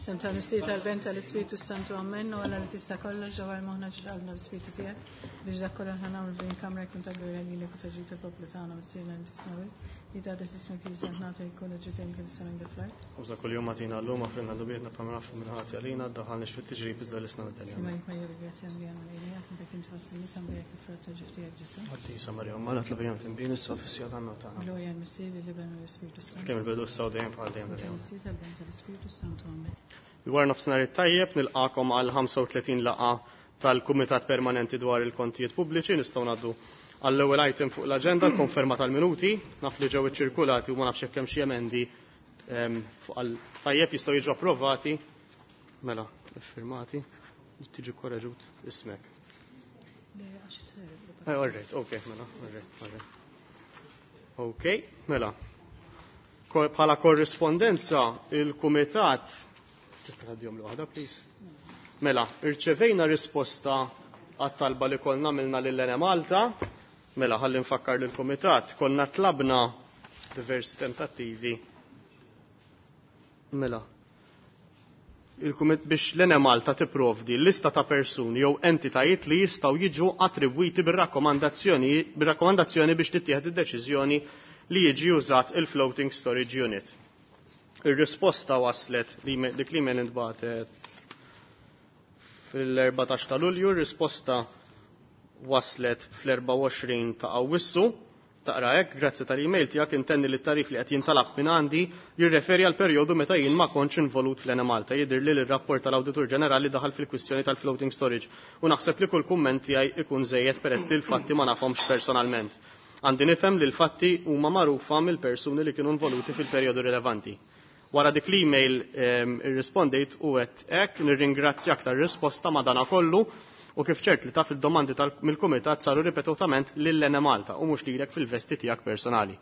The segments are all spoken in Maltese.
Sem tal-Missier tal-Ben tal-Ispiritu Santu Amen u Alla li tista' kollox ġewwa moħħna ġralna b'Spiritu tiegħek biex dak kollha aħna nagħmlu f'din kamra jkun ta' glorja lilek u ta' ġid il-poplu tagħna Missierna li fis-smewwiet li tgħadda tismek li nagħta jkun ġitem kif is-sema fl-art. Uża kull-jum għatina l-lum għafrilna dubietna bħalma nafu minn ħati għalina, daħalniex fit-tiġrib iżda l-isna mid-delja. Sima jekk grazzja li għamel lejli għak dak inti fost in-nisa mberek il-frott ta' ġuf tiegħek Ġesù. Qaddisa Marija, Ommana tlab timbin issa fis-siegħa tagħna tagħna. Glorja l-Missier, l-Iben u l-Ispiritu Santu. Kemm il-bidu s dejjem bħal dejjem dejjem. Tal-Missier tal-Ben tal-Ispiritu Santu. Amen. Dwar nofsinhar it-tajjeb nilqakom għal 35 laqa tal-Kumitat Permanenti dwar il-Kontijiet Pubbliċi nistgħu ngħaddu għall-ewwel item fuq l-aġenda l-konferma tal-minuti naf li ġew iċċirkulati u ma nafx hekk hemm xi emendi fuq għal tajjeb jistgħu jiġu approvati mela iffirmati tiġi korreġut ismek. All right, okay, mela, all right, all right. Okay, mela. Bħala korrispondenza il-Kumitat tista' tgħaddihom l-waħda, please. Mela, irċevejna risposta għat-talba li konna għamilna lil Malta. Mela, ħalli nfakkar lill-Kumitat, konna tlabna diversi tentattivi. Mela, biex l-Enemalta tipprovdi lista ta' persuni jew entitajiet li jistgħu jiġu attribwiti bir-rakkomandazzjoni biex tittieħed id-deċiżjoni li jiġi użat il-floating storage unit. Ir-risposta waslet li dik li men intbagħtet fil-14 ta' Lulju, ir-risposta waslet fl-24 ta' Awwissu. Taqra hekk, grazzi tal-email tiegħek intenni li t-tarif li qed jintalab minn għandi jirreferi għal perjodu meta jien ma kontx involut fl-Enemalta. Jidher li l-rapport tal-Awditur Ġenerali daħal fil-kwistjoni tal-floating storage u naħseb li kull kumment tiegħi ikun żejjed peress li l-fatti ma nafhomx personalment. Għandi nifhem li l-fatti huma magħrufa mill-persuni li kienu involuti fil-perjodu rilevanti. Wara dik l-email irrispondejt u għedt hekk nirringrazzjak tar-risposta ma dana kollu u kif ċert li taf il-domandi mill-Kumitat saru ripetutament lil Enemalta u mhux lilek fil-vesti tiegħek personali.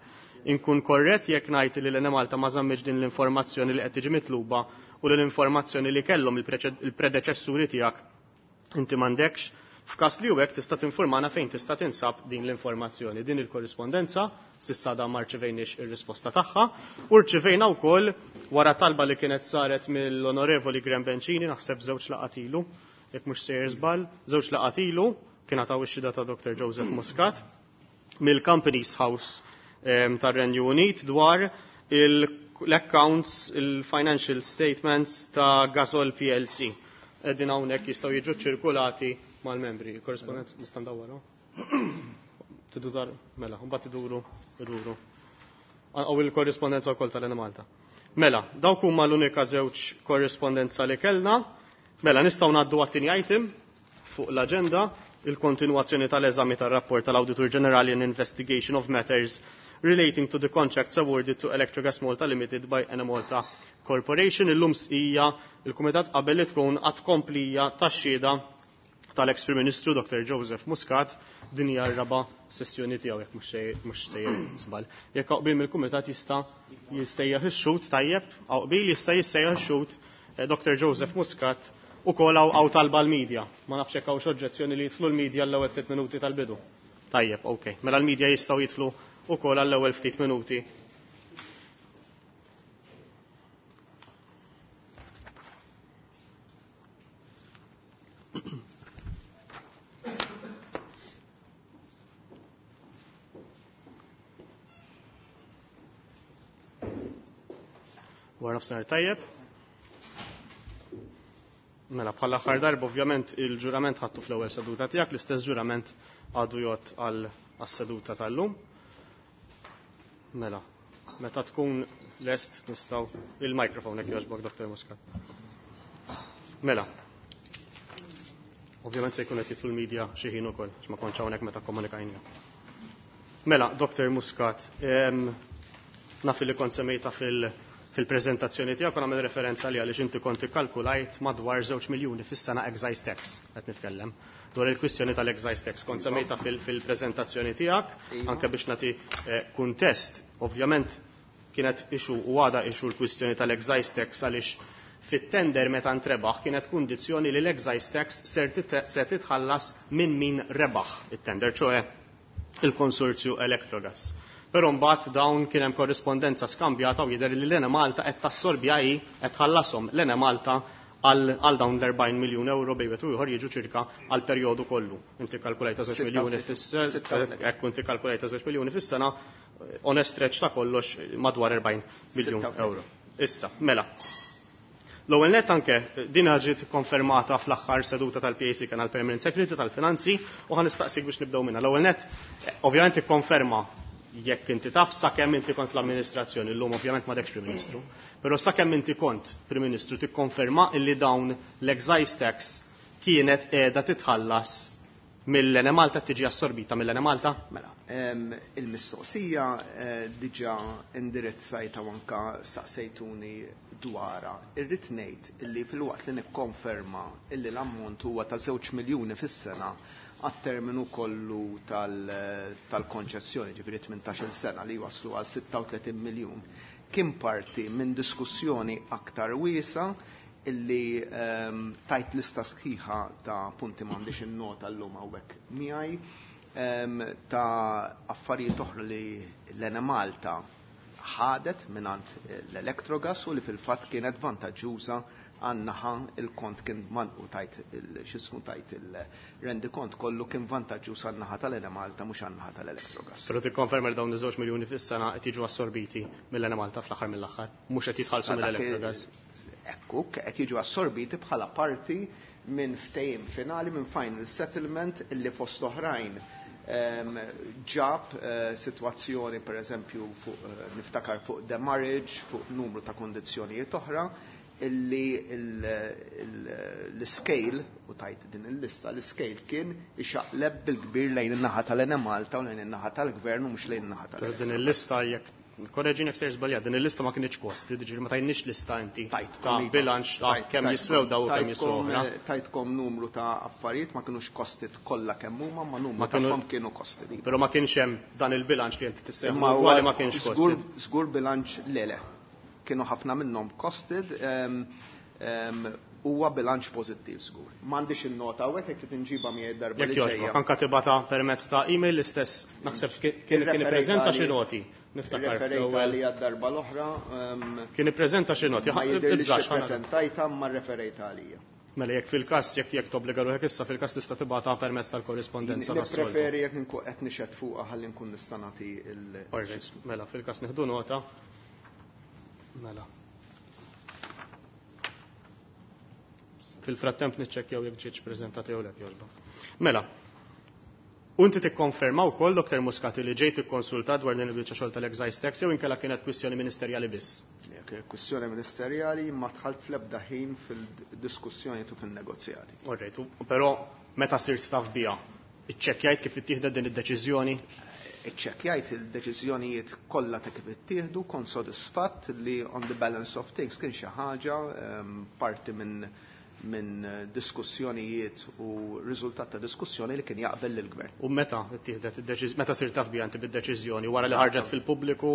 Inkun korrett jekk ngħid li l-Enemalta ma żammitx din l-informazzjoni li qed tiġi mitluba u li l-informazzjoni li kellhom il-predeċessuri tiegħek inti m'għandekx. F'każ li hekk tista' tinformana fejn tista' tinsab din l-informazzjoni. Din il-korrispondenza s'issa da ma rċevejniex ir-risposta tagħha u rċevejna wkoll wara talba li kienet saret mill-Onorevoli Graham Bencini naħseb żewġ laqgħat ilu, jekk mhux sejjer żball, żewġ laqgħat ilu kien għataw ix-xhieda ta' Dr. Joseph Muscat mill-Companies House tar-Renju Unit dwar l-accounts, il-financial statements ta' Gasol PLC. Qegħdin hawnhekk jistgħu jiġu ċirkulati mal-membri. Il-korrespondenza nista' ndawwarha? Tidu dar, mela, mbagħad iduru, iduru. Għaw il-korrispondenza wkoll tal-Enemalta. Mela, dawk huma l-unika żewġ korrispondenza li kellna. Mela, nistgħu ngħaddu għat-tieni item fuq l-aġenda, il-kontinwazzjoni tal-eżami tar-rapport tal-Awditur Ġenerali in Investigation of Matters relating to the contracts awarded to Electrogas Malta Limited by Enemalta Corporation. Illum hija il-Kumitat qabel li tkun għad komplija tax-xhieda tal-ex Prim Ministru Dr. Joseph Muscat din hija r-raba' sessjoni tiegħu jekk mhux sejjer żball. Jekk qbil mill-Kumitat jista' jissejjaħ ix-xhud tajjeb, qbil jista' jissejjaħ ix-xhud Dr. Joseph Muscat ukoll hawn talba l-medja. Ma nafx hekk hawnx oġġezzjoni li jidħlu l-medja l-ewwel ftit minuti tal-bidu. Tajjeb, ok. Mela l-medja jistgħu jidħlu ukoll għall-ewwel ftit minuti. Wara nofsinhar tajjeb. Mela bħal aħħar darba ovvjament il-ġurament ħadtu fl-ewwel seduta tiegħek, l-istess ġurament għadu jgħod għal seduta tal-lum. Mela, meta tkun lest nistgħu il-mikrofon hekk jogħġbok Dr. Muscat. Mela. Ovvjament se jkun qed jidħlu l-medja xi ħin ukoll, għax ma kontx hawnhekk meta komunikajna. Mela, Dr. Muscat, naf li kont semmejta fil-preżentazzjoni tiegħek u nagħmel referenza li għaliex inti kont ikkalkulajt madwar 2 miljuni fis-sena excise tax qed nitkellem dwar il-kwistjoni tal-excise tax. Kont semmejta fil-preżentazzjoni tiegħek, anke biex nagħti kuntest, ovvjament kienet issue u għada issue l-kwistjoni tal-excise tax għaliex fit-tender meta ntrebaħ kienet kundizzjoni li l-excise tax ser titħallas minn min rebaħ it-tender, ċoe il-konsorzju Electrogas. Però mbagħad dawn kien hemm korrispondenza skambjata u jidher li l-Enemalta qed tassorbja hi qed tħallashom l-Enemalta għal dawn l-40 miljun euro bejn wieħed u ieħor jiġu ċirka għal perjodu kollu. Inti kalkulajta 2 miljuni fis-sena, hekk inti kalkulajta 2 miljuni fis-sena, on a stretch ta' kollox madwar 40 miljun euro. Issa, mela. L-ewwel nett anke din ġiet konfermata fl-aħħar seduta tal-PAC kien għall-Permanent Secretary tal-Finanzi u ħa nistaqsik biex nibdew minnha. L-ewwel nett ovvjament ikkonferma jekk inti taf sakemm inti kont fl-amministrazzjoni, llum ovvjament m'għadekx Prim Ministru, però sakemm inti kont Prim Ministru tikkonferma illi dawn l-excise tax kienet qiegħda titħallas mill-Enemalta, tiġi assorbita mill-Enemalta? Mela, il-mistoqsija diġà indirizzajta u anka staqsejtuni dwarha. Irrid ngħid illi filwaqt li nikkonferma illi l-ammont huwa ta' 2 miljuni fis-sena għat-terminu kollu tal-konċessjoni, ġifieri 18-il sena li waslu għal 36 miljun, kien parti minn diskussjoni aktar wiesa illi tajt lista sħiħa ta' punti m'għandix in-nota llum hawnhekk miegħi, ta' affarijiet oħra li l-Enemalta ħadet mingħand l-Electrogas u li fil-fatt kienet vantaġġuża għan-naħa il-kont kien u tajt x'ismu tajt il-rendikont kollu kien vantaġġuż għan-naħa tal-Enemalta mhux għan-naħa tal-Electrogas. Però tikkonferma li dawn iż-2 miljuni fis-sena qed jiġu assorbiti mill-Enemalta fl-aħħar mill-aħħar, mhux qed jitħallsu mill-Electrogas. Ekku, qed jiġu assorbiti bħala parti minn ftehim finali, minn final settlement illi fost oħrajn ġab sitwazzjoni per eżempju fuq niftakar fuq demurrage, fuq numru ta' kondizzjonijiet oħra, illi l-scale, u tajt din il-lista, l-scale kien ixaqleb bil-kbir lejn in-naħa tal-Enemalta u lejn in-naħa tal-Gvern u mhux lejn in-naħa tal Din il-lista jekk korreġini jekk sejr żbaljat, din il-lista ma kienx kosti, ġifieri ma tajniex lista inti ta' bilanċ ta' kemm jiswew daw u kemm jiswew oħra. Tajtkom numru ta' affarijiet ma kinux costed kollha kemm huma, ma numru tagħhom kienu costed. Però ma kienx hemm dan il-bilanċ li inti tissejjaħ ugwali ma kienx costed. Żgur bilanċ le le. Kienu ħafna minnhom costed, huwa bilanċ pożittiv żgur. M'għandix in-nota hawnhekk jekk trid inġibha miegħi darba li ġejja. Jekk anke tibgħatha permezz ta' email l-istess naħseb kien ippreżenta xi noti. Niftakar fl-ewwel. Li għad-darba l-oħra. Kien ippreżenta xi noti. Ma jidhirlix ippreżentajtha ma rreferejtha għalija. Mela jekk fil-każ jekk jekk tobbliga ruħek issa fil-każ tista' tibgħatha permezz tal-korrispondenza tas-soltu. Nippreferi jekk inkun qed nixhed fuqha ħalli nkun nista' nagħti il. Mela fil-każ nieħdu nota. Mela. Fil-frattemp niċċekkjaw jekk ġietx preżentata jew le jogħġbok. Mela, u inti tikkonferma wkoll Dr. Muscat li ġejt ikkonsultat dwar din il-biċċa xogħol tal-excise tax jew inkella kienet kwistjoni ministerjali biss? Kienet kwistjoni ministerjali ma dħalt fl-ebda ħin fil-diskussjoni u fin-negozjati. Alright, però meta sirt taf biha, iċċekkjajt kif ittieħdet din id-deċiżjoni? Iċċekkjajt il-deċiżjonijiet kollha ta' kif ittieħdu, kont sodisfatt li on the balance of things kien xi ħaġa parti minn diskussjonijiet u riżultat ta' diskussjoni li kien jaqbel lill-gvern. U meta ittieħdet id-deċiż-, meta sirt taf biha inti bid-deċiżjoni wara li ħarġet fil-pubbliku?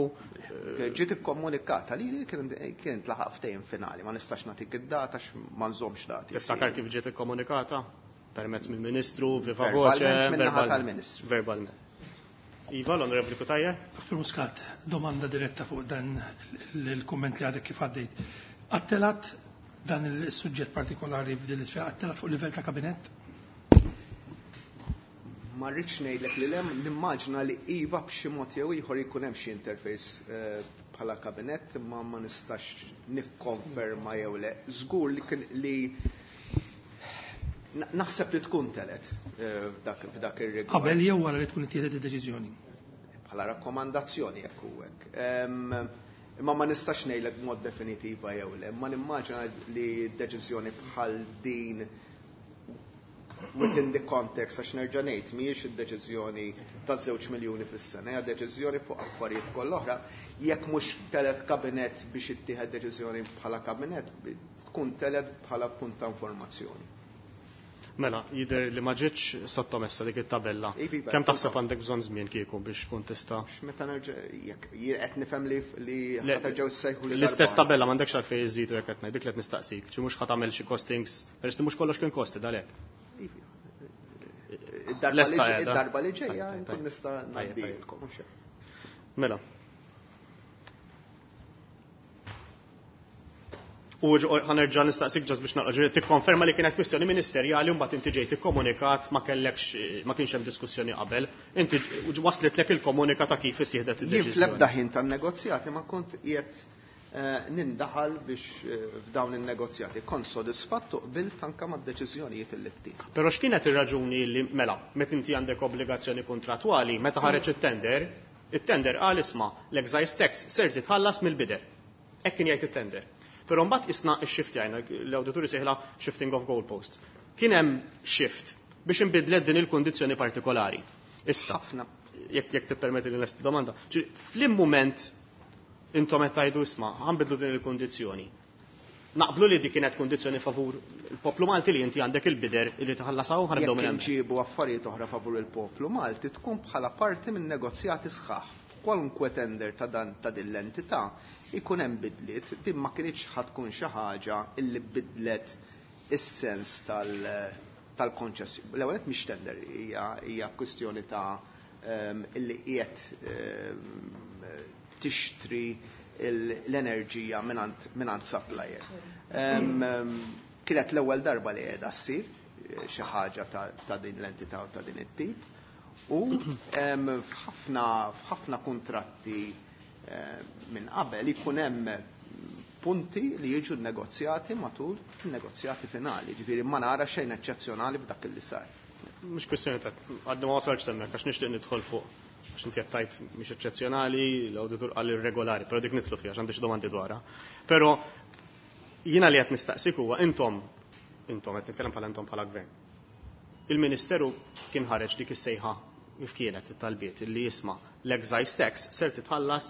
Ġiet ikkomunikata li kien tlaħaq ftehim finali, ma nistax nagħtik id-data ma nżommx dati. Tiftakar kif ġiet ikkomunikata? Permezz mill-Ministru, viva voce, verbalment tal-Ministru. Verbalment. Iva, l-Onorevoli Cutajar. Dr. Muscat, domanda diretta fuq dan il-kumment li għadek kif għaddejt. Għattelat dan il-suġġett partikolari f'din l-isfera, għattelat fuq livell ta' kabinett? Ma rridx ngħidlek li lem, nimmaġina li iva b'xi mod jew ieħor jkun hemm xi interface bħala kabinett, imma ma nistax nikkonferma jew le. Żgur li kien li naħseb li tkun telet f'dak ir-rigward. Qabel jew wara li tkun ittieħdet id-deċiżjoni? Bħala rakkomandazzjoni jekk hu hekk. Imma ma nistax ngħidlek b'mod definitiva jew le, ma nimmaġina li deċiżjoni bħal din within the context, għax nerġa' ngħid mhijiex id-deċiżjoni ta' 2 miljuni fis-sena, hija deċiżjoni fuq affarijiet kollha oħra. Jekk mhux telet kabinett biex ittieħed deċiżjoni bħala kabinett, tkun telet bħala punt ta' informazzjoni. Mela, jidher li ma ġietx sottomessa dik it-tabella. Kemm taħseb għandek bżonn żmien kieku biex tkun tista'? Meta nerġa' jekk qed nifhem li ħaterġgħu ssejħu li L-istess tabella m'għandekx għalfejn iżidu jekk qed ngħid, dik li qed nistaqsik, xi mhux ħa tagħmel xi costings, peress li mhux kollox kien costed għalhekk. Id-darba li ġejja nkun nista' ngħaddilkom. Mela. U ħa nerġa' nistaqsik just biex naqra, tikkonferma li kienet kwistjoni ministerjali u mbagħad inti ġejt ikkomunikat, ma kellekx, ma kienx hemm diskussjoni qabel. Inti waslitlek il-komunika ta' kif ittieħdet Jien id-deċiżjoni. Fl-ebda ħin tan-negozjati ma kont qiegħed nindaħal biex f'dawn in-negozjati. Kont sodisfatt u qbilt anke mad-deċiżjonijiet li ttieħdu. Però x'kienet ir-raġuni li, mela, meta inti għandek obbligazzjoni kontrattwali, meta ħareġ it-tender, it-tender qal, isma', l-excise tax ser titħallas mill-bidder. Hekk kien jgħid it-tender. Però mbagħad isna x-shift jgħidna, l-awdituri sejħla shifting of goalposts. Kien hemm shift biex inbidlet din il-kundizzjoni partikolari. Issa, Ħafna. jekk tippermetti li nlesti domanda, fl-mument intom qed tgħidu, isma', ħa nbiddlu din il-kundizzjoni. Naqblu li dik kienet kundizzjoni favur il-poplu Malti li inti għandek il-bidder li tħallasaw, ħa nibdew Jekk minn hemmhekk. inġibu affarijiet oħra favur il-poplu Malti, tkun bħala parti minn negozjati sħaħ. Kwalunkwe tender ta' dan ta' din l-entità ikun hemm bidliet, din ma kienx ħa tkun xi ħaġa illi bidlet is-sens tal-konċessjoni. L-ewwel qed mhix tender, hija kwistjoni ta' illi qiegħed tixtri l-enerġija minant supplier. Kienet l-ewwel darba li qiegħda ssir xi ħaġa ta' din l-entità u ta' din it-tip. U f'ħafna kontratti minn qabel ikun hemm punti li jiġu negozjati matul il-negozjati finali. Ġifieri ma nara xejn eċċezzjonali f'dak li sar. Mhux kwestjoni ta' għadni ma wasalx hemmhekk għax nixtieq nidħol fuq. Għax inti qed tgħid mhix eċċezzjonali, l-awditur qal irregolari, però dik nidħlu fiha għax għandi xi domandi dwarha. Però jiena li qed nistaqsik huwa intom, qed nitkellem bħala intom bħala gvern. Il-Ministeru kien ħareġ dik is-sejħa kif kienet it-talbiet li jisma' l-excise tax ser titħallas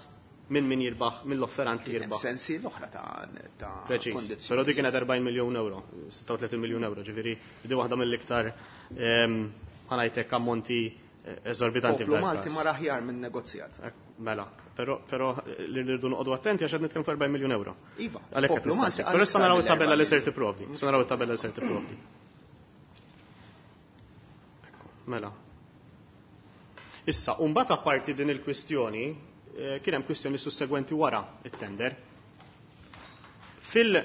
minn min jirbaħ, mill-offerant li Kien hemm jirbaħ. Sensi l-oħra ta' Preċiż. kondizzjoni. Però dik kienet 40 miljun euro, 36 miljun euro, ġifieri di waħda mill-iktar ħa ngħidlek ammonti eżorbitanti Poplu f'dan Malti il-każ. ma raħjar minn negozjat. Mela, però li rridu noqogħdu attenti għax qed nitkellmu fuq 40 miljun euro. Iva, Għalhekk qed poplu Malti nistaqsik. Però issa għal naraw iktar it-tabella li mill-40 ser tipprovdi. Issa naraw it-tabella li ser tipprovdi. Ekku, mela. Issa, u mbagħad apparti din il-kwistjoni, kien hemm kwistjoni sussegwenti wara it-tender. Fil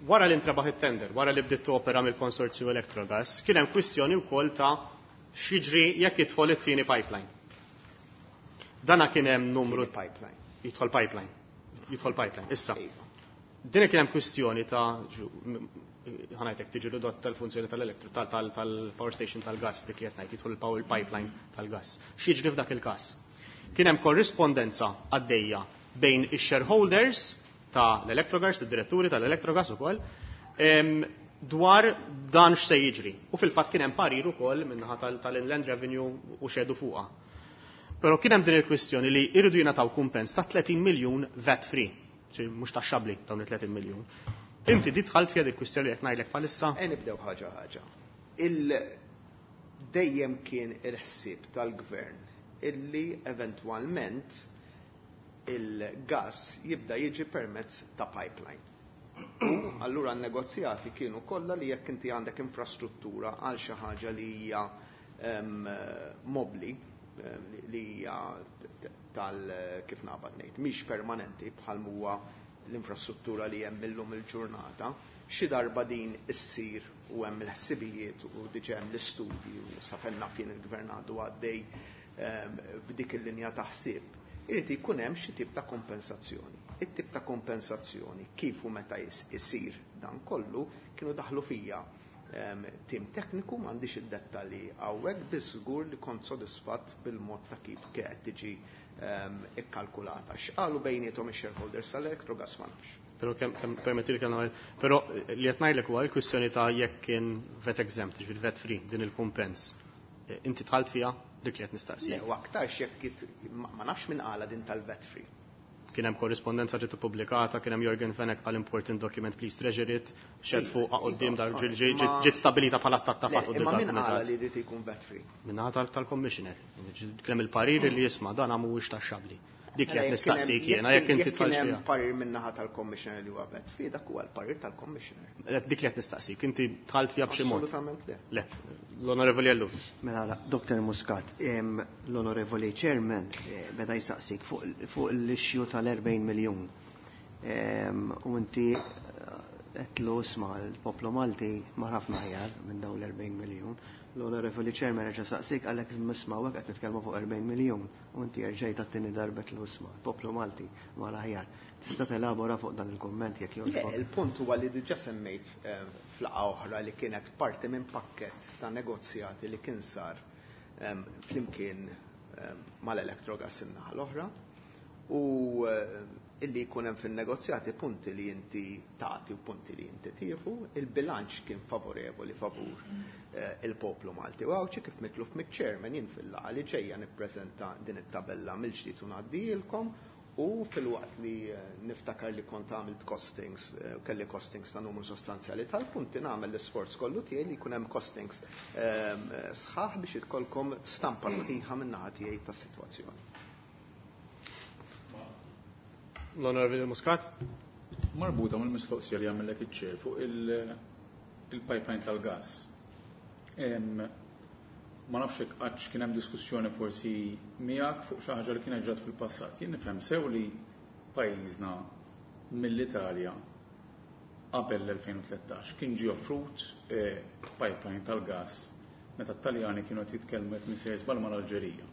wara li intrabaħ it-tender, wara li bdiet opera mill-konsorzju Electrogas, kien hemm kwistjoni wkoll ta' x'jiġri jekk jidħol it-tieni pipeline. Dana kien hemm numru Tieni pipeline. Jidħol pipeline. Jidħol pipeline. Issa. Iva. Din kien hemm kwistjoni ta' ħa ngħidlek tiġi ridotta tal-funzjoni tal-elektro tal-power station tal-gas, dik li qed ngħid jidħol il-power pipeline tal-gas. X'jiġri f'dak il-każ? Kien hemm korrispondenza għaddejja bejn ix-shareholders ta' l-Electrogas, id-diretturi tal-Electrogas ukoll, dwar dan x'se jiġri. U fil-fatt kien hemm parir ukoll min-naħa tal-Inland Revenue u xedu fuqha. Però kien hemm din il-kwistjoni li jridu jingħataw kumpens ta' 30 miljun VAT free, ċi mhux taxxabbli dawn it-30 miljun. Inti di dħalt fiha dik kwistjoni jekk ngħidlek bħalissa? E nibdew ħaġa ħaġa. Dejjem kien il-ħsieb tal-gvern illi eventwalment il-gas jibda jiġi permezz ta' pipeline. U allura n-negozjati kienu kollha li jekk inti għandek infrastruttura għal xi ħaġa li hija mobli, li hija tal kif naqbad ngħid, mhix permanenti bħal huwa l-infrastruttura li hemm illum il-ġurnata, xi darba din issir u hemm il-ħsibijiet u diġà hemm l-istudji u sa fejn naf jien il-gvern għadu għaddej b'dik il-linja ta' ħsieb, irid jkun hemm xi tip ta' kompensazzjoni. It-tip ta' kompensazzjoni kif u meta isir dan kollu kienu daħlu fija tim tekniku, m'għandix id-dettalji hawnhekk, biss żgur li kont sodisfatt bil-mod ta' kif qed tiġi ikkalkulata. X'qalu bejniethom ix-shareholders tal-Electrogas ma nafx. Però kemm permetti li kellna, però li qed ngħidlek huwa l-kwistjoni ta' jekk kien VAT exempt, ġifieri VAT free din il-kumpens. Inti dħalt fiha dik li qed nistaqsi. Le, u aktarx jekk ma nafx min qala din tal-VAT free. Kien hemm korrispondenza ġiet ippubblikata, kien hemm Yorgen Fenech għal important document, please treasure it, xed fuq quddiem dar ġiet stabilita bħala stat ta' Le, fatt quddiem imma min tal-kumitat. qala li jrid ikun VAT free? Min-naħa tal-commissioner. Kien hemm il-parir li jisma' dan mhuwiex taxxabbli. Dik li qed nistaqsik jiena jekk inti tħallx fiha. Parir min-naħa tal-Commissioner li huwa vet fi dak huwa l-parir tal-Commissioner. Dik li qed nistaqsik, inti dħalt fiha b'xi mod. Assolutament le. Le. L-Onorevoli Ellul. Mela, Dr. Muscat, l-Onorevoli Chairman beda jsaqsik fuq l-issue tal-40 miljun. U inti għedtlu isma' l-poplu Malti mar ħafna aħjar minn dawn l-40 miljun. L-Onorevoli Chairman reġa' saqsik għalhekk isma' hawnhekk qed nitkellmu fuq 40 miljun u inti erġajt għat-tieni darba għedtlu isma' l-poplu Malti mar aħjar. Tista' telabora fuq dan il-kumment jekk jogħġbok? Le, il-punt huwa li diġà semmejt f'laqgħa oħra li kienet parti minn pakkett ta' negozjati li kien sar flimkien mal-Electrogas in-naħa l-oħra u illi jkun hemm fin-negozjati punti li inti tagħti u punti li inti tieħu, il-bilanċ kien favorevoli favur il-poplu Malti u Għawdxi kif mitluf miċ-chairman jien fil-laqgħa li ġejja nippreżenta din it-tabella mill-ġdid u ngħaddilkom u filwaqt li niftakar li kont għamilt costings, kelli costings ta' numru sostanzjali tal-punti nagħmel l-isforz kollu tiegħi li jkun hemm costings sħaħ biex ikollkom stampa sħiħa min-naħa tiegħi tas-sitwazzjoni. L-Onorevoli Muscat. Marbuta mal-mistoqsija li għamillek iċ-chair fuq il-pipeline tal-gas. Ma nafx hekk qattx kien hemm diskussjoni forsi miegħek fuq xi ħaġa li kienet ġrat fil-passat. Jien nifhem sew li pajjiżna mill-Italja qabel l-2013 kien ġie offrut pipeline tal-gas meta t-Taljani kienu qed jitkellmu jekk m'iniex żball mal-Alġerija.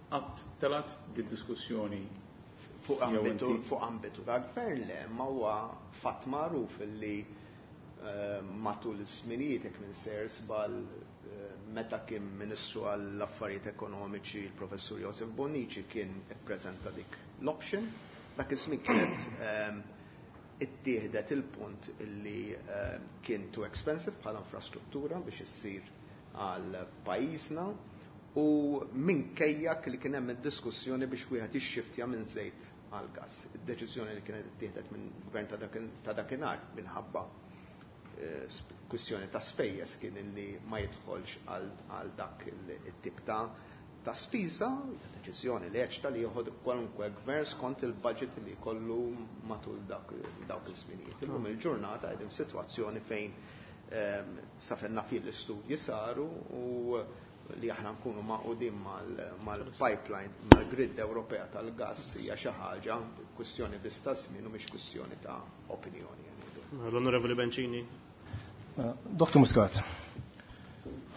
Qatt telgħet di diskussjoni Fuq ambitu, fuq ambitu ta' gvern le, ma huwa fatt magħruf li matul iż-żminijiet jekk m'iniex sejjer żball meta kien Ministru għall-Affarijiet Ekonomiċi il-Professur Josef Bonnici kien ippreżenta dik l-option. Dak iż-żmien kienet ittieħdet il-punt illi kien too expensive bħala infrastruttura biex issir għal pajjiżna u minkejja li kien hemm id-diskussjoni biex wieħed jixxiftja minn żejt għal gas. Id-deċiżjoni li kienet ittieħdet minn gvern ta' dakinhar minħabba kwistjoni ta' spejjeż kien illi ma jidħolx għal dak it-tip ta' spiża, deċiżjoni li eċta li joħod kwalunkwe gvern skont il-budget li jkollu matul dawk il-żminijiet. Illum il-ġurnata qegħdin f'sitwazzjoni fejn sa fejn naf l-istudji saru u li aħna nkunu magħqudin mal-pipeline, mal-grid Ewropea tal-gas hija xi ħaġa kwistjoni biss ta' żmien u mhix kwistjoni ta' opinjoni. L-Onorevoli Bencini. Dr. Muscat,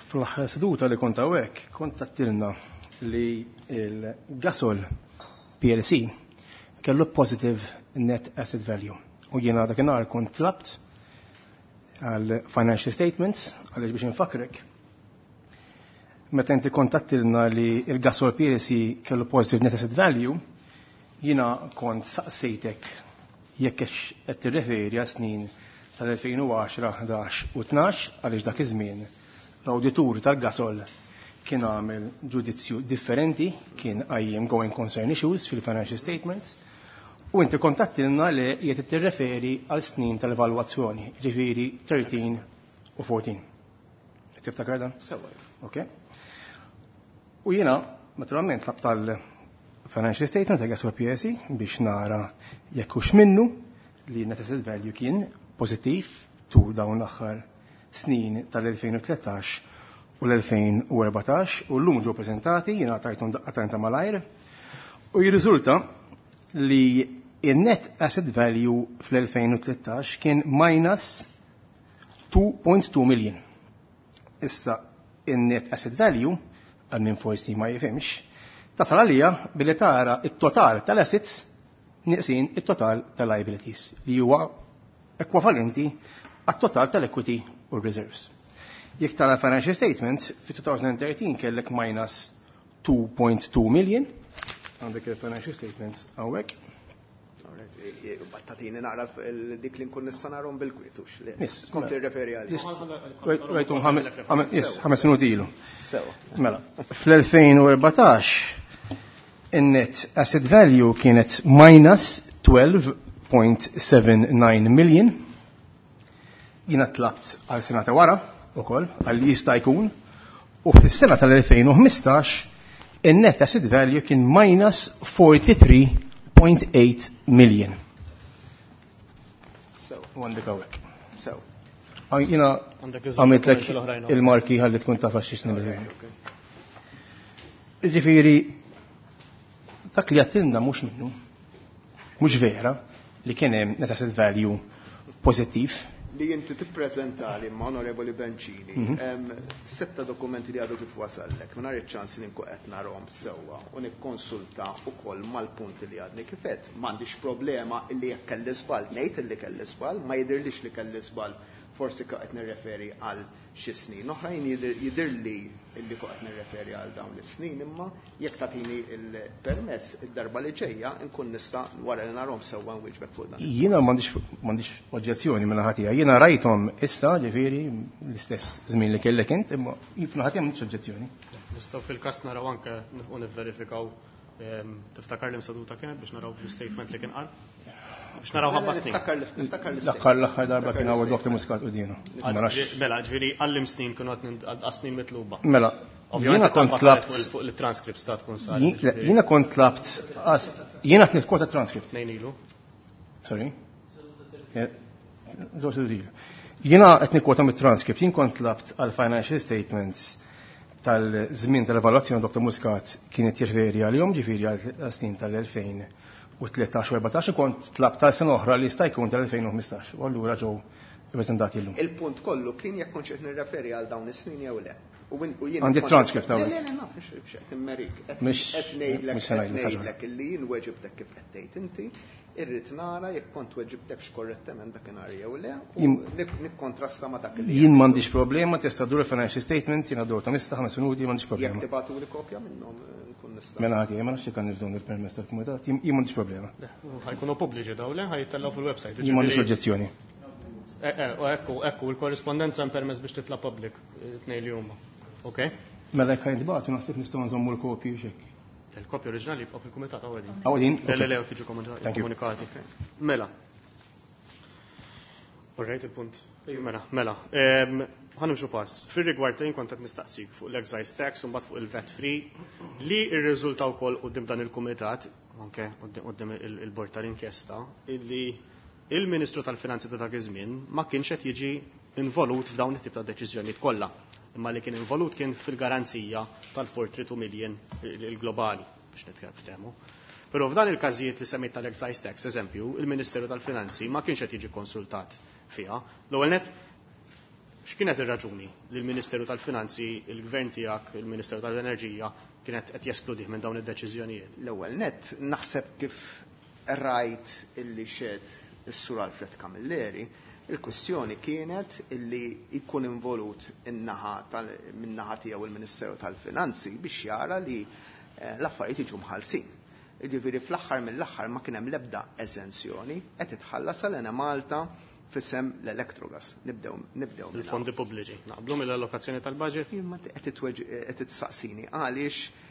fl-aħħar seduta li kont hawnhekk kont għedtilna li il-Gasol PLC kellu positive net asset value. U jiena dakinhar kont tlabt għal financial statements għaliex biex infakrek. Meta inti kont għedtilna li il-Gasol PLC kellu positive net asset value, jiena kont saqsejtek jekk qed tirreferi għal snin tal-2010, 11 u 12 għaliex dak iż-żmien l-awditur tal-Gasol kien għamel ġudizzju differenti, kien qajjem going concern issues fil-financial statements, u inti kont għedtilna li qiegħed tirreferi għal snin tal-evalwazzjoni, ġifieri 13 u 14. Tiftakar dan? Sewa. Ok. U jiena, naturalment, tlabt tal-financial statement ta' Gasol PLC biex nara jekk hux minnu li net asset value kien pożittiv tul dawn l-aħħar snin tal-2013 u l-2014 u l-lum ġew prezentati, jiena tajthom daqqa ta' malajr, u jirriżulta li il-net asset value fl-2013 kien minus 2.2 million. Issa, il-net asset value, għal min forsi ma jifhimx, tasal għalija billi tara il-total tal-assets neqsin il-total tal-liabilities li huwa ekwivalenti għat-total tal-equity u reserves. Jekk tara financial statement, fi 2013 kellek minus 2.2 million, għandek il-financial statements hawnhekk. Battatini naqra dik li nkun nista' narhom bil-kwietux. Yes, Kont tirreferi għalih. Rajtum 5 minuti ilu. Sewa. Mela, fl-2014 in-net asset value kienet minus 12.79 million. Jiena tlabt għal sena ta' wara ukoll għal li jista' jkun u fis-sena tal-2015 In-net asset value kien minus 43.8 million. U għandek hawnhekk. So. Jiena għamiltlek il-marki ħalli tkun taf għax Ġifieri dak li għattilna mhux minnu, mhux vera li kien hemm net asset value pożittiv. Li inti tippreżentali ma' Onorevoli Bencini, setta dokumenti li għadu kif wasallek, mingħajr iċ-ċans li nkun qed narahom sewwa u nikkonsulta wkoll mal-punti li għadni kif għedt. M'għandix problema illi jekk kelli żball ngħid illi kelli żball, ma jidhirlix li kelli żball, forsi qed nirreferi għal xi snin oħrajn, jidhirli illi qed nirreferi għal dawn is-snin, imma jekk tagħtini il-permess id-darba li ġejja nkun nista' wara li narhom sewwa nwieġbek fuq dan. Jiena m'għandix oġġezzjoni minn naħa tiegħi. Jiena rajthom issa, ġifieri l-istess żmien li kellek int, imma f'naħa tiegħi m'għandix oġġezzjoni. Nistgħu fil-każ naraw anke u nivverifikaw, tiftakar li msaduta kienet biex naraw l-statement li kien qal? Biex naraw ħabba snin. Niftakar li L-aħħar darba kien hawn Dr. Muscat qudienu. Mela, ġifieri għallim snin kienu għad snin mitluba. Mela, Ovvjament jiena kont talba saret tlabt fuq il-transcripts ta' tkun saret, ġifieri. Jiena kont tlabt jiena qed nitkwota transcript. Tnejn ilu. Sorry. Żewġ ilu. Jiena qed nikkwota mit-transcript, jien kont tlabt għal financial statements tal-żmien tal-evalwazzjoni Dr. Muscat kienet jirreferi għalihom, ġifieri għal snin tal-2013 u 14, kont tlabt tal sena oħra li jista' jkun tal-2015, u allura ġew ippreżentati llum. Il-punt kollu kien jekk kontx qed nirreferi għal dawn is-snin jew le. U jien Għandi kont transcript Le, hawnhekk. le, le, naf, mhux qed immerik. Mhux Qed se ngħidlek ħaġa. ngħidlek illi jien weġibtek kif qed tgħid inti, irrid nara jekk kont weġibtekx korrettament dakinhar jew le, u nikkontrasta ma' dak li Jien qed. m'għandix problema, tista' dur il-financial statement, jiena dur ta' mista 5 minuti, m'għandix problema. Jekk tibgħatuli kopja minnhom nkun nista'. Mela ħati, ma nafx jekk għandi bżonn il-permess tal-kumitat, jien m'għandix problema. Le, ħajkunu pubbliċi daw, le, ħajtellgħu fil-website, Jien m'għandix ġifieri oġġezzjoni. U ekku, il-korrispondenza hemm permess biex titla' public, tnejn li huma. Ok? Mela jekk ħajntbagħtu naħseb nistgħu nżommu l-kopji u x'hekk. Il-kopji oriġinali jibqgħu fil-kumitat hawn. Hawn? Le, le, le, jiġu Thank you. komunikati. Mela. All right, il-punt. Mela, mela. Ħa nimxu pass. Fir-rigward jien kont qed nistaqsik fuq l-excise tax u mbagħad fuq il-VAT free li rriżulta wkoll quddiem dan il-kumitat, anke quddiem il-bord tal-inkjesta, illi il-Ministru tal-Finanzi ta' dak iż-żmien ma kienx qed jiġi involut f'dawn it-tip ta' deċiżjonijiet kollha. Imma li kien involut kien fil-garanzija tal-42 million il-globali biex nitkellmu. Però f'dan il-każijiet li semmejt tal-excise tax, eżempju, il-Ministeru tal-Finanzi ma kienx qed jiġi konsultat fiha. L-ewwel net, x'kienet ir-raġuni li l-Ministeru tal-Finanzi, il-Gvern tiegħek, il-Ministeru tal-Enerġija kienet qed jeskludih minn dawn id-deċiżjonijiet? L-ewwel net, naħseb kif rajt illi xed is-Sur Alfred Camilleri, il-kwestjoni kienet illi jkun involut min-naħa tiegħu il-Ministeru tal-Finanzi biex jara li l-affarijiet jiġu mħallsin. Jiġifieri fl-aħħar mill-aħħar ma kien hemm l-ebda eżenzjoni qed titħallas għal Enemalta fisem l-Electrogas. Nibdew minn Il-fondi pubbliċi. Naqblu mill-allokazzjoni tal-budget? Jien ma qed titsaqsini għaliex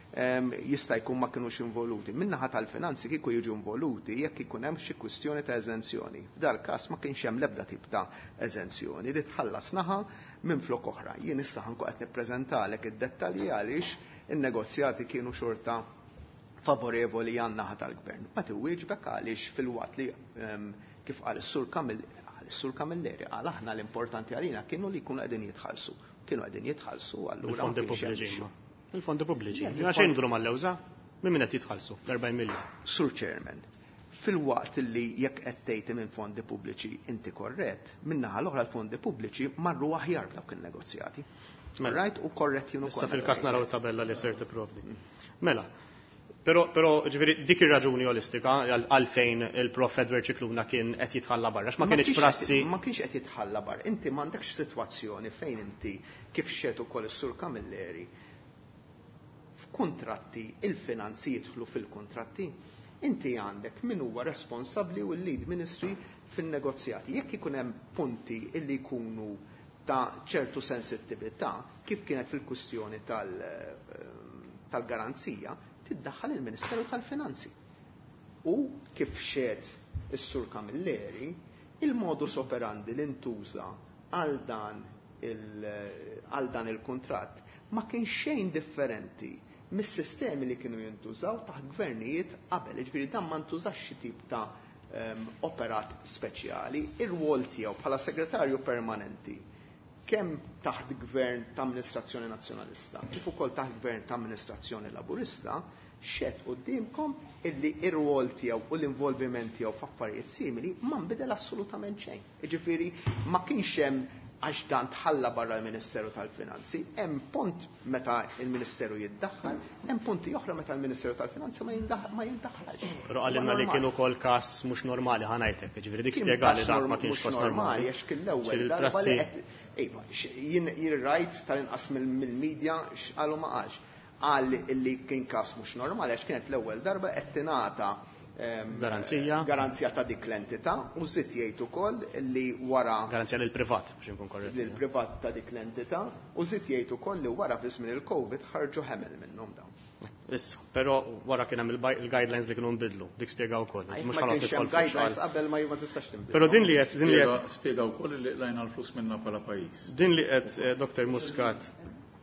jista' jkun ma kinux involuti. Min-naħa tal-finanzi kieku jiġu involuti jekk ikun hemm xi kwistjoni ta' eżenzjoni. F'dal każ ma kienx hemm l-ebda tip ta' eżenzjoni li tħallas naħa minn flok oħra. Jien issa ħanku qed nippreżentalek id-dettalji għaliex in-negozjati kienu xorta favorevoli għan-naħa tal-gvern. Ma tiwieġbek għaliex fil-waqt li kif qal is-Sur is-Sur Camilleri, qal aħna l-importanti għalina kienu li jkunu qegħdin jitħallsu. Kienu qegħdin jitħallsu allura ma Il-fondi kienx hemm pubbliċi. issue. Il-fondi pubbliċi. Le, Ġina il-fondi xejn nduru mal-lewża, minn min qed jitħallsu l-40 miljun. Sur Chairman, fil-waqt li jekk qed tgħid minn fondi pubbliċi inti korrett, min-naħa l-oħra l-fondi pubbliċi marru aħjar b'dawk in-negozjati. Mela. Right? U korrett jien ukoll. Issa fil-każ naraw it-tabella li ser tipprovdi. Mela, però ġifieri dik ir-raġuni olistika għalfejn il-Prof Edward Scicluna kien qed jitħalla barra, x'ma Ma kienx kienx qed prassi. Ma kienx qed jitħalla barra. Inti m'għandekx sitwazzjoni fejn inti kif xed ukoll is-Sur Camilleri f'kuntratti il-finanzi jidħlu fil-kuntratti. Inti għandek min huwa responsabbli u l-lead ministry fin-negozjati. Jekk ikun hemm punti illi jkunu ta' ċertu sensittività, kif kienet fil-kwistjoni tal-garanzija, tiddaħħal il-Ministeru tal-Finanzi. U kif xed is-Sur Camilleri, il-modus operandi li ntuża għal dan il-kuntratt ma kien xejn differenti mis-sistemi li kienu jintużaw taħt gvernijiet qabel. Jiġifieri dan ma ntużax xi tip ta' operat speċjali, ir-rwol tiegħu bħala segretarju permanenti kemm taħt gvern ta' amministrazzjoni nazzjonalista, kif ukoll taħt gvern ta' amministrazzjoni laburista, xehed quddiemkom illi ir-rwol tiegħu u l-involviment tiegħu f'affarijiet simili ma nbidel assolutament xejn. Jiġifieri ma kienx hemm għax dan tħalla barra l-Ministeru tal-Finanzi, hemm punt meta il-Ministeru jiddaħħal, hemm punti oħra meta l-Ministeru tal-Finanzi ma jindaħħalx. Però qalilna li kien ukoll każ mhux normali ħa ngħidlek, jiġifieri dik spjega li dak ma kienx każ normali. Għax kien l-ewwel darba li qed iva, jien rajt tal-inqas mill-media x'qalu ma qalx. Qal li kien każ mhux normali għax kienet l-ewwel darba qed tingħata garanzija garanzija ta' dik l-entità u żied jgħid ukoll li wara garanzija lil privat biex inkun korrett. Lil privat ta' dik l-entità u żied jgħid ukoll li wara fi żmien il-Covid ħarġu ħemel minnhom dawn. Issa, però wara kien hemm il-guidelines li kienu nbidlu, dik spjega wkoll. Mhux ħa tidħol guidelines qabel ma tistax tinbidel. Però din li qed din li qed spjega wkoll li qlajna l-flus minna bħala pajjiż. Din li qed Dr. Muscat,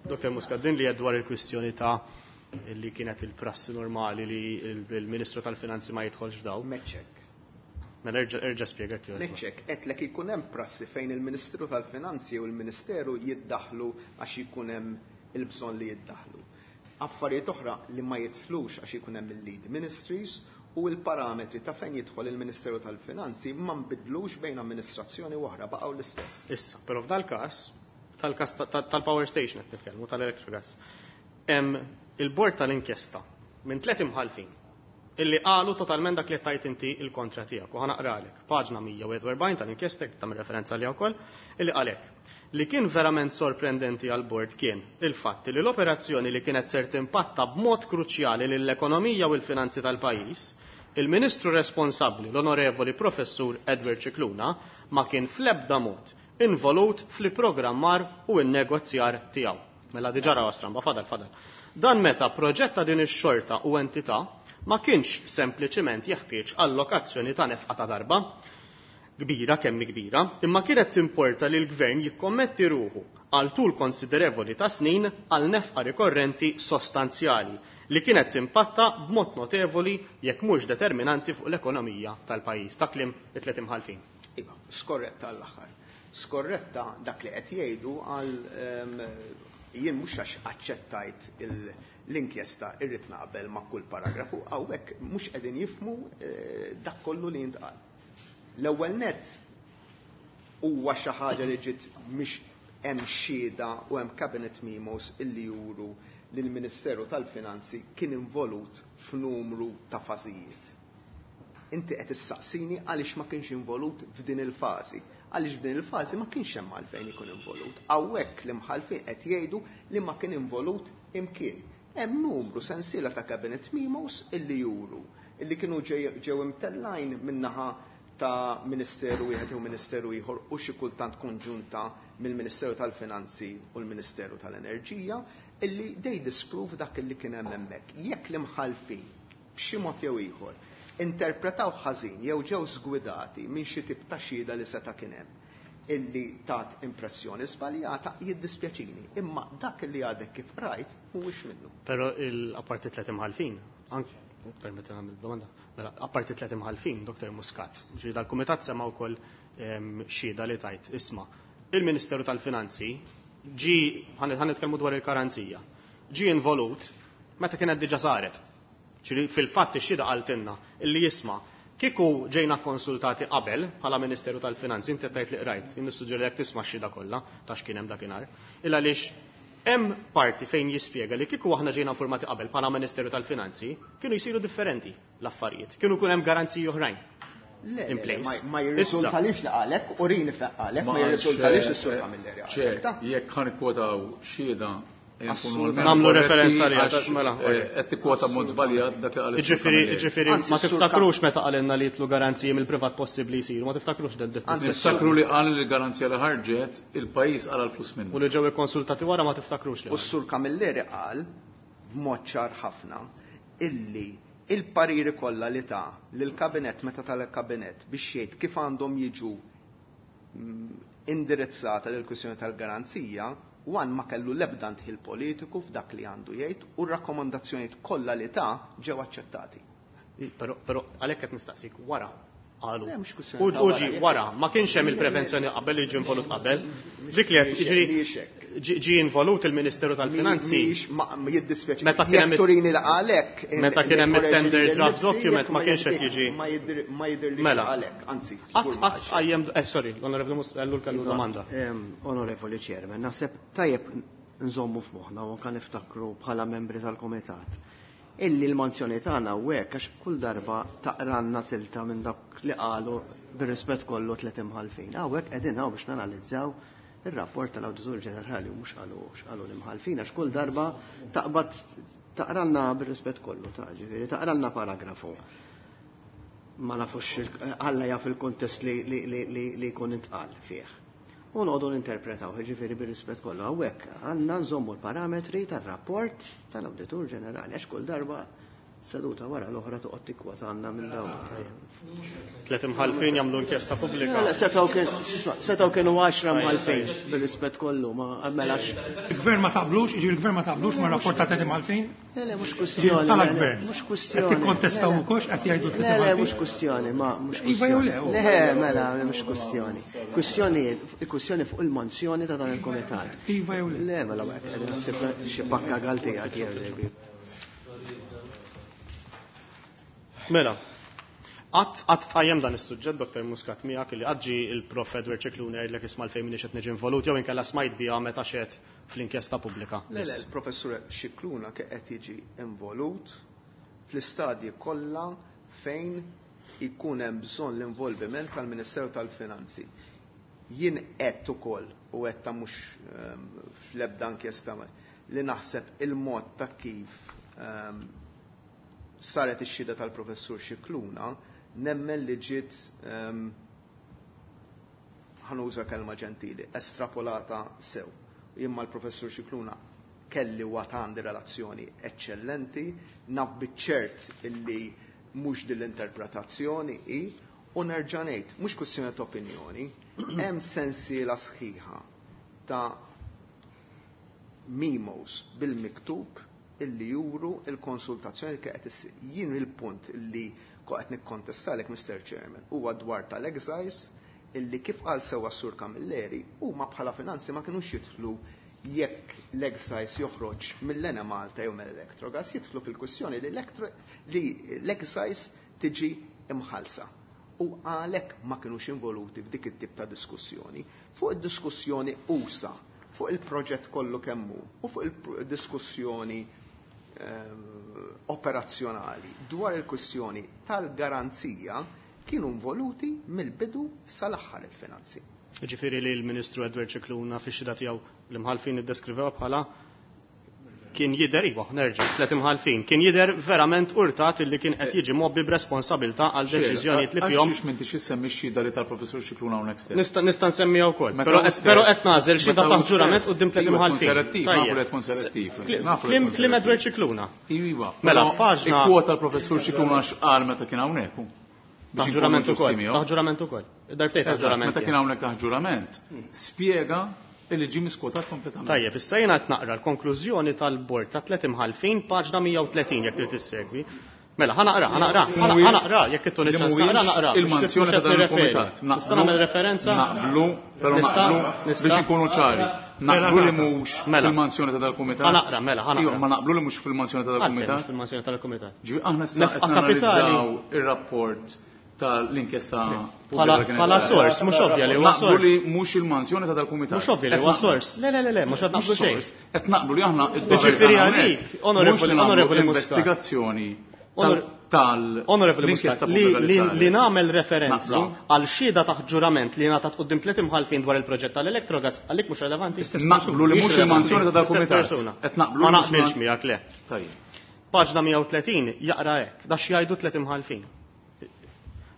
Dr. Muscat, din li qed dwar il-kwistjoni ta' li kienet il-prassi normali li il-Ministru tal-Finanzi ma jidħolx f'daw. Meċċek. Mela erġa' spjega kif. Meċċek, qedlek ikun hemm prassi fejn il-Ministru tal-Finanzi u l-Ministeru jiddaħlu għax ikun hemm il-bżonn li jiddaħlu. Affarijiet oħra li ma jidħlux għax ikun hemm il-lead ministries u l-parametri ta' fejn jidħol il-Ministeru tal-Finanzi ma nbidlux bejn amministrazzjoni u oħra, baqgħu l-istess. Issa, però f'dal-każ, tal-każ tal-power station qed nitkellmu tal-Electrogas, hemm il-bord tal-inkjesta minn 3 imħalfin illi qalu totalment dak li tajt inti il-kontra tiegħek u ħa naqralek paġna 141 tal-inkjesta tagħmel referenza għaliha wkoll illi qalek li kien verament sorprendenti għal bord kien il-fatt li l-operazzjoni li kienet ser timpatta b'mod kruċjali lill-ekonomija u l-finanzi tal-pajjiż, il-ministru responsabbli l-onorevoli professur Edward Scicluna ma kien fl-ebda mod involut fl-programmar u n-negozjar tiegħu. Mela diġà raw stramba, fadal, fadal. Dan meta proġett ta' din ix-xorta u entità ma kienx sempliċiment jeħtieġ allokazzjoni ta' nefqa ta' darba, kbira kemm kbira, imma kienet timporta li l-gvern jikkommetti ruħu għal tul konsiderevoli ta' snin għal nefqa rikorrenti sostanzjali li kienet timpatta b'mod notevoli jekk mhux determinanti fuq l-ekonomija tal-pajjiż. Ta' kliem it-tliet imħalfin. Iva, skorretta għall-aħħar. Skorretta dak li qed jgħidu għal jien mhux għax aċċettajt l-inkjesta irrid naqbel ma' kull paragrafu, hawnhekk mhux qegħdin jifhmu dak kollu li jintqal. L-ewwel nett huwa xi ħaġa li ġiet mhix hemm xhieda u hemm cabinet memos illi juru li l-Ministeru tal-Finanzi kien involut f'numru ta' fażijiet. Inti qed issaqsini għaliex ma kienx involut f'din il-fażi. Għaliex f'din il-fażi ma kienx hemm għalfejn ikun involut. Hawnhekk l-imħalfin qed jgħidu li ma kien involut imkien. Hemm numru sensiela ta' cabinet memos illi juru illi kienu ġew imtellajn min-naħa ta' ministeru wieħed jew ministeru ieħor u xi kultant konġunta mill-Ministeru tal-Finanzi u l-Ministeru tal-Enerġija illi they disprove dak illi kien hemm hemmhekk. Jekk l-imħalfin b'xi mod jew ieħor interpretaw ħażin jew ġew żgwidati minn xi tip ta' xhieda li seta' kien hemm illi tat impressjoni żbaljata, jiddispjaċini, imma dak li għadek kif rajt mhuwiex minnu. Però il-apparti tliet imħalfin, anke permetti nagħmel domanda, mela apparti tliet imħalfin, Dr. Muscat, ġifieri dal-kumitat sema' wkoll xhieda li tajt, isma' il-Ministeru tal-Finanzi ġi, ħa nitkellmu dwar il-karanzija, ġi involut meta kienet diġà saret. Ġifieri fil-fatt ix-xhieda qaltilna illi jisma' kieku ġejna konsultati qabel bħala Ministeru tal-Finanzi, inti tajt li qrajt, jien nissuġġeri jekk tisma' x-xhieda kollha ta' x'kien hemm dakinhar. Illa għaliex hemm parti fejn jispjega li kieku aħna ġejna informati qabel bħala Ministeru tal-Finanzi, kienu jsiru differenti l-affarijiet, kienu jkun hemm garanziji oħrajn. Le, In place. ma jirriżultalix li qalek, u rini fejn qalek, ma jirriżultalix is-Sur Camilleri qalek, Ċer, ta? jekk ħa nikkwotaw xhieda, Assolutament. Nagħmlu referenza li għax, mela, qed tikkwota mod żbaljat dak li qal is-Sur Jiġifieri, Camilleri. jiġifieri, Anzi, ma s-Sur tiftakrux meta qalilna li jitlu garanziji mill-privat possibbli jsiru, ma tiftakrux dan Anzi, Niftakru li qal li garanzija li ħarġet il-pajjiż qala l-flus minnu. U li ġew ikkonsultati wara ma tiftakrux li U s-Sur Camilleri qal b'mod ċar ħafna illi il-pariri kollha li ta' lill-kabinet meta tal-kabinet biex jgħid kif għandhom jiġu indirizzata lill-kwistjoni tal-garanzija One ma kellu l-ebda ndħil politiku f'dak li għandu jgħid u r-rakkomandazzjonijiet kollha li ta ġew aċċettati. Però għalhekk qed nistaqsik wara qalu. Le, mhux kwistjoni U ta' u wara, ġi jekk- wara, ma kienx hemm il-prevenzjoni qabel li ġie involut qabel. Dik li qed Mhijiex jiġri mhijiex hekk. ġie involut il-Ministeru tal-Finanzi. Mhijiex ma jiddispjaċi. Meta kien hemm Jekk turini li qalek, Meta kien hemm nikkoreġi it-tender lili draft nnifsi, document jekk ma kienx qed jiġi. Ma jidhirlix Mela. qalek, anzi. Qatt żgur ma qatt qalx. qajjem sorry, l-Onorevoli Ellul kellu domanda. Onorevoli Chairman, naħseb tajjeb nżommu f'moħħna u anka niftakru bħala membri tal-Komitat. Illi l-manzjoni tagħna hawnhekk għax kull darba taqranna silta minn dak li qalu bir-rispett kollu tliet imħalfin. Hawnhekk qegħdin hawn biex nanalizzaw ir-rapport tal-Awditur Ġenerali u mhux qalu x'qalu l-imħalfin għax kull darba taqbad taqralna bir-rispett kollu ta' ġifieri taqralna paragrafu. Ma nafux Alla jaf il-kontest li jkun intqal fih. U noqogħdu ninterpretaw, ġifieri bir-rispett kollu hawnhekk għandna nżommu l-parametri tar-rapport tal-Awditur Ġenerali għax kull darba seduta wara l-oħra toqgħod tikkwotanna minn dawn. Tliet imħalfin jagħmlu inkjesta pubblika. Le, setgħu kienu 10 mħalfin bir-rispett kollu, ma melax. Il-gvern ma taqblux, jiġifieri il-gvern ma taqblux ma' rapport ta' tliet imħalfin? Le, le, mhux kwestjoni. Tal-gvern. Mhux kwestjoni. Qed tikkontestaw ukoll qed jgħidu tliet Le, le, imħalfin? mhux kwestjoni, ma mhux Iva jew le, kwestjoni. Le, mela, mhux kwestjoni. Kwestjoni, kwestjoni fuq il-manzjoni ta' dan il-komitat. Iva jew le. Le, mela, qegħdin naħseb xi pakka gal tiegħek jew. Mela, qatt tqajjem dan is-suġġett, Dr. Muscat, miegħek li qatt ġie il-Prof Edward Scicluna jgħidlek isma' l-fejn m'iniex qed niġi involut jew inkella smajt biha meta xed fl-inkjesta pubblika. Le, le, il-Professur Scicluna qed jiġi involut fl-istadji kollha fejn ikun hemm bżonn l-involviment tal-Ministeru tal-Finanzi. Jien qed ukoll u qed ta' mhux fl-ebda inkjesta li naħseb il-mod ta' kif saret ix-xhieda tal-Professur Scicluna nemmen li ġiet ħanuża kelma ġentili, estrapolata sew. Jien mal-Professur Scicluna kelli u għad għandi relazzjoni eccellenti, naf biċ-ċert illi mhux din l-interpretazzjoni hi, u nerġa' ngħid, mhux kwestjoni ta' opinjoni, hemm sensiela sħiħa ta' memos bil-miktub illi juru il-konsultazzjoni li qed issir. Jien il-punt illi qed nikkontestalek, Mr. Chairman, huwa dwar tal-excise illi kif qal sewwa s-Sur Camilleri huma bħala finanzi ma kinux jidħlu jekk l-excise joħroġ mill-Enemalta jew mill-Electrogas, jidħlu fil-kwistjoni li l-excise tiġi imħallsa. U għalhekk ma kinux involuti f'dik it-tip ta' diskussjoni. Fuq id-diskussjoni usa, fuq il-proġett kollu kemmu u fuq il-diskussjoni operazzjonali dwar il-kwistjoni tal-garanzija kienu involuti mill-bidu sal-aħħar il-finanzi. Ġifieri li l-Ministru Edward Scicluna fix-xhieda tiegħu l-imħalfin iddeskrivew bħala kien jidher, iva, nerġa', tliet imħalfin, kien jidher verament urtat illi kien qed jiġi mobbi b'responsabilità għal deċiżjonijiet li fihom. Għax m'intix issemmi x-xhieda li tal-Professur Scicluna hawnhekk stess. Nista' nsemmiha wkoll, Meta hu però stess- qed nagħżel xhieda meta hu taħt ġurament stess- quddiem tliet Iva, tkun imħalfin. selettiv, nafu Tajjeb. li tkun selettiv. Nafu li tkun Klim selettiv. Edward Scicluna. Iva, Mela, però paġna- ikkwota l-Professur Scicluna x'qal meta kien hawnhekk. hu. Biex Taħt ġurament inkunu ukoll, ġusti miegħu. taħt ġurament ukoll. Darbtejn taħt Eżatt, ġurament. meta kien hawnhekk taħt ġurament, spjega illi ġie miskwotat kompletament. Tajjeb, issa jiena qed naqra l-konklużjoni tal-bord ta' tliet imħalfin paġna 130 jekk trid issegwi. Mela, ħa naqra, ħa naqra, ħa naqra, jekk ittuni Li ċans mhuwiex naqra, naqra. biex Il-manzjoni tifhmu ta' x'qed dan nirreferi. il-kumitat. Nista' nagħmel referenza? Naqblu, però Nista' naqblu nista' biex inkunu ċari. Naqblu li mhux Mela. fil-manzjoni ta' dal-kumitat. Ħa naqra, mela, ħa naqra. Iva, ma naqblu li mhux fil-manzjoni ta' Għalfejn dal-kumitat. mhux fil-manzjoni tal-kumitat. Ġifieri aħna issa Nefqa qed kapitali. nanalizzaw ir-rapport tal-inkjesta Bħala pubblika li kienet bħala saret. sors, mhux ovvja li huwa Naqblu sors. li mhux il-manzjoni ta' dal-kumitat. Mhux ovvja li Qed huwa naqblu. sors. Le, le, le, le, mhux qed naqblu Mhux xejn. sors. Qed naqblu li aħna id-dover Ġifieri tagħna għalik, hawnhekk, onorevoli- mhux li nagħmlu onorevoli Muscat. investigazzjoni Onorevoli tal-inkjesta Muscat, li, pubblika li li, saret. li nagħmel referenza Naqblu? għal xhieda taħt ġurament li ngħatat quddiem tliet imħalfin dwar il-proġett tal-Electrogas għalik mhux relevanti. Naqblu li mhux il-manzjoni ta' L-istess dal-kumitat. persuna. Qed naqblu Ma li mhux naqbilx il-man- miegħek le. Tajjeb. Paġna 130 jaqra hekk, da x'jgħidu tliet imħalfin.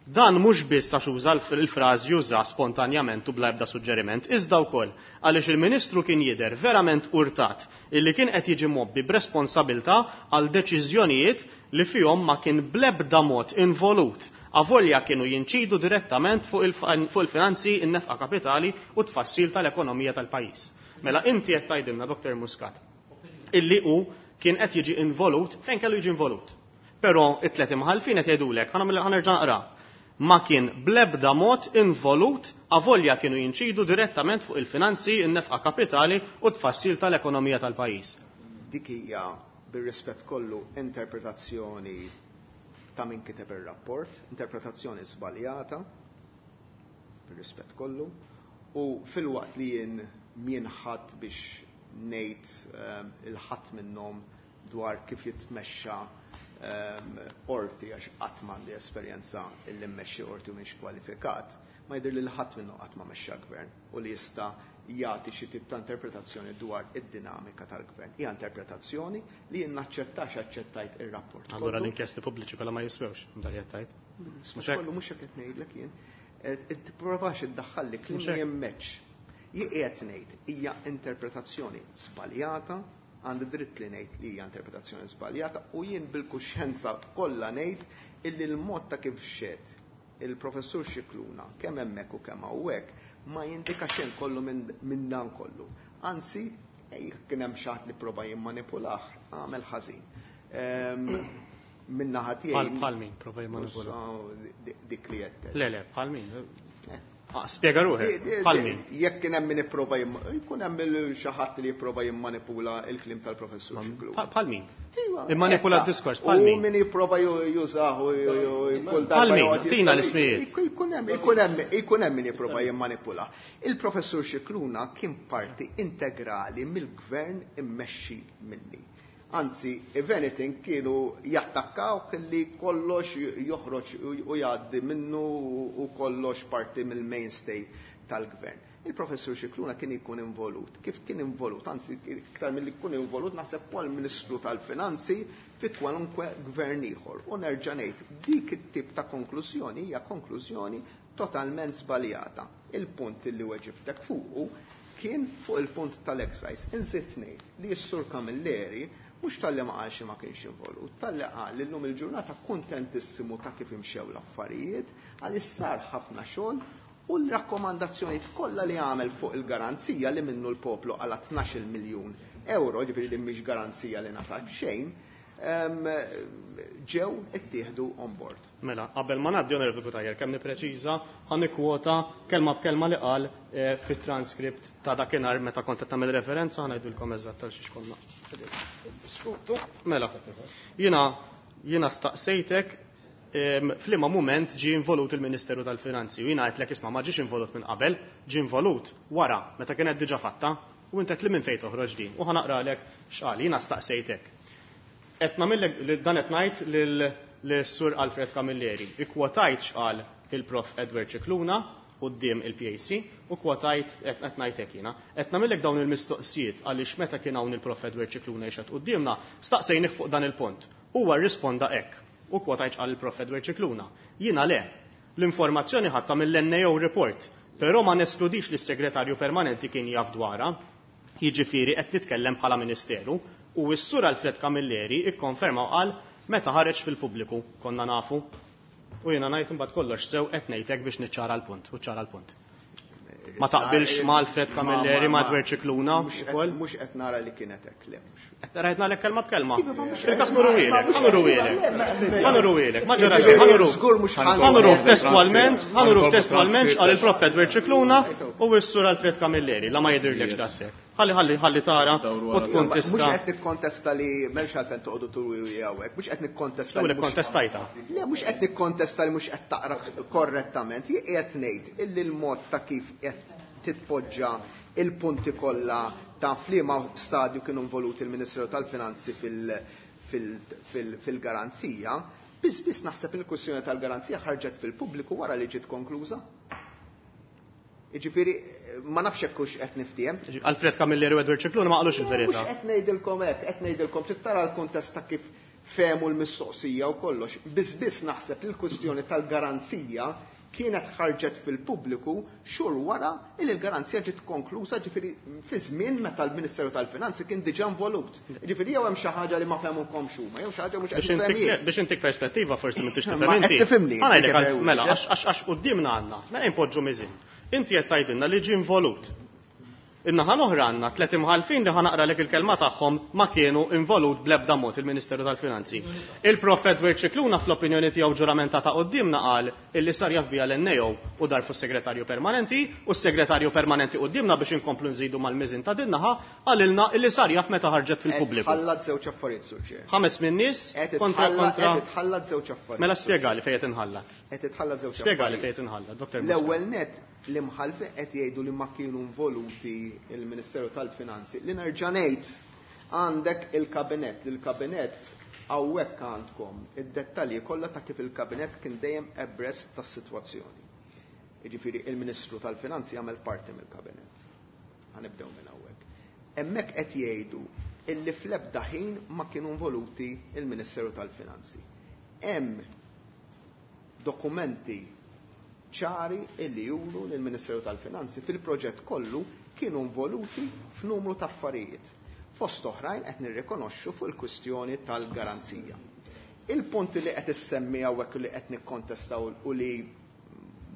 Dan mhux biss għax uża il-frażi juża spontanjament u bla ebda suġġeriment, iżda wkoll għaliex il-Ministru kien jidher verament urtat illi kien qed jiġi mobbi b'responsabilità għal deċiżjonijiet li fihom ma kien bl-ebda mod involut avolja kienu jinċidu direttament fuq il-finanzi, in-nefqa kapitali u tfassil tal-ekonomija tal-pajjiż. Mela inti qed tgħidilna Dr. Muscat illi hu kien qed jiġi involut fejn kellu jiġi involut. Però it-tlet imħallfin qed jgħidulek, ħa nerġa' naqra, ma kien bl-ebda mod involut avolja kienu jinċidu direttament fuq il-finanzi, in-nefqa kapitali u t-tfassil tal-ekonomija tal-pajjiż. Dik hija, bir-rispett kollu, interpretazzjoni ta' min kiteb ir-rapport, interpretazzjoni żbaljata, bir-rispett kollu, u filwaqt li jien m'jien ħadd biex ngħid il-ħadd minnhom dwar kif jitmexxa qorti għax qatt m'għandi esperjenza illi mmexxi qorti u m'iniex kwalifikat, ma jidhirli li ħadd minnhom qatt ma mexxa gvern u li jista' jagħti xi tip ta' interpretazzjoni dwar id-dinamika tal-gvern. Hija interpretazzjoni li jien naċċettax aċċettajt ir-rapport kollu. Allura l-inkjesti pubbliċi kollha ma jiswewx, dak li qed tgħid. Mhux kollu mhux hekk qed ngħidlek jien. Tipprovax iddaħħalli kliem li jemmeċ. Jien qiegħed ngħid hija interpretazzjoni żbaljata, għandi dritt li ngħid li hija interpretazzjoni żbaljata u jien bil-kuxjenza kollha ngħid illi l-mod ta' kif xed il-professur Scicluna kemm hemmhekk u kemm hawnhekk ma jindika xejn kollu minn dan kollu. Anzi, jekk kien hemm xi ħadd li prova jimmanipulah, għamel ħażin. Min naħa tiegħi. Bħal min prova jimmanipulah? Dik li qed. Le, le, bħal min. Spjega ruħek, bħal min. Jekk kien hemm min ipprova jkun hemm xi ħadd li jipprova jimmanipula l-kliem tal-professur Scicluna. Bħal min? Immanipula d-diskors, bħal min? U min jipprova jużah u kull darba. Bħal min? Tina l-ismijiet. Ikun hemm min jipprova jimmanipula. Il-professur Scicluna kien parti integrali mill-gvern immexxi minni. Anzi, if anything, kienu jattakkawh li kollox joħroġ u jgħaddi minnu u kollox parti mill-mainstay tal-gvern. Il-professur Scicluna kien ikun involut. Kif kien involut? Anzi, iktar milli jkun involut, naħseb huwa l-Ministru tal-Finanzi fi kwalunkwe gvern ieħor. U nerġa' ngħid, dik it-tip ta' konklużjoni hija konklużjoni totalment żbaljata. Il-punt li weġibtek fuqu kien fuq il-punt tal-excise. Inżid ngħid li s-Sur Camilleri mhux talli ma qalx li ma kienx involut, talli qal li llum il-ġurnata kuntentissimu ta' kif imxew l-affarijiet, għaliex sar ħafna xogħol u l-rakkomandazzjonijiet kollha li għamel fuq il-garanzija li minnu l-poplu qala' 12 miljun euro, ġifieri din mhix garanzija li ngħatat b'xejn, ġew ittieħdu on board. Mela, qabel ma ngħaddi Onorevoli Cutajar, kemm nippreċiża, ħa nikkwota kelma b'kelma li qal fit-transcript ta' dakinhar meta kont qed tagħmel referenza, ħa ngħidilkom eżatt għal xiex konna diskutu. Mela, jiena staqsejtek f'liema mument ġie involut il-Ministeru tal-Finanzi u jiena għedtlek isma' ma ġiex involut minn qabel, ġie involut wara meta kienet diġà fatta u inti għedt li minn fejn toħroġ din u ħa naqralek x'qal, jiena staqsejtek. Qed nagħmillek dan qed ngħid lil Sur Alfred Camilleri. Ikkwotajt x'qal il-Prof Edward Scicluna quddiem il-PAC u kwotajt qed ngħid hekk jiena. Qed nagħmillek dawn il-mistoqsijiet għaliex meta kien hawn il-Prof Edward Scicluna jixhed quddiemna, staqsejnih fuq dan il-punt. Huwa rrisponda hekk u kwotajt x'qal il-Prof Edward Scicluna. Jiena le, l-informazzjoni ħadtha mill-NAO report, però ma neskludix li s-segretarju permanenti kien jaf dwarha, jiġifieri qed nitkellem bħala ministeru, u s-Sur Alfred Camilleri ikkonferma u qal meta ħareġ fil-pubbliku konna nafu. U jiena ngħid imbagħad kollox sew qed ngħidlek biex niċċara l-punt, u ċara l-punt. Ma taqbilx ma' Alfred Camilleri, ma' Edward Scicluna ukoll? Mhux qed nara li kienet hekk, le mhux. Qed nara qed nagħlek kelma b'kelma. Iva, ma mhux Fil-każ qed nuru nara, wielek, ma mhux ħa nuru qed wielek. nara, le, le, Ħa nuru wielek, ma ġara Jiġifieri xejn, ħa nuru. żgur mhux ħa Ħa nuru nuru. testwalment, ħa nuru Ħa nuru testwalment x'qal il-Prof Edward Scicluna Ejtu. u s-Sur Alfred Camilleri, la ma jidhirlekx daqshekk. Ħalli, ħalli, ħalli tara Dawru u wara. tkun Mhux tista'. qed nikkontesta li m'hemmx għalfejn toqgħodu turu hawnhekk, mhux qed nikkontesta Jew li mhux nikkontestajta. Le, mhux qed nikkontesta li mhux qed taqra korrettament, jien qiegħed ngħid illi l-mod ta' kif qed titpoġġa il-punti kollha ta' f'liema stadju kienu involuti il-Ministeru tal-Finanzi fil-garanzija, biss biss naħseb il-kwistjoni tal-garanzija ħarġet fil-pubbliku wara li ġiet konkluża. Jiġifieri, ma nafx hekk hux qed niftiehem. Alfred Camilleri u Edward Scicluna ma qalux il-verità. Mhux qed ngħidilkom hekk, qed ngħidilkom trid tara l-kuntest ta' kif fehmu l-mistoqsija u kollox. Biss biss naħseb li l-kwistjoni tal-garanzija kienet ħarġet fil-pubbliku xhur wara li l-garanzija ġiet konkluża, ġifieri fi żmien meta l-Ministeru tal-Finanzi kien diġà involut. Ġifieri jew hemm xi ħaġa li ma fehmukomx huma, jew xi ħaġa mhux qed Biex nifhem jien. intik perspettiva forsi m'intix Ma tifhem qed inti. tifhimni, Ħa ngħidlek kif għal hemm mela, wieġeb. għax quddiemna għandna, mela inpoġġu miżin. Inti qed tgħidilna li ġie involut. In-naħa l-oħra għandna tliet imħallfin li ħa naqralek il-kelma tagħhom ma kienu involut bl-ebda mod il-Ministeru tal-Finanzi. Il-Prof Edward Scicluna fl-opinjoni tiegħu ġuramentata quddiemna qal illi sar jaf biha l-NAO u dar fuq segretarju permanenti u s-segretarju permanenti quddiemna biex inkomplu nżidu mal-miżin ta' din naħa qalilna illi sar jaf meta ħarġet fil-pubbliku. Tħallat żewġ affarijiet, Sur Chair. Ħames min nies kontra kontra. Qed itħallat żewġ affarijiet. Mela spjegali fejn qed inħallat. Qed itħallat żewġ Spjegali fejn qed inħallat, Dr. Muscat. L-ewwel net l-imħallfin qed jgħidu li ma kienu involuti il-Ministeru tal-Finanzi. Li nerġa' ngħid għandek il-kabinett, il-kabinett hawnhekk għandkom id-dettalji kollha ta' kif il-kabinett kien dejjem abreast tas-sitwazzjoni. Jiġifieri il-Ministru tal-Finanzi jagħmel parti mill-kabinett. Ħa nibdew minn hawnhekk. Hemmhekk qed jgħidu illi fl-ebda ħin ma kienu involuti il-Ministeru tal-Finanzi. Hemm dokumenti ċari illi juru li l-Ministeru tal-Finanzi fil-proġett kollu kienu involuti f'numru ta' affarijiet. Fost oħrajn qed nirrikonoxxu fuq il-kwistjoni tal-garanzija. Il-punti li qed issemmi hawnhekk li qed nikkontestaw u li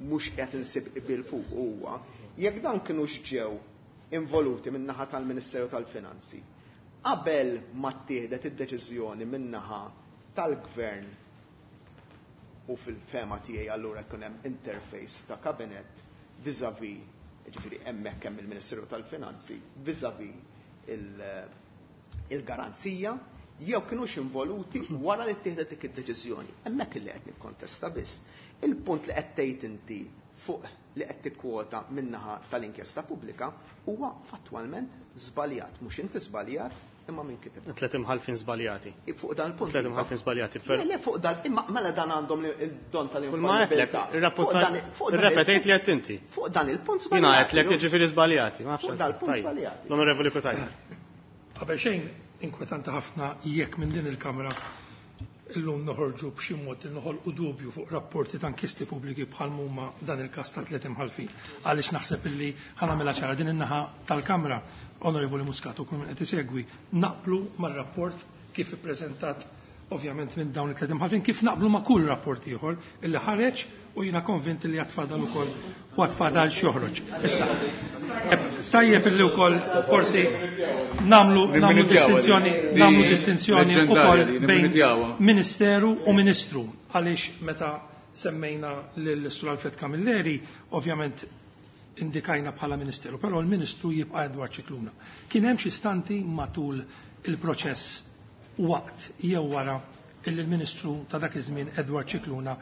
mhux qed insib qbil fuq huwa jekk dan kienux ġew involuti min-naħa tal-Ministeru tal-Finanzi qabel ma ttieħdet id-deċiżjoni min-naħa tal-Gvern u fil-fehma tiegħi allura jkun hemm interface ta' kabinett vis-à-vis, jiġifieri hemmhekk hemm il-Ministeru tal-Finanzi vis-à-vis il-garanzija jew kinux involuti wara li ttieħdet dik id-deċiżjoni. Hemmhekk li qed nikkontesta biss. Il-punt li qed tgħid inti fuq li qed tikkwota min-naħa tal-inkjesta pubblika huwa fattwalment żbaljat. Mhux inti żbaljat, imma min kiteb. Tliet imħallfin żbaljati. Fuq dan il-punt. Tliet imħallfin żbaljati. Le, le, fuq dan, imma mela dan għandhom il-don Kull ma għedtlek, irrepetejt li għedt inti. Fuq dan il-punt żbaljati. Jiena għedtlek jiġifieri żbaljati. Fuq dan il-punt żbaljati. L-Onorevoli Cutajar. Qabel xejn, inkwetanti ħafna jekk minn din il-Kamra illum noħorġu b'xi mod li noħolqu dubju fuq rapporti ta' inkjesti pubbliki bħal huma dan il-każ ta' tliet imħallfin. Għaliex naħseb illi ħa nagħmilha ċara din in-naħa tal-Kamra, Onorevoli Muscat u kull min qed isegwi, naqblu mar-rapport kif ippreżentat ovvjament minn dawn it-tliet imħallfin, kif naqblu ma' kull rapport ieħor illi ħareġ u jiena konvint li għad fadal ukoll u għad fadal x'joħroġ. Issa, tajjeb illi wkoll forsi nagħmlu distinzjoni, nagħmlu distinzjoni wkoll bejn ministeru u ministru, għaliex meta semmejna lil Sur Alfred Camilleri, ovvjament indikajna bħala ministeru, però l-ministru jibqa' Edward Scicluna. Kien hemm xi stanti matul il-proċess waqt jew wara illi l-ministru ta' dak iż-żmien Edward Scicluna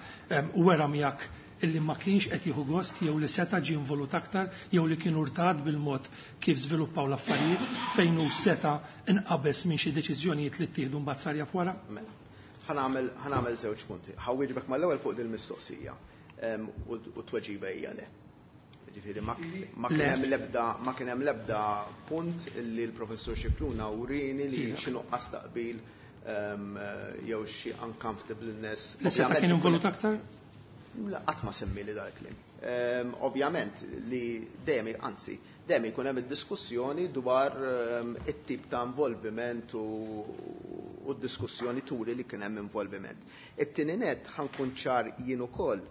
wera miegħek illi ma kienx qed jieħu gost jew li seta' ġie involut aktar jew li kien urtat bil-mod kif żviluppaw l-affarijiet fejn hu seta' inqabeż minn xi deċiżjonijiet li ttieħdu mbagħad sar jaf wara? Mela, ħa nagħmel żewġ punti. Ħa nwieġbek mal-ewwel fuq dil-mistoqsija u t-tweġiba hija le. Ġifieri ma kien hemm l-ebda, ma kien hemm l-ebda punt li l-Professur Scicluna urini li xi nuqqas taqbil jew xi uncomfortableness. Li seta' kien involut aktar? La, qatt ma semmi li dal-kliem. Ovvjament li dejjem, anzi, dejjem ikun hemm id-diskussjoni dwar it-tip ta' involviment u d-diskussjoni turi li kien hemm involviment. It-tieni net ħa nkun ċar jien ukoll,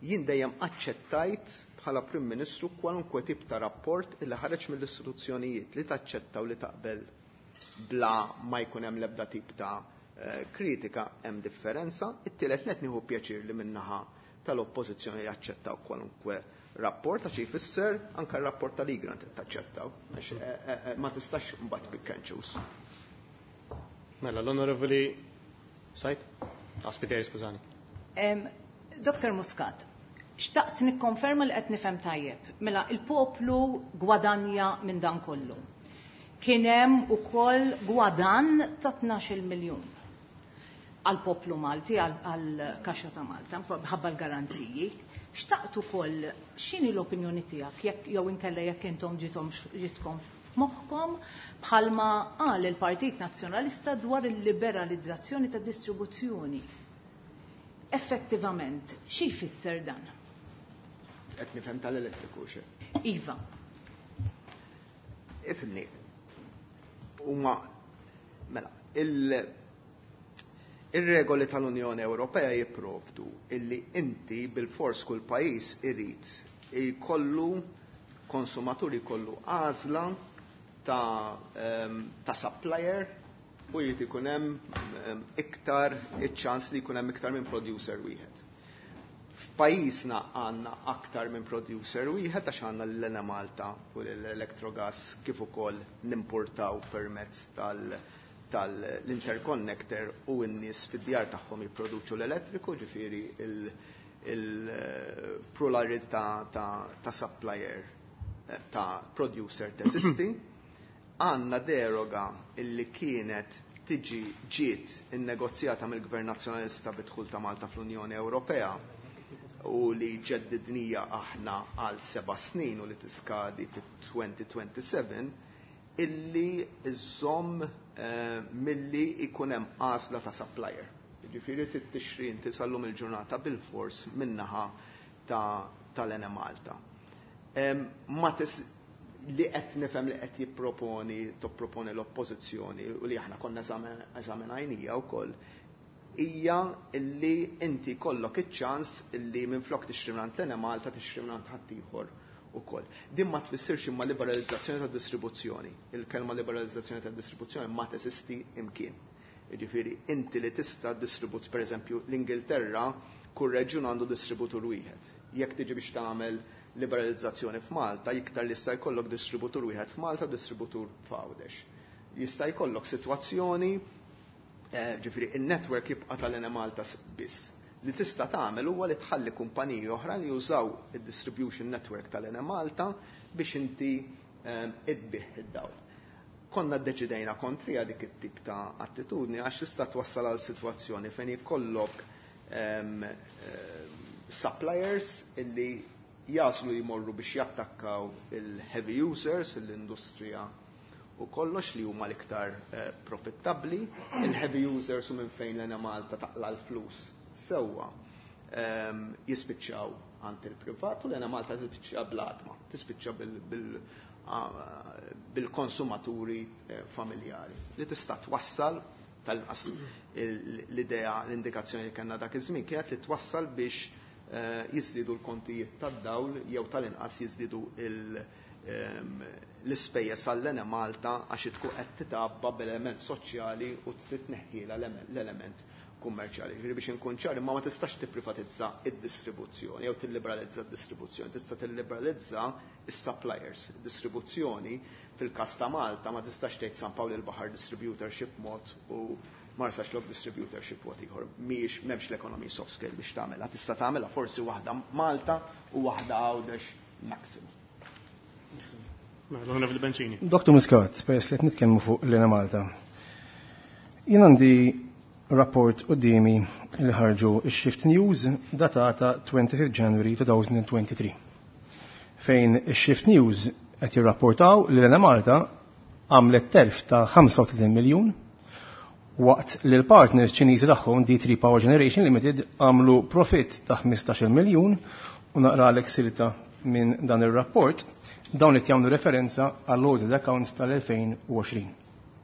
jien dejjem aċċettajt bħala Prim Ministru kwalunkwe tip ta' rapport illi ħareġ mill-istituzzjonijiet li taċċetta u li taqbel bla ma jkun hemm l-ebda tip ta' kritika, hemm differenza. It-tielet net nieħu pjaċir li minnaħa tal-oppożizzjoni jaċċettaw kwalunkwe rapport, għax jfisser anke r-rapport tal-Egrant taċċettaw, għax ma tistax mbagħad pick and choose. Mela, l-Onorevoli Sajt? Ah, Spiteri, skużani. Dr. Muscat, xtaqt nikkonferma li qed nifhem tajjeb. Mela, il-poplu gwadanja minn dan kollu. Kien hemm ukoll gwadan ta' 12 miljun għal poplu Malti, għal kaxxa ta' Malta, ħabba l-garanziji. Xtaqt ukoll x'inhi l-opinjoni tiegħek jekk jew inkella jekk intom ġitkom f'moħħkom bħalma qal il-Partit Nazzjonalista dwar il-liberalizzazzjoni ta' distribuzzjoni. Effettivament, xi jfisser dan? Qed nifhem tal-elettriku xe? Iva. Ifhimni. Huma mela, ir-regoli tal-Unjoni Ewropea jipprovdu illi inti bil-fors kull pajjiż irid jkollu konsumatur jkollu għażla ta' supplier u jrid ikun hemm iktar iċ-ċans li jkun hemm iktar minn producer wieħed. F'pajjiżna għandna aktar minn producer wieħed għax għandna l-Enemalta u l-Electrogas kif ukoll nimportaw permezz tal-interconnector u n-nies fid-djar tagħhom jipproduċu l-elettriku, ġifieri il-pluralità ta' supplier, ta' producer teżisti. Għandna deroga illi kienet tiġi ġiet innegozjata mill-Gvern Nazzjonalista bid-dħul ta' Malta fl-Unjoni Ewropea u li ġeddidnija aħna għal 7 snin u li tiskadi fit-2027, illi iżomm milli jkun hemm għażla ta' supplier. Jiġifieri trid tixtri inti sal-lum il-ġurnata bil-fors min-naħa tal-Enemalta. Ma li qed nifhem li qed jipproponi topproponi l-oppożizzjoni u li aħna konna eżaminajnija wkoll hija li inti kollok iċ-ċans li minflok tixtri mingħand l-Enemalta tixtri mingħand ħaddieħor ukoll. Din ma tfissirx imma liberalizzazzjoni tad-distribuzzjoni. Il-kelma liberalizzazzjoni tad-distribuzzjoni ma teżisti imkien. Jiġifieri inti li tista' distribut, pereżempju l-Ingilterra kull reġjun għandu distributur wieħed. Jekk tiġi biex tagħmel liberalizzazzjoni f'Malta, iktar li jista' jkollok distributur wieħed f'Malta, distributur f'Għawdex. Jista' jkollok sitwazzjoni, ġifieri in-network jibqa' tal-Enemalta biss. Li tista' tagħmel huwa li tħalli kumpaniji oħra li jużaw id-distribution network tal-Enemalta biex inti idbih id-dawl. Konna ddeċidejna kontrija dik it-tip ta' attitudni għax tista' twassal għal sitwazzjoni fejn jkollok suppliers illi jaslu jmorru biex jattakkaw il-heavy users, l-industrija u kollox li huma l-iktar profittabbli, il-heavy users u minn fejn l-Enemalta taqla l-flus sewwa jispiċċaw għand il-privat u l-Enemalta tispiċċa bl-għadma, tispiċċa bil-konsumaturi familjari. Li tista' twassal tal-inqas l-idea, l-indikazzjoni li kellna dak iż-żmien kienet li twassal biex jiżdiedu l-kontijiet tad-dawl jew tal-inqas jiżdiedu l-ispejjeż għall-Enemalta għax tkun qed titgħabba b'element soċjali u titneħħiela l-element kummerċjali. Ġifieri biex inkun ċar, imma ma tistax tipprivatizza id-distribuzzjoni jew tilliberalizza d-distribuzzjoni, tista' tilliberalizza is-suppliers. Id-distribuzzjoni fil-każ ta' Malta ma tistax tgħid San Pawl il-Baħar distributorship mod u Marsaxlokk distributorship mod ieħor. Mhijiex, m'hemmx l-economies of scale biex tagħmilha. Tista' tagħmilha forsi waħda Malta u waħda Għawdex maximum. Mela, Onorevoli Bencini. Dr. Muscat, peress li qed nitkellmu fuq l-Enemalta. Jien għandi rapport qudiemi li ħarġu x-Shift News datata 25 January 2023. Fejn ix-Shift News qed jirrapportaw li l-Enemalta għamlet telf ta' 35 miljun waqt li l-partners Ċiniżi tagħhom D3 Power Generation Limited għamlu profit ta' 15 miljun u naqralek silta minn dan ir-rapport dawn qed jagħmlu referenza għall-audit accounts tal-2020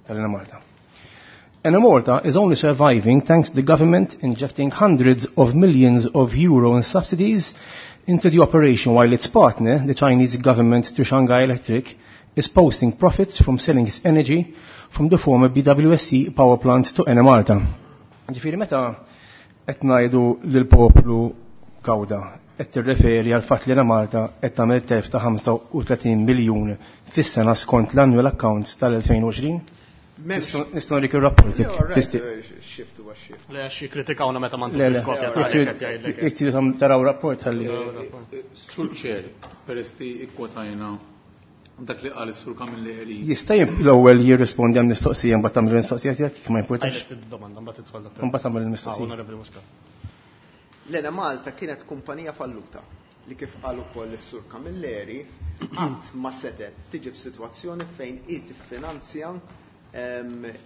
tal-Enemalta. Enemalta is only surviving thanks to the government injecting hundreds of millions of euro in subsidies into the operation, while its partner, the Chinese government through Shanghai Electric, is posting profits from selling its energy from the former BWSC power plant to Enemalta. Ġifieri meta qed ngħidu lill-poplu gawda, qed tirreferi għal fatt li Enemalta qed tagħmel telf ta' 35 miljun fis-sena skont l-annual accounts tal-2020? Nistgħu nrik ir-rapport jekk tixtieq. Shift huwa shift. Le, għax jikkritikawna meta ma Le, le. ntukux kopja ta' għalhekk qed jgħidlek. Jekk tridu taraw rapport ħalli. Sur Chair, peress li ikkwotajna dak li qal is-Sur Camilleri. Jista' l-ewwel jirrispondi għal mistoqsija mbagħad tagħmel il-mistoqsija tiegħek kif ma jimpurtax. Għajlet id-domanda mbagħad tidħol doktor. Mbagħad tagħmel il-mistoqsija. Onorevoli Muscat. L-Enemalta kienet kumpanija falluta li kif qal ukoll is-Sur Camilleri qatt ma setet tiġi f'sitwazzjoni fejn hi tiffinanzja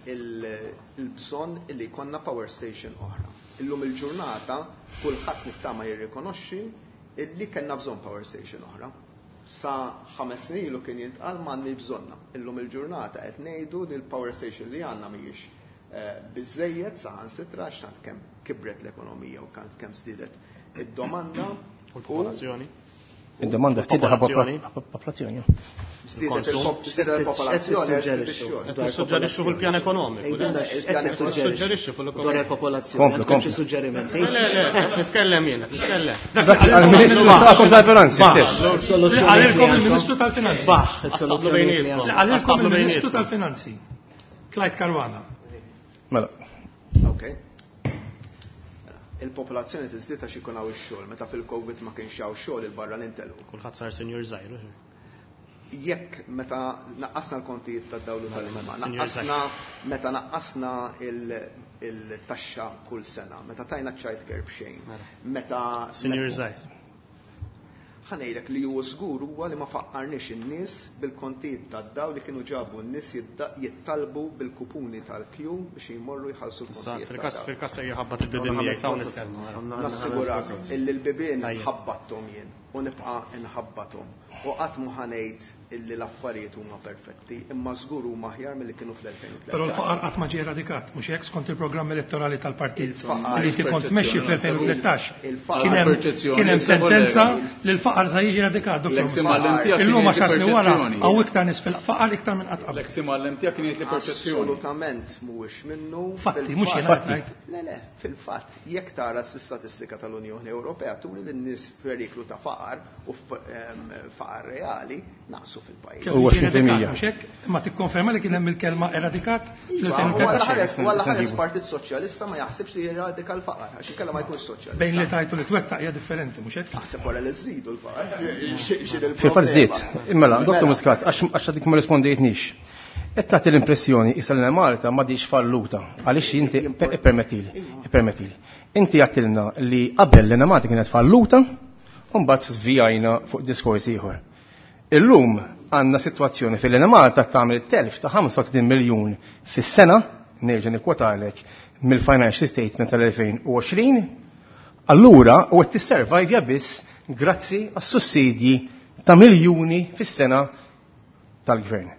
il-bżonn li jkollna power station oħra. Illum il-ġurnata kulħadd nittama jirrikonoxxi illi kellna bżonn power station oħra. Sa 5 snin ilu kien jintqal m'għandniex bżonna. Illum il-ġurnata qed ngħidu li l-power station li għandna mhijiex biżejjed saħansitra għax tant kemm kibret l-ekonomija u tant kemm żdiedet id-domanda U l-popolazzjoni. Id-domanda ftit Popolazzjoni. popolazzjoni. Żdiedet il-popolazzjoni, żdied ix-xogħol. Nissuġġerixxu fuq il-pjan ekonomiku. Għidilna Il-pjan x'qed Nissuġġerixxu fuq Dwar l-ekonomija. il-popolazzjoni. Komplu, Għandkom xi komplu. suġġerimenti? Le, le, nitkellem jiena, nitkellem. Dak għal-Ministru tagħkom tal-Finanzi stess. Li qalilkom il-Ministru tal-Finanzi. Astablu bejnietkom. Li qalilkom Astablu il-Ministru bejnietkom. tal-Finanzi. Clyde Caruana. Mela, Ok. Il-popolazzjoni tiżdied għax ikun hawn ix-xogħol, meta fil-Covid ma kienx hawn xogħol il-barranin telqu. Kulħadd sar senjur żgħir. Jekk meta naqqasna l-kontijiet tad-dawlu tal-ilma, Signor naqqasna meta naqqasna il-taxxa kull sena, meta tajna child care b'xejn, meta Senjur żgħir. Ħa ngħidlek li huwa żgur huwa li ma faqqarniex in-nies bil-kontijiet tad-dawl li kienu ġabu n-nies jittalbu bil-kupuni tal-kju biex jmorru jħallsu Issa, l-kontijiet fil-każ tad-dawl. fil-każ se jħabbat il-bibien miegħek hawn nitkellmu. Nassigurak illi l-bibien Tajjeb. ħabbatthom jien u nibqa' nħabbathom. U qatt mu ħa ngħid illi l-affarijiet huma perfetti, imma żgur huma aħjar milli kienu fl-2013. Però l-faqar qatt ma ġie eradikat, mhux hekk skont il-programm elettorali tal-partit Il-faqar- li inti kont tmexxi fl-2013. Il-faqar- Kien hemm Perċezzjoni, kien hemm issa sentenza kollega. li l-faqar se jiġi eradikat, Dr. L-ex Muscat. imgħallem tiegħek kien Illum jgħid għaxar snin wara perċezzjoni. hawn iktar nies fil-faqar iktar minn qatt qabel. L-ex imgħallem tiegħek kien jgħid li perċezzjoni. Assolutament mhuwiex minnu. Fatti, mhux jiena Fil-fatt- qed ngħid. Le, le, fil-fatt, jekk tara s-statistika tal-Unjoni Ewropea turi li n-nies f'periklu ta' faqar u faqar reali naqsu fil-pajjiż. Kemm Huwa jiġi eradikat, 20%. mhux hekk? Imma tikkonferma li kien hemm il-kelma eradikat Iva, u għalla fl-2013. ħares- u għalla ħares Nġibu. Partit Soċjalista ma jaħsibx li jeradika l-faqar, għax inkella ma jkunx soċjalista. Bejn li tajtu li twettaq hija differenti, mhux hekk? Naħseb wara li żżidu l-faqar. X'in Fil-fatt żdied. Mela, Dr. Mela. Muscat, għax għadik ma rispondejtnix. Qed tagħti l-impressjoni issa li Malta m'għadix falluta għaliex inti ippermettili, ippermettili. Inti għattilna li qabel l Malta kienet falluta u mbagħad żvijajna fuq diskors ieħor. Illum għandna sitwazzjoni fil Malta tagħmel telf ta' 35 miljun fis-sena, nerġa' nikkwotalek mill-financial statement tal-2020. Allura, u qed tisservajvja biss grazzi għas-sussidji ta' miljuni fis-sena tal-gvern.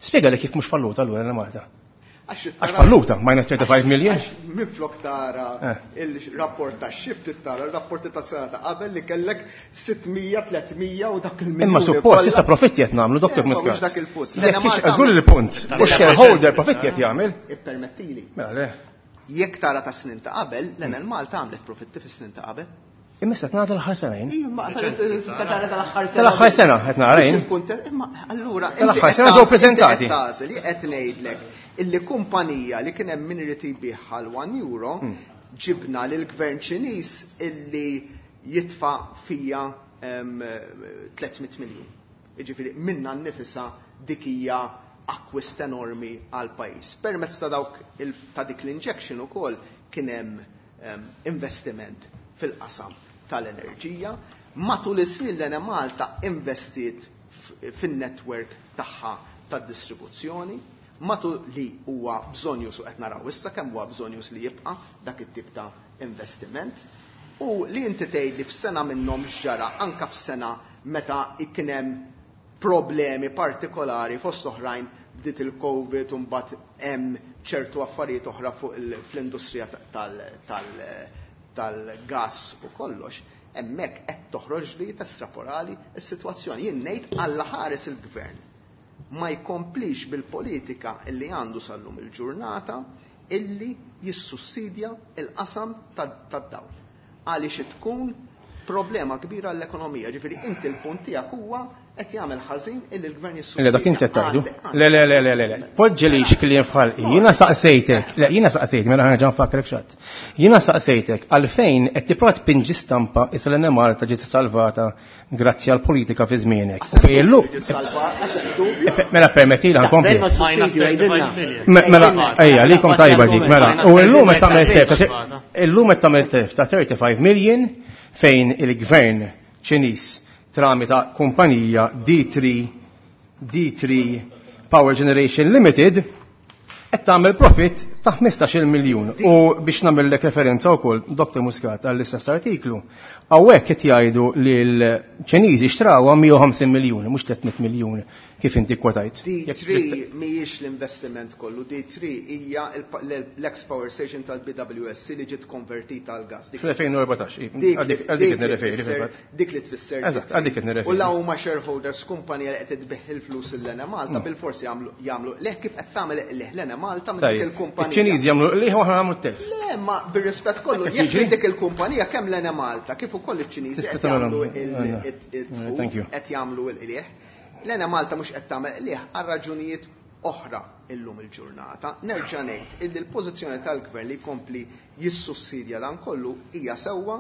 Spjega li kif mhux falluta allura l Malta. Għax falluta, minus 35 million. Minflok tara il-rapport ta' shift tara il-rapporti ta' sena ta' qabel li kellek 600, 300 u dak il-miljun. Imma suppost issa profitti qed nagħmlu, Dr. Eh, ma mhux Muscat. dak il-punt. Jekk Żgur il-punt. U shareholder profitti qed jagħmel. Ippermettili. Mela le. Jekk tara ta' snin ta' qabel, l-Enel Malta għamlet profitti fis-snin ta' qabel. Imma issa tnagħta l-aħħar senejn. Imma tara tal-aħħar sena. Tal-aħħar sena qed nara jien. Imma allura Tal-aħħar sena ġew preżentati. Li qed ngħidlek illi kumpanija li kien hemm min irid jbigħha l 1 euro ġibna lil gvern Ċiniż illi jitfa' fija 300 miljun. Jiġifieri minna nnifisha dik hija akkwist enormi għal pajjiż. Permezz ta' dawk ta' dik l-injection ukoll kien hemm investiment fil-qasam tal-enerġija. Matul is-snin l Malta investiet fin-network tagħha tad-distribuzzjoni, matul li huwa bżonjus u qed naraw issa kemm huwa bżonjus li jibqa' dak it-tip ta' investiment. U li inti tgħid li f'sena minnhom x'ġara anka f'sena meta kien hemm problemi partikolari fost oħrajn bdiet il-Covid u mbagħad hemm ċertu affarijiet oħra fuq fl-industrija tal-gas u kollox, hemmhekk qed toħroġ li testraporali s-sitwazzjoni. Jien ngħid alla ħares il-gvern ma jkomplix bil-politika illi għandu sal-lum il-ġurnata illi jissussidja il-qasam tad-dawl. Għaliex tkun problema kbira l-ekonomija. Ġifieri inti l-punt tiegħek huwa qed jagħmel ħażin illi l-gvern jissussidja. Le dak inti qed tgħidu. Le le le le le le. Poġġi kliem f'ħalqi. Jiena saqsejtek. Le jiena saqsejtek mela ħa nfakkrek xatt. Jiena saqsejtek għalfejn qed tipprova tpinġi stampa issa l Malta ġiet salvata grazzi għal politika fi żmienek. U fejn illum Mela permettili ħa nkompli. Dejma s-sussidju għidilna. Mela, ejja, likom tajba dik, mela. U illum qed tagħmel telf illum qed tagħmel telf ta' 35 million fejn il-gvern Ċiniż tramita kumpanija D3 Power Generation Limited Qed tagħmel profit ta' 15-il miljun. U biex nagħmellek referenza wkoll, Dr. Muscat, għall-istess artiklu, hawnhekk qed jgħidu li l-Ċiniżi xtrawha 150 miljun, mhux 300 miljun kif inti kwotajt. D3 mhijiex l-investiment kollu, D3 hija l-ex power station tal-BWSC li ġiet konvertita għal gas. Fl-2014, għal dik qed nirreferi fil-fatt. Dik li tfisser. Eżatt, għal dik qed nirreferi. U la huma shareholders kumpanija li qed tbigħ il-flus l-Enemalta bilforsi jagħmlu qligħ kif qed tagħmel qligħ l-Enemalta minn dik il-kumpanija. Iċ-Ċiniżi jagħmlu qligħ u aħna nagħmlu telf. Le, ma bir-rispett kollu, jekk minn dik il-kumpanija kemm l-Enemalta kif ukoll iċ-Ċiniżi qed jagħmlu il-dħul, qed jagħmlu l-qligħ. L-Enemalta mhux qed tagħmel qligħ għal raġunijiet oħra illum il-ġurnata. Nerġa' ngħid illi l-pożizzjoni tal-Gvern li jkompli jissussidja dan kollu hija sewwa.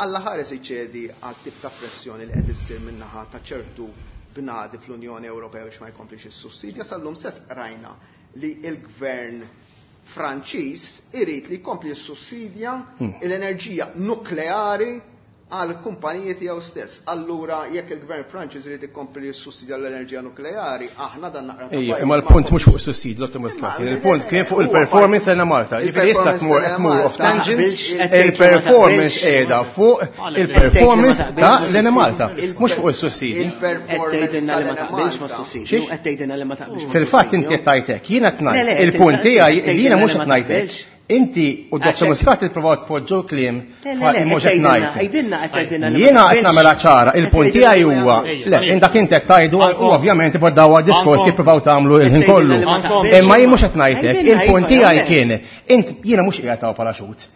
Alla ħares iċedi għal tip ta' pressjoni li qed issir min-naħa ta' ċertu bnadi fl-Unjoni Ewropea biex ma jkomplix jissussidja. Sal-lum stess qrajna li l-Gvern Franċiż irid li jkompli jissussidja l-enerġija nukleari għal kumpaniji tiegħu stess. Allura jekk il-Gvern Franċiż irid ikompli jissussidja l-enerġija nukleari, aħna dan naqra ta' Ejja, imma l-punt mhux fuq is-sussidju, Dottor Muscat, il-punt kien fuq il-performance tal Malta. Jiġifieri issa tmur qed tmur off tangent, il-performance qiegħda fuq il-performance ta' l-Enemalta, mhux fuq is-sussidji. Qed tgħidilna li ma taqbilx mas-sussidju, qed tgħidilna li ma taqbilx Fil-fatt inti qed tgħid hekk, jiena qed ngħid il-punt tiegħi jiena mhux qed ngħid hekk. Inti u Dr. Muscat ipprovaw tpoġġu kliem li mhux qed ngħid. Jiena qed nagħmilha ċara, il-punt tiegħi huwa le, indak inti qed tgħidu u ovvjament iboddaw diskors kif provaw tagħmlu il-ħin kollu. Imma jien mhux qed ngħidlek, il-punt tiegħi kien int jiena mhux qiegħed hawn bħala xhud.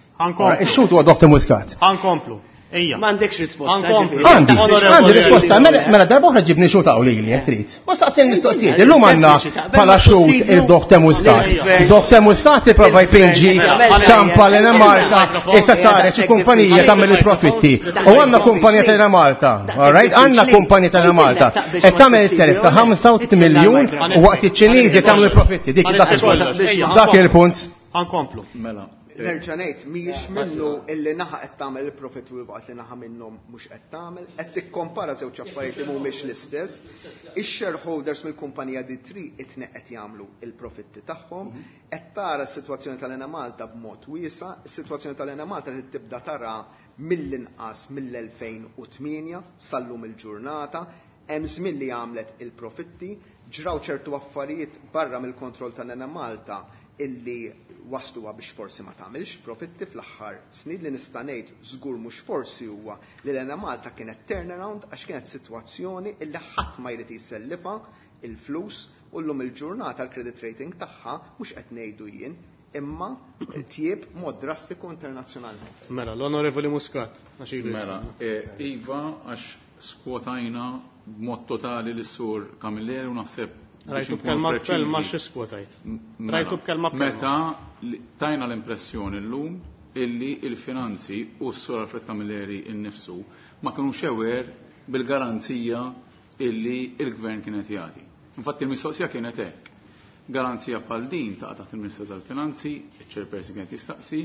Ix-xhud huwa Dr. Muscat. Ħankomplu. Ejja. M'għandekx risposta. Għandi, għandi risposta. Mela, mela darba oħra ġibni xut hawn lili jekk trid. U staqsi l-mistoqsijiet. Illum għandna bħala xut il-Dr. Muscat. Dr. Muscat ipprova jpinġi stampa l Malta issa saret xi kumpanija tagħmel il-profitti. U għandna kumpanija tal Malta. All right? Għandna kumpanija tal Malta. Qed tagħmel it-telf ta' 85 miljun u waqt iċ-Ċiniżi tagħmlu l-profitti. Dik dak il-punt. Dak il-punt. Ħankomplu. Mela. Nerġa' ngħid mhijiex minnu illi naħa qed tagħmel il-profit u waqt li naħa minnhom mhux qed tagħmel, qed tikkompara żewġ affarijiet li mhumiex l-istess. Ix-shareholders mill-kumpanija D3 it-tnejn qed jagħmlu il-profitti tagħhom, qed tara s-sitwazzjoni tal-Enemalta b'mod wiesa', is-sitwazzjoni tal-Enemalta trid tibda tara mill-inqas mill-2008 sal-lum il-ġurnata, hemm żmien li għamlet il-profitti, ġraw ċertu affarijiet barra mill-kontroll tal-Enemalta illi wasluha biex forsi ma tagħmilx profitti fl-aħħar snin. Li nista' ngħid żgur mhux forsi huwa li l-Enemalta kienet turnaround għax kienet sitwazzjoni illi ħadd ma jrid jisellifha il-flus u llum il-ġurnata l-credit rating tagħha mhux qed ngħidu jien imma tjieb mod drastiku internazzjonalment. Mela, l-Onorevoli Muscat, għax ilu Mela, jistenna. Iva, għax skwotajna b'mod totali lis-sur Camilleri u naħseb Rajtu b'kelma b'kelma xi skwotajt. Mela, Rajtu b'kelma b'kelma. Meta tajna l-impressjoni llum illi il-finanzi u s-sur Alfred Camilleri innifsu ma kinux aware bil-garanzija illi il-gvern kienet jagħti. Infatti il-mistoqsija kienet hekk. Garanzija bħal din taqa' taħt il-Ministeru tal-Finanzi, iċ-chairperson kienet jistaqsi,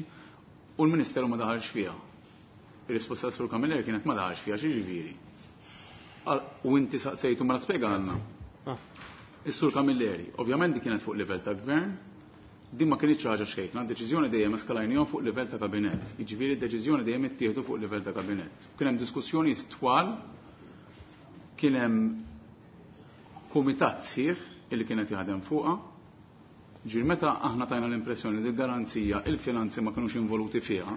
u l-Ministeru ma daħalx fiha. Ir-risposta tas-sur Camilleri kienet ma daħalx fiha, x'jiġifieri? U inti saqsejtu mela spjegalna. Is-sur Camilleri, ovvjament di kienet fuq livell ta' gvern, din ma kienitx ħaġa xejkna, deċiżjoni dejjem eskalajnihom fuq livell ta' kabinett. Jiġifieri d-deċiżjoni dejjem ittieħdu fuq livell ta' kabinett. Kien hemm diskussjonijiet twal, kien hemm kumitat sieħ illi kienet jaħdem fuqha. Ġifieri meta aħna tajna l-impressjoni li l-garanzija il-finanzi ma kinux involuti fiha,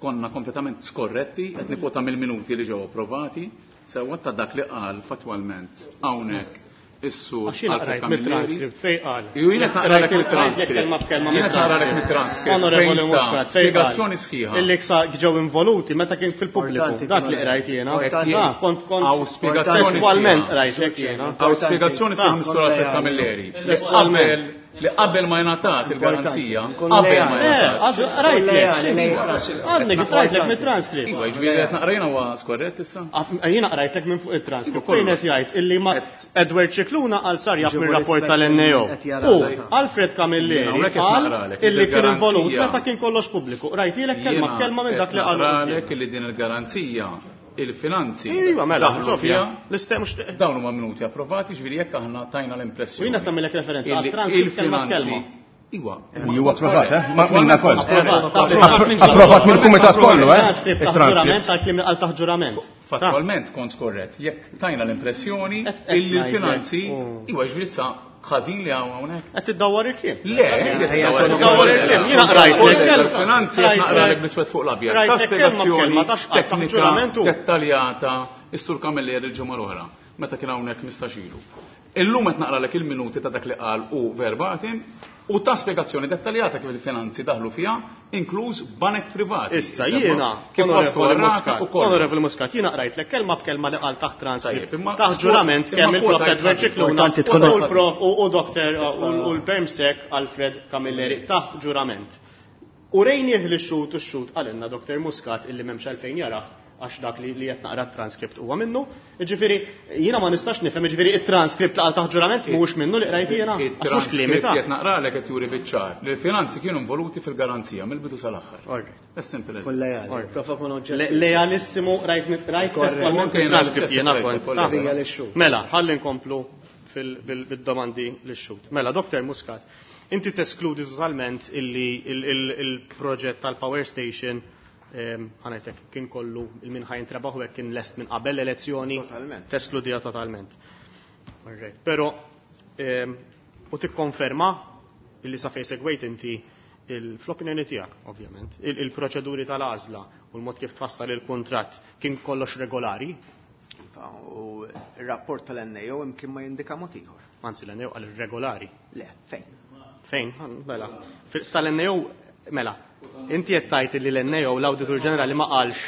konna kompletament skorretti, qed nikkwota mill-minuti li ġew approvati, sewwa ta' dak li qal fattwalment hawnhekk is-sur Għax jiena Alfred qrajt Camilleri. mit-transcript fejn qal. Ju jiena qed naqralek Qrajt il-transcript mit-transcript. kelma b'kelma Jiena qed naqralek mit-transcript. mit-transcript. Onorevoli Fejn ta' Muscat, fejn qal? spjegazzjoni sħiħa. Illi ksa ġew involuti meta kien fil-pubbliku. Importanti, Dak li qrajt jiena. Importanti. Ah, kont kont Hawn spjegazzjoni Testualment sħiħa. qrajt hekk jiena. Hawn spjegazzjoni sħiħa mis-sur Alfred Camilleri. Li qabel li qabel ma jingħatat il-garanzija, Importanti. qabel ma Eh, jingħatat. qrajtlek. Għadni qrajtlek mit-transcript. Iva, jiġifieri qed naqrajna huwa skorrett issa? Jiena qrajtlek minn fuq il-transcript. Iva, kollu. Fejn qed jgħid illi ma Edward Scicluna qal sar jaf Ġibu mir-rapport rispett tal-NAO. qed jara U l-ħajja. Alfred Camilleri Jiena hawnhekk qed qal naqralek illi kien involut il-garanzija. meta kien kollox pubbliku. Qrajtilek kelma Jiena b'kelma minn dak li qed qalu. naqralek li din il-garanzija il-finanzi Iva, mela, daħlu Sofja, fiha. l-istem mhux Dawn huma minuti approvati, ġifieri jekk aħna tajna U l-impressjoni. jiena qed nagħmilek referenza illi għat-transcript kelma il-finanzi b'kelma. Iwa. Li huwa approvat, eh? Minna koll. Approvat mill-kumitat kollu, eh? Il-transcript għal-kliem għal taħt ġurament. Fattualment kont korrett, jekk tajna l-impressjoni illi l-finanzi, iwa ġifieri issa ħażin li hawn hawnhekk. Qed tiddawwar il-kliem. Le, tiddawwar il-kliem. Jiena qrajt il-finanzi qed naqralek bl-iswed fuq l-abjad. Ta' spjegazzjoni teknika dettaljata is-Sur Camilleri il-ġimgħa l-oħra meta kien hawnhekk 15 ilu. Illum qed naqralek il-minuti ta' dak li qal u verbatim u ta' spjegazzjoni dettaljata kif il-finanzi daħlu fiha, inkluż banek privati. Issa jiena, kif waslu għar-rata u kollox. Onorevoli Muscat, jiena qrajtlek kelma b'kelma li qal taħt transcript. Tajjeb, imma Taħt ġurament imma kemm il-Prof kwota Edward Scicluna Importanti tkun u l-Prof u Dr. u l-Permsec Alfred Camilleri taħt ġurament. U rejnieh li x-xhud u x-xhud qalilna Dr. Muscat illi m'hemmx għalfejn jarah għax dak li qed naqra t-transkript huwa minnu. Jiġifieri jiena ma nistax nifhem, jiġifieri it-transkript li qal taħt ġurament mhuwiex minnu li qrajt jiena, għax mhux kliemi ta'. It-transkript qed naqralek qed juri biċ-ċar li l-finanzi kienu involuti fil-garanzija mill-bidu sal-aħħar. All right. As simple as Kun lejali. All right. Prova kun oġġettiv. Lejalissimu rajt rajt testualment Anke jiena it-transkript l-istess jiena rajt, kont. kollega. Hija lix-xhud. Mela, ħalli nkomplu bil-domandi lix-xhud. Mela, Dr. Muscat, inti teskludi totalment illi il-proġett tal-power station ħanajtek kien kollu il-min ħajn trabaħu hekk kien lest minn qabel l-elezzjoni. Totalment. Teskludija totalment. All right. Però u tikkonferma illi sa fejn segwejt inti fl-opinjoni tiegħek, ovvjament, il-proċeduri tal-għażla u l-mod kif tfassal il-kuntratt kien kollox regolari? Iva, u r-rapport tal-NAO imkien ma jindika mod ieħor. Anzi, l-NAO għal regolari. Le, fejn? Fejn? Mela. Tal-NAO, mela, inti qed tgħid li l-NAO l-Awditur Ġenerali ma qalx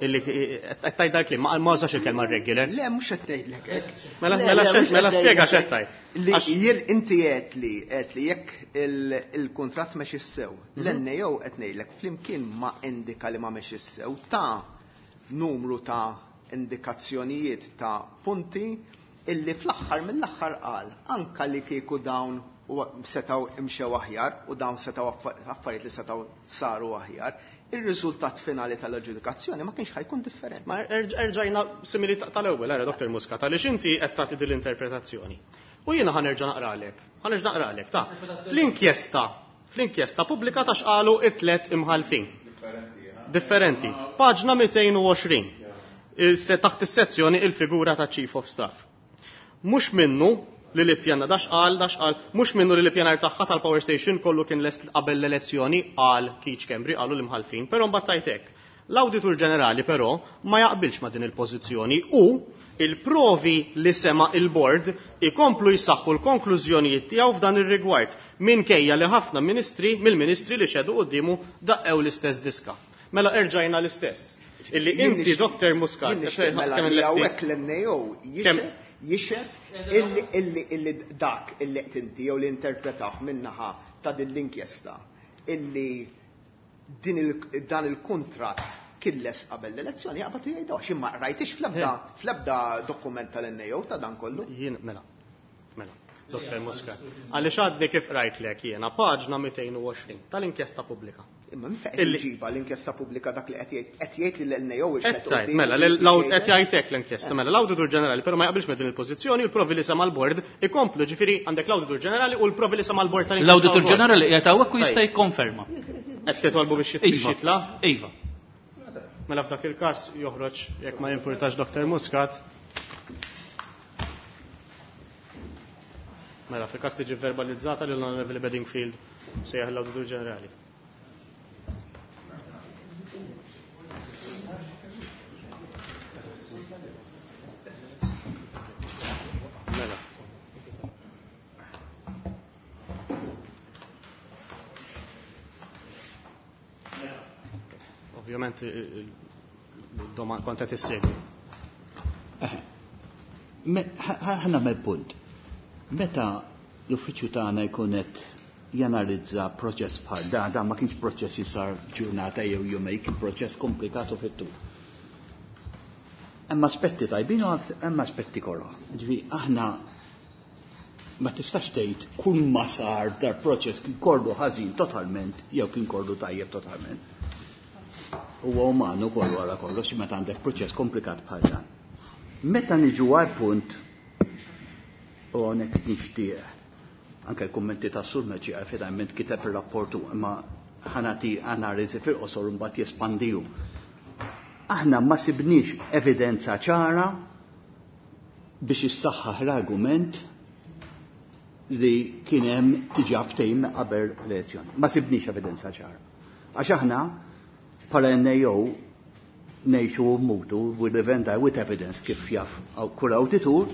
illi qed tgħid dal-kliem, ma użax il-kelma regular. Le, mhux qed ngħidlek hekk. Mela, Le, mela le, xed, mhux mela qed spjega ngħidlek x'qed hekk. tgħid. Li Għax jien inti qed li jekk il-kuntratt mexi sew, l-NAO qed ngħidlek flimkien ma indika li ma mexi sew ta' numru ta' indikazzjonijiet ta' punti illi fl-aħħar mill-aħħar qal anka li kieku dawn u setaw imxew aħjar u dawn setaw affarijiet li setaw saru aħjar, ir-riżultat finali tal-aġġudikazzjoni ma kienx ħajkun differenti. Ma erġajna simili tal-ewwel, ara Dr. Muscat, għaliex inti qed tagħti din l-interpretazzjoni. U jiena ħanerġa' naqralek, ħanerġa' naqralek, ta' fl-inkjesta pubblika ta' x'qalu it-tliet imħalfin. Differenti. Paġna 220. Taħt is-sezzjoni il-figura ta' Chief of Staff. Mhux minnu li l-ippjana, dax qal, dax qal, mhux minnu li l-ippjanar tagħha tal-power station kollu kien lest qabel l-elezzjoni, qal Keith Schembri, qalu l-imħalfin, però mbagħad tajt hekk. L-Awditur Ġenerali però ma jaqbilx ma' din il-pożizzjoni u il-provi li sema il-bord ikomplu jsaħħu l-konklużjonijiet tiegħu f'dan ir-rigward minkejja li ħafna ministri mill-ministri li xedu quddiemu daqqew l-istess diska. Mela erġajna l-istess. Illi Jien inti, Dr. Muscat, jien nixtieq kemm mela kemm li lesti? hawnhekk l-NAO Kemm? jixhed illi dak illi qed inti jew li interpretah min-naħa ta' din l-inkjesta illi dan il-kuntratt kien les qabel l-elezzjoni jaqbad u jgħidu għax imma rajtix fl-ebda dokument tal-NAO ta' dan kollu. Jien, mela, mela, Dr. Muscat. Għaliex għadni kif rajtlek jiena paġna 220 tal-inkjesta pubblika. Imma min fejn qed iġiba l-inkjesta pubblika dak li qed jgħid, qed jgħid li l-NAO Qed ixħet tgħid, quddiem mela, li jgħid qed jgħid hekk l-inkjesta, mela l-Awditur Ġenerali però ma jaqbilx ma' din il-pożizzjoni, il-provi li sema l-bord ikomplu, ġifieri għandek l-Awditur Ġenerali u l-provi li sema l-bord tal-inkjesta L-Awditur wkoll. Ġenerali qiegħed hawnhekk u jista' Tajjeb. jikkonferma. Qed titolbu biex Iva. jitla'? Iva. Mela f'dak il-każ joħroġ jekk ma jimpurtax Dr. Muscat. Mela fil-każ tiġi verbalizzata lil Onorevoli Bedingfield sejjaħ l-Awditur Ġenerali. Mela. Ovvjament il-domanda kont qed issegwi. Ħa nagħmel punt. Meta l-uffiċċju tagħna jkun qed janalizza proċess bħal dan, dan ma kienx proċess li sar ġurnata jew jumej, kien proċess komplikatu fit-tul. Hemm aspetti tajbin u hemm aspetti koroh. Ġifieri aħna ma tistax tgħid kull ma sar dar proċess kien kollu ħażin totalment jew kien kollu tajjeb totalment. Huwa umanu kollu wara kollox meta għandek proċess komplikat bħal dan. Meta niġu għal punt u hawnhekk nixtieq Anke l-kummenti ta' Sur Mercieca finalment kiteb ir-rapport hu, imma ħa nagħti analiżi fil-qosor u mbagħad jespandi hu. Aħna ma sibniex evidenza ċara biex issaħħaħ l-argument li kien hemm diġà ftehim qabel l-elezzjoni. Ma sibniex evidenza ċara. Għax aħna bħala NAO ngħixu u mmutu, we live and die with evidence, kif jaf kull awditur,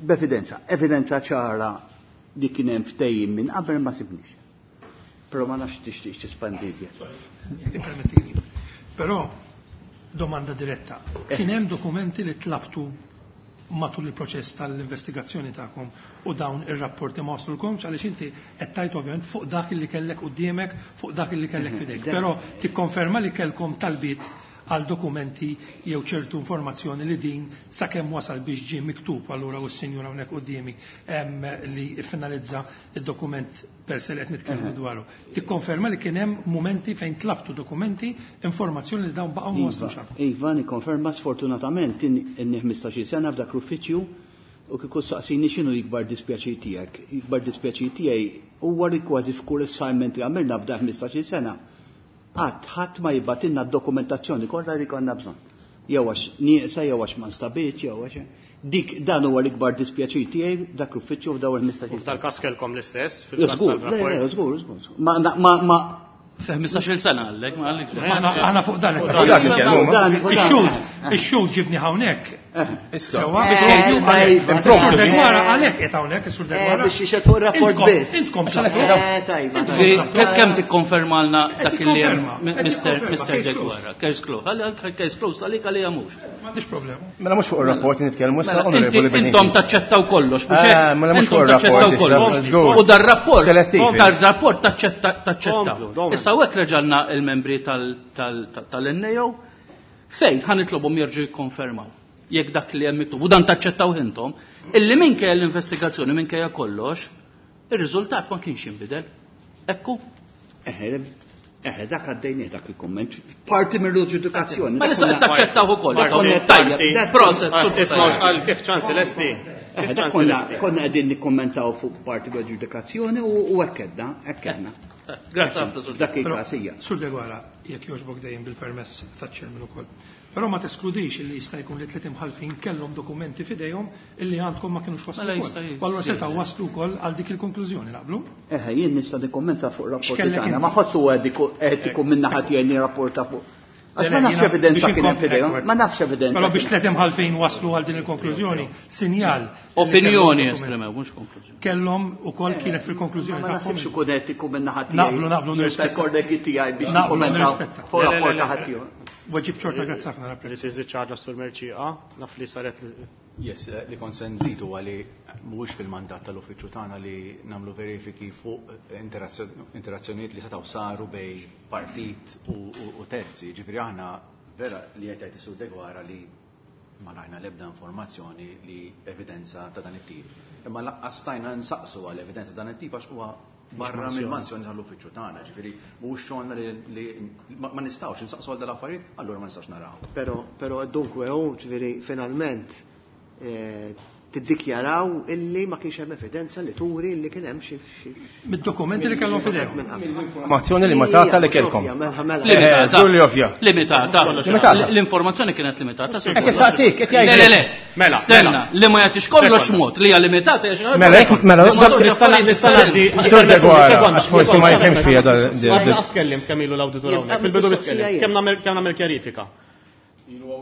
b'evidenza. Evidenza ċara li kien hemm ftehim minn qabel ma sibniex. Però ma nafx tixtieq tispandi iżjed. Permettili. Però domanda diretta. Kien hemm dokumenti li tlabtu matul il-proċess tal-investigazzjoni tagħkom u dawn ir-rapporti ma waslulkomx, għaliex inti qed tgħid ovvjament fuq dak li kellek quddiemek, fuq dak li kellek f'idejk. Però tikkonferma li kellkom talbiet għal dokumenti jew ċertu informazzjoni li din sakemm wasal biex ġie miktub allura u s-sinjura hawnhekk quddiemi li ffinalizza id-dokument per se li qed nitkellmu dwaru. Tikkonferma li kien hemm momenti fejn tlabtu dokumenti, informazzjoni li dawn baqgħu ma waslux għandkom. Iva, nikkonferma, sfortunatament inni 15-il sena f'dak l-uffiċċju u kieku saqsini x'inhu l-ikbar dispjaċir tiegħek. L-ikbar dispjaċir tiegħi huwa li kważi f'kull assignment li għamilna f'dak 15-il sena qatt ħadd ma jibgħatilna d-dokumentazzjoni kollha li konna bżonn. Jew għax nieqsa, jew għax ma nstabitx, jew għax dik, dan huwa l-ikbar dispjaċir tiegħi dak l-uffiċċju f'dawn il-15-il sena. U f'dal-każ kellkom l-istess fil-każ Żgur, le, tal-rapport? le, żgur, żgur, żgur. Ma, ma, ma, Fi 15-il sena għallek, ma għallek. Aħna fuq dan Fuq dan nitkellmu, ma. Dan, fuq dan. Ix-xhud, ix-xhud ġibni hawnhekk. Issa. Sewa, Eh, biex jgħidu iva, għalhekk. iva. Is-Sur Deguara għalhekk qed hawnhekk, is-Sur Deguara. Biex jixhed fuq ir-rapport Intkom- biss. Intkom Għax għalhekk tlabtu. Eh, tajba, Intkom tajba. tlabtu. Kemm tikkonfermalna Qed dak li hemm tikkonferma, qed tikkonferma, Mister case Deguara? Case closed. Għalli, case closed għalik għalija mhux. M'għandix problema. Mela mhux fuq ir-rapport nitkellmu issa, Mela, onorevoli Benigni. intom taċċettaw kollox, mhux Eh, hekk? mela mhux Intom fuq ir-rapport taċċettaw issa, kollox. żgur. U dar-rapport, Selettivi. dar-rapport taċċettaw. Komplu, domanda. Issa hawnhekk reġalna il-membri tal-NAO fejn ħa nitlobhom jerġgħu jikkonfermaw jekk dak li hemm miktub u dan taċċettaw intom, illi minkejja l-investigazzjoni, minkejja kollox, ir-riżultat ma kienx jinbidel. Ekku. Eħe, eħe, dak għaddejnieh dak il-komment, parti mill-ġudikazzjoni. Ma issa qed taċċettaw ukoll. Parti, Tajjeb, parti. proset, Ah, sur Isma' tajjeb. għal kif ċansi lesti. Eħe, Kif dak ċansi lesti. konna qegħdin nikkommentaw fuq parti mill-ġudikazzjoni u hekk edna, hekk edna. Grazzi ħafna, Sur. Dak Però, il-każ hija. Sur Deguara, jekk jogħġbok dejjem bil-permess taċ-chairman ukoll. Però ma teskludix illi jista' jkun li tliet imħallfin kellhom dokumenti f'idejhom illi għandkom ma kinux waslu Mela wkoll. jista' U allura setgħu waslu wkoll għal dik il-konklużjoni, naqblu? Eħe, jien nista' nikkommenta fuq rapporti X'kellek tagħna, inti? ma ħossu etiku minn naħa tiegħi nirrapporta fuq. Għax ma Le, le, nafx jiena evidenza biex kien hemm inkompli, f'idejhom, ekku, ma nafx evidenza. Però biex kien hemm. tliet imħallfin waslu għal din il-konklużjoni, sinjal li kellhom Opinjoni dokumenti. esprimew, mhux konklużjoni. Kellhom ukoll kienet fil-konklużjoni Ma tagħhom. naħsibx ikun etiku minn naħa tiegħi. Naqblu, naqblu, Nista' nirrispetta. kollegi tiegħi biex Naqblu, nikkommentaw nirrispetta. fuq Le, le, le, rapport le. ta' ħaddieħor. Weġib ċorta, grazzi ħafna, napprezza. Li tiżid xi ħaġa sur Mercieca, naf li saret li- Yes, li kont se nżid huwa li mhuwiex fil-mandat tal-uffiċċju tagħna li nagħmlu verifiki fuq interazzjonijiet li setgħu saru bejn partit u terzi. Ġifieri aħna vera li qed jgħid is-Sur Deguara li ma rajna l-ebda informazzjoni li evidenza ta' dan it-tip. Imma lanqas stajna nsaqsu għal evidenza ta' dan it-tip għax huwa barra mill-mansjoni tal-uffiċċju tagħna, ġifieri mhuwiex xogħolna li ma nistgħux insaqsu għal dal-affarijiet, allura ma nistgħux naraw. Però, però dunque, hu, ġifieri, finalment, tiddikjaraw illi ma kienx hemm evidenza li turi illi kien hemm xi Mid-dokumenti li kellhom f'idejhom. minn qabel. Informazzjoni limitata li kellkom. Mela, mela. Limitata. Żgur li ovvja. Limitata. Limitata. L-informazzjoni kienet limitata. Sur Hekk issaqsik, qed Le, le, le. Mela, Stenna, mela. li ma jagħtix kollox Sekonda. mod li hija limitata hija xi ħaġa. Mela, hekk- mela, Li ma nista' żewġ nista' affarijiet nista' ngħaddi- differenti. Sur Deguara, Sekonda, għax forsi ma jifhimx fija dal- Għadna qas tkellimt kemm ilu l-awditur Jien hawnhekk. Fil-bidu biss mistoqsija tkellimt. jien. Kemm nagħmel kemm nagħmel kjarifika.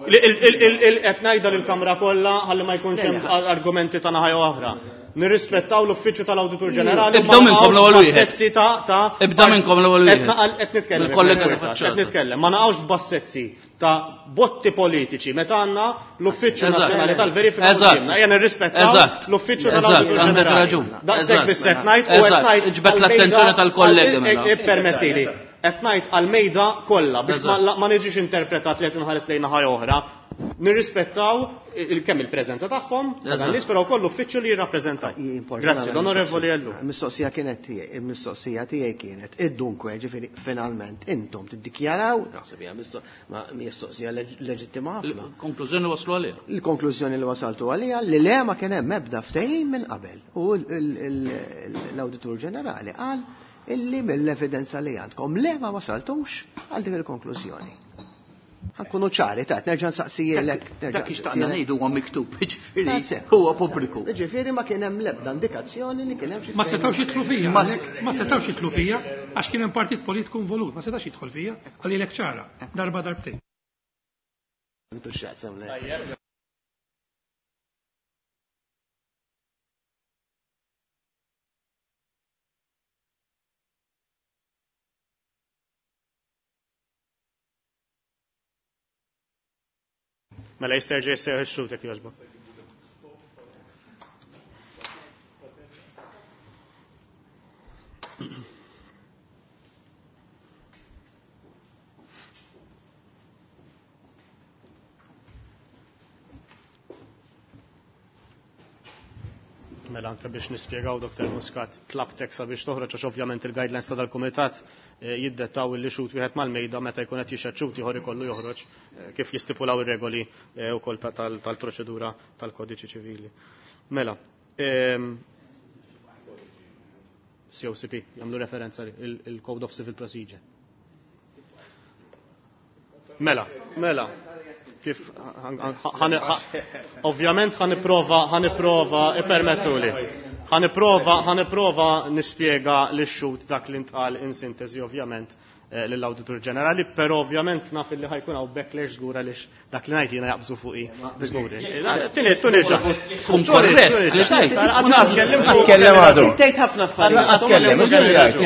Qed ngħidha lill-Kamra kollha ħalli ma jkunx hemm argumenti ta' naħa jew oħra. Nirrispettaw l-Uffiċċju tal-Awditur Ġenerali. Ibda minnkom l-ewwel wieħed. Bassezzi ta' Ibda minnkom l-ewwel wieħed. Qed nitkellem. Mill-kollega ta' qed faċċata. nitkellem. Ma naqgħux f'bassezzi ta' botti politiċi meta għandna l-Uffiċċju Eżatt. Nazzjonali tal-Verifika Eżatt. qudiemna. Ejja nirrispettaw Eżatt. l-Uffiċċju Eżatt, tal-Awditur għandek Ġenerali. raġun. Daqshekk Eżatt. biss qed ngħid u qed Eżatt. ngħid Iġbed l-attenzjoni tal-kollegi mela. Ippermettili. Qed ngħid għall-mejda kollha biex ma niġix interpretat li qed inħares lejn naħa oħra. Nirrispettaw kemm il-preżenza tagħhom, dan nies però wkoll l-uffiċċju li jirrappreżentaw. Grazzi, l-Onorevoli Ellul. Il-mistoqsija kienet tiegħi, il-mistoqsija tiegħi kienet id-dunkwe, ġifieri finalment intom tiddikjaraw, naħseb hija mistoqsija leġittima ħafna. Il-konklużjoni waslu għaliha. Il-konklużjoni li wasaltu għaliha li le ma kien hemm ebda ftehim minn qabel. U l-Awditur Ġenerali qal illi mill-evidenza li għandkom le ma wasaltux għal dik il-konklużjoni. Ħa nkunu ċari, ta' nerġa' nsaqsijilek. Dak xtaqna ngħidu huwa miktub, ġifieri huwa pubbliku. Ġifieri ma kien hemm l-ebda indikazzjoni li kien hemm xi Ma setgħux jidħlu fija, ma setgħux jidħlu fija għax kien hemm partit politiku involut, ma setax jidħol fija, għalilek ċara, darba darbtejn. Mela jista' jerġa' jissejjaħ ix-xhud jekk jogħġbok. Mela anke biex nispjegaw Dr. Muscat tlabtek sabiex toħroġ għax ovvjament il-guidelines ta' dal-kumitat jiddettaw illi xhud wieħed mal-mejda meta jkun qed jixhed xhud ieħor ikollu joħroġ kif jistipulaw ir-regoli wkoll tal-proċedura tal-kodiċi ċivili. Mela, COCP, jagħmlu referenza il-Code of Civil Procedure. Mela, mela, kif ovvjament ħa nipprova, ħa nipprova, ippermettuli. Ħa nipprova, ħa nipprova nispjega lix-xhud dak li ntqal in sintesi ovvjament lill-Awditur Ġenerali, però ovvjament naf li ħa jkun hawn backlash żgur għaliex dak li ngħid jiena jaqbżu fuqi żgur. Tini, tuni ġa. Kun korrett. Tkellem għadu. Tgħid ħafna affarijiet.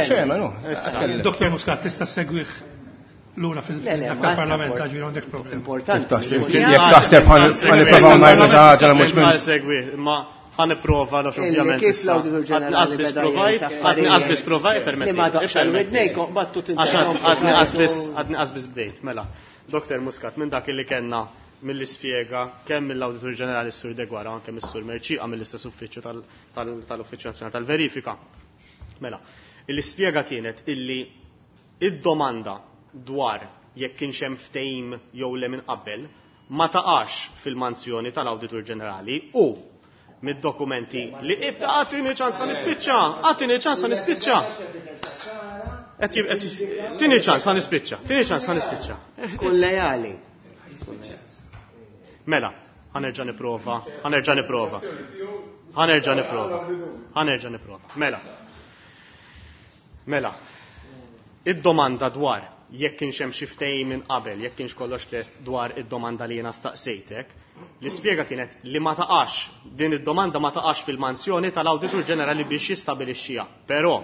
Tkellem, Dr. Muscat tista' segwih lura fil-parlament ġifieri għandek problem. Importanti. Jekk taħseb ħa nipprovaw ngħidu xi ħaġa li mhux minn. Segwi, imma ħa nipprova għax ovvjament. Kif l-Awditur Ġenerali beda Għadni qasbis provajt, permetti. Li ma daqx widnejkom battu Għadni qasbis, għadni qasbis bdejt, mela. Dr. Muscat, minn dak li kellna mill-ispjega kemm mill-Awditur Ġenerali Sur Deguara anke mis-Sur Mercieca mill-istess uffiċċju tal-Uffiċċju Nazzjonali tal-Verifika. Mela, l-ispjega kienet illi id-domanda dwar jekk kienx hemm ftehim jew le minn qabel ma taqax fil-manzjoni tal-Awditur Ġenerali u mid-dokumenti li ibda għatini ċans ħa nispiċċa, għatini ċans ħa nispiċċa. Tini ċans ħa nispiċċa, tini ċans ħa nispiċċa. Kun lejali. Mela, ħa nerġa' nipprova, ħa nerġa' nipprova. Ħa nerġa' nipprova. Ħa nerġa' nipprova. Mela. Mela. Id-domanda dwar jekk kienx hemm xi ftehim minn qabel, jekk kienx kollox lest dwar id-domanda li jiena staqsejtek, l-ispjega kienet li ma taqax, din id-domanda ma taqax fil-mansjoni tal-Awditur Ġenerali biex jistabilixxiha. Però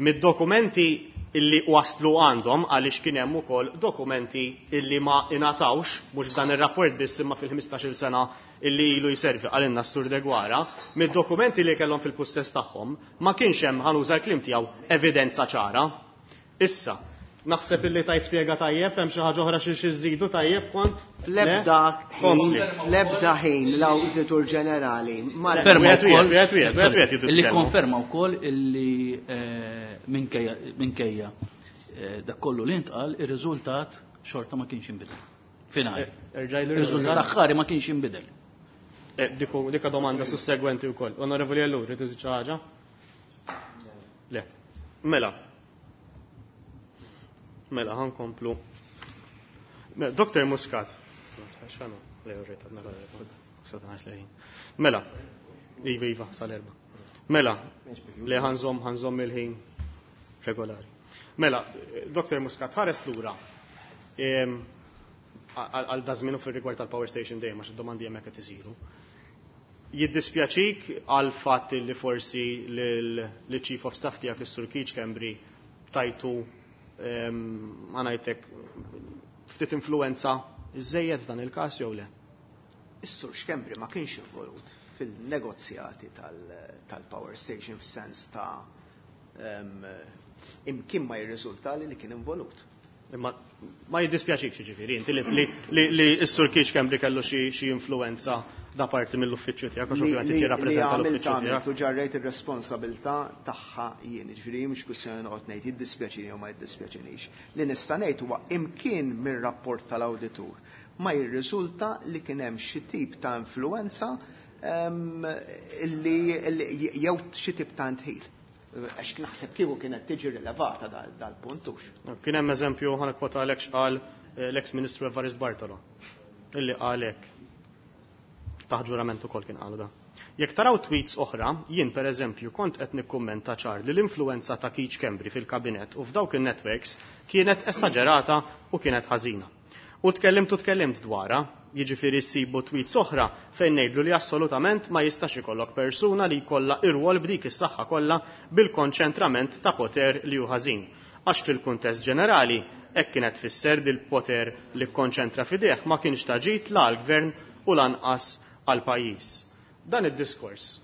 mid-dokumenti illi waslu għandhom għaliex kien hemm ukoll dokumenti illi ma ingħatawx, mhux f'dan ir-rapport biss imma fil-15-il sena illi ilu jservi għalinna s-Sur Deguara, mid-dokumenti li kellhom fil-pussess tagħhom ma kienx hemm, ħa nuża l-kliem tiegħu, evidenza ċara. Issa, naħseb illi tajt spjega tajjeb, hemm xi ħaġa oħra xi żidu tajjeb kont? Fl-ebda ħin, fl-ebda ħin l-Awditur Ġenerali ma Konferma Wieħed wieħed, wieħed wieħed, wieħed wieħed jiddu Illi tkellmu. konferma wkoll illi minkejja dak kollu li ntqal, ir-riżultat xorta ma kienx inbidel. Finali. Erġaj l Ir-riżultat aħħari ma kienx inbidel. Dika domanda sussegwenti wkoll. Onorevoli Ellul, rrid iżid xi ħaġa? Le. Mela. Mela, ħankomplu. Mela, Dr. Muscat. Mela, iva, iva, sal-erba. Mela, le ħanżom, ħanżom il-ħin regolari. Mela, Dr. Muscat, ħares lura. Għal dażminu fil-rigward tal-power station dejjem, għax id-domandi hemmhekk qed isiru. Jiddispjaċik għal fatt li forsi l-Chief of Staff tiegħek is-Sur Keith Schembri tajtu għanajtek ftit influenza iżejjed f'dan il-każ jew le? Is-Sur Schembri ma kienx involut fil-negozjati tal-power station f'sens ta' Imkien ma jirriżultali li kien involut. Imma ma jiddispjaċikx jiġifieri inti li li s-Sur Keith Schembri kellu xi influenza da parti mill-uffiċċju tiegħek għax ovvjament inti jirrappreżenta l-uffiċċju tiegħek. U ġarrejt ir-responsabilità tagħha jien, jiġifieri mhux kwistjoni noqgħod ngħid jiddispjaċini jew ma jiddispjaċinix. Li nista' ngħid huwa imkien mir-rapport tal-awditur ma jirriżulta li kien hemm xi tip ta' influenza li jew xi tip ta' ndħil. Għax naħseb kieku kienet tiġi rilevata dal-punt hux. Kien hemm eżempju ħa nikkwota għalhekk x'qal l-eks Ministru Evarist Bartolo, illi qal hekk. Taħt ġurament ukoll kien qalu da. Jekk taraw tweets oħra, jien per eżempju kont qed nikkummenta ċar li l-influenza ta' Keith Schembri fil-kabinett u f'dawk in-networks kienet esaġerata u kienet ħażina. U tkellimt u tkellimt dwarha, jiġifieri ssibu tweets oħra fejn ngħidlu li assolutament ma jistax ikollok persuna li jkollha irwol b'dik is-saħħa kollha bil-konċentrament ta' poter li hu ħażin. Għax fil-kuntest ġenerali hekk kienet tfisser li l-poter li kkonċentra f'idejh ma kienx ta' ġid la għall-gvern u lanqas għall-pajjiż. Dan id-diskors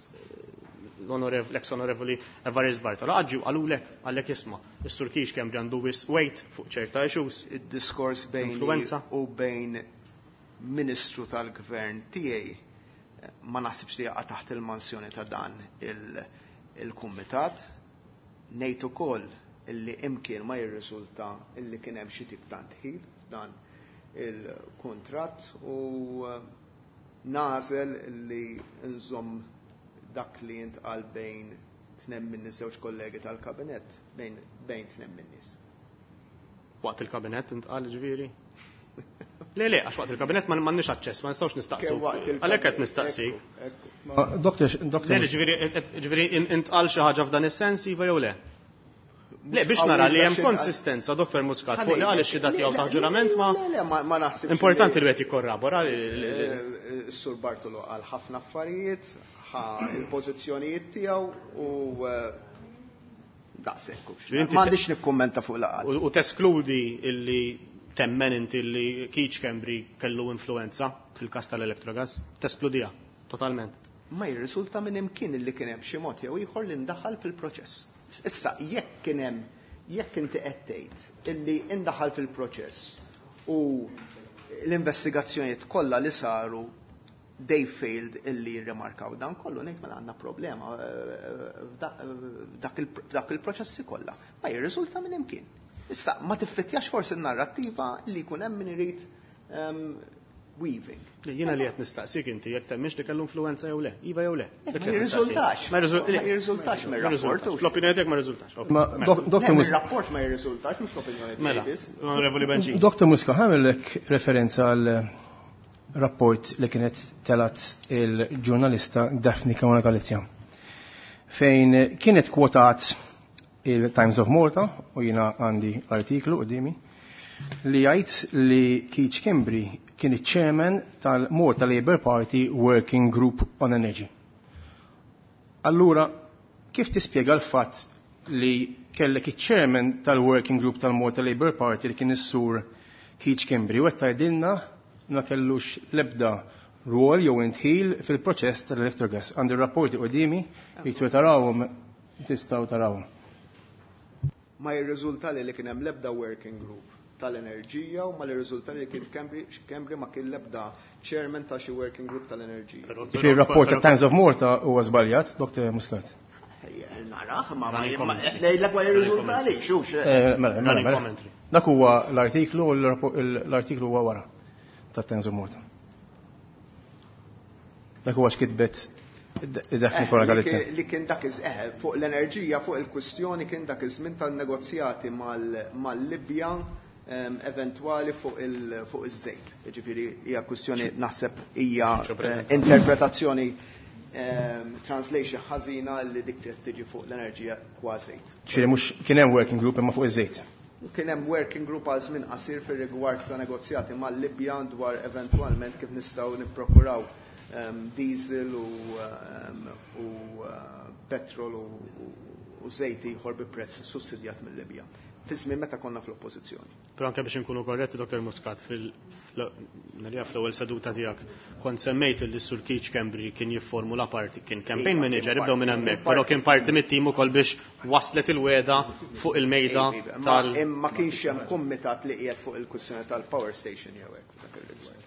l-ex-onorevoli Evarist Bartolo għadġu għalulek, għallek jisma, is-Sur Keith Schembri għandu wisq weight fuq ċerta issues. Id-diskors bejn Influenza. u bejn ministru tal-gvern tiegħi ma naħsibx li jaqa' taħt il-mansjoni ta' dan il-kumitat. Ngħid ukoll illi imkien ma jirriżulta illi kien hemm xi tip ta' ndħil dan il-kuntratt u nagħżel illi nżomm dak li jintqal bejn tnem minn żewġ kollegi tal-kabinett bejn tnem minn nies. Waqt il-kabinett intqal ġifieri? Le, le, għax waqt il-kabinett ma m'għandniex aċċess, ma nistgħux nistaqsu. Kemm waqt il-kabinett, Għalhekk qed nistaqsi. Ekku, ekku. Ma, doktor, doktor Le, le, ġifieri intqal xi ħaġa f'dan is-sens, iva jew le? Le, biex Mhux nara li qawwi hemm biex konsistenza, Doktor Muscat, fuq li Ħalli, qal ix-xhieda le, tiegħu le, taħt ġurament ma Le, le, ma naħsibx Importanti li li wieħed jikkorrabora li Sur Bartolo qal ħafna affarijiet, ħa il-pożizzjonijiet tiegħu u daqshekk hux. Ġifieri inti Ma għandix nikkummenta fuq laqal. U teskludi illi temmen inti li Keith Schembri kellu influenza fil-każ tal-Electrogas? Teskludija totalment. Ma jirriżulta minn imkien illi kien hemm xi mod jew ieħor li ndaħal fil-proċess. Issa jekk kien hemm, jekk inti qed tgħid illi indaħal fil-proċess u l-investigazzjonijiet kollha li saru they failed illi jirrimarkaw dan kollu, ngħid mela għandna problema f'dak il-proċessi kollha. Ma jirriżulta minn imkien. Issa ma tiffittjax forsi n-narrattiva li jkun hemm min irid weaving. Le, jiena li qed nistaqsik inti jekk temminx li kellu influenza jew le, iva jew le. Ma Dik li qed nistaqsik. jirriżultax. Ma Ma jirriżultax ma mir-rapport, jirriżultax. hux. Fl-opinjoni tiegħek ma jirriżultax. Ok. Ma, Mela. Doktor Le, Mus- mir-rapport ma jirriżultax, mhux l-opinjoni tiegħi Mela, biss. Onorevoli Benġin. Doktor Muscat, ħamillek referenza għal rapport li kienet telat il-ġurnalista Daphne Caruana Galizia, fejn kienet kwotat il-Times of Malta, u jina għandi artiklu quddiemi, li jgħid li Keith Schembri kien iċ-chairman tal-Malta Labour Party Working Group on Energy. Allura, kif tispjega l-fatt li kellek iċ-chairman tal-Working Group tal-Malta Labour Party li kien is-sur Keith Schembri u qed tgħidilna ma kellux l-ebda rwol jew indħil fil-proċess tal-Electrogas. Għandi rapporti quddiemi, jekk tarawhom tistgħu tarawhom. Ma jirriżulta li kien hemm l-ebda working group tal-enerġija u ma jirriżulta li kien Schembri ma kien l-ebda chairman ta' xi working group tal-enerġija. Fi rapport ta' Times of Malta huwa żbaljat, Dr. Muscat. Ejja, naraħ, ma ngħidlek ma jirriżulta li, xux. Mela, mela, mela. Commentary. Dak huwa l-artiklu u l-artiklu huwa wara ta' Times of Malta. Dak huwa x'kitbet id-Daphne Caruana Galizia. Li kien dak iż-, fuq l-enerġija, fuq il-kwistjoni kien dak iż-żmien tan-negozjati mal-Libja eventwali fuq iż-żejt. Jiġifieri hija kwistjoni naħseb hija, Ġo preżenti. interpretazzjoni translation ħażina li dik li tiġi fuq l-enerġija kważejt. Ġifieri mhux kien hemm working group imma fuq iż-żejt. Kien hemm working group għal żmien qasir fir-rigward ta' negozjati mal-Libja dwar eventwalment kif nistgħu nipprokuraw diesel u petrol u żejt ieħor bi prezz sussidjat mill-Libja. fi żmien meta konna fl-oppożizzjoni. Però anke biex inkunu korretti, Dr. Muscat, fil-nerja fl-ewwel seduta tiegħek kont semmejt li Sur Keith Schembri kien jifformula parti, kien campaign Iva, kien manager, ibdew minn parti, hemmhekk, kien però parti. kien parti mit-tim ukoll biex waslet il-weda fuq il-mejda Iva, ma tal- imma kienx hemm kumitat li qiegħed fuq il-kwistjoni tal-power station jew hekk f'dak ir-rigward.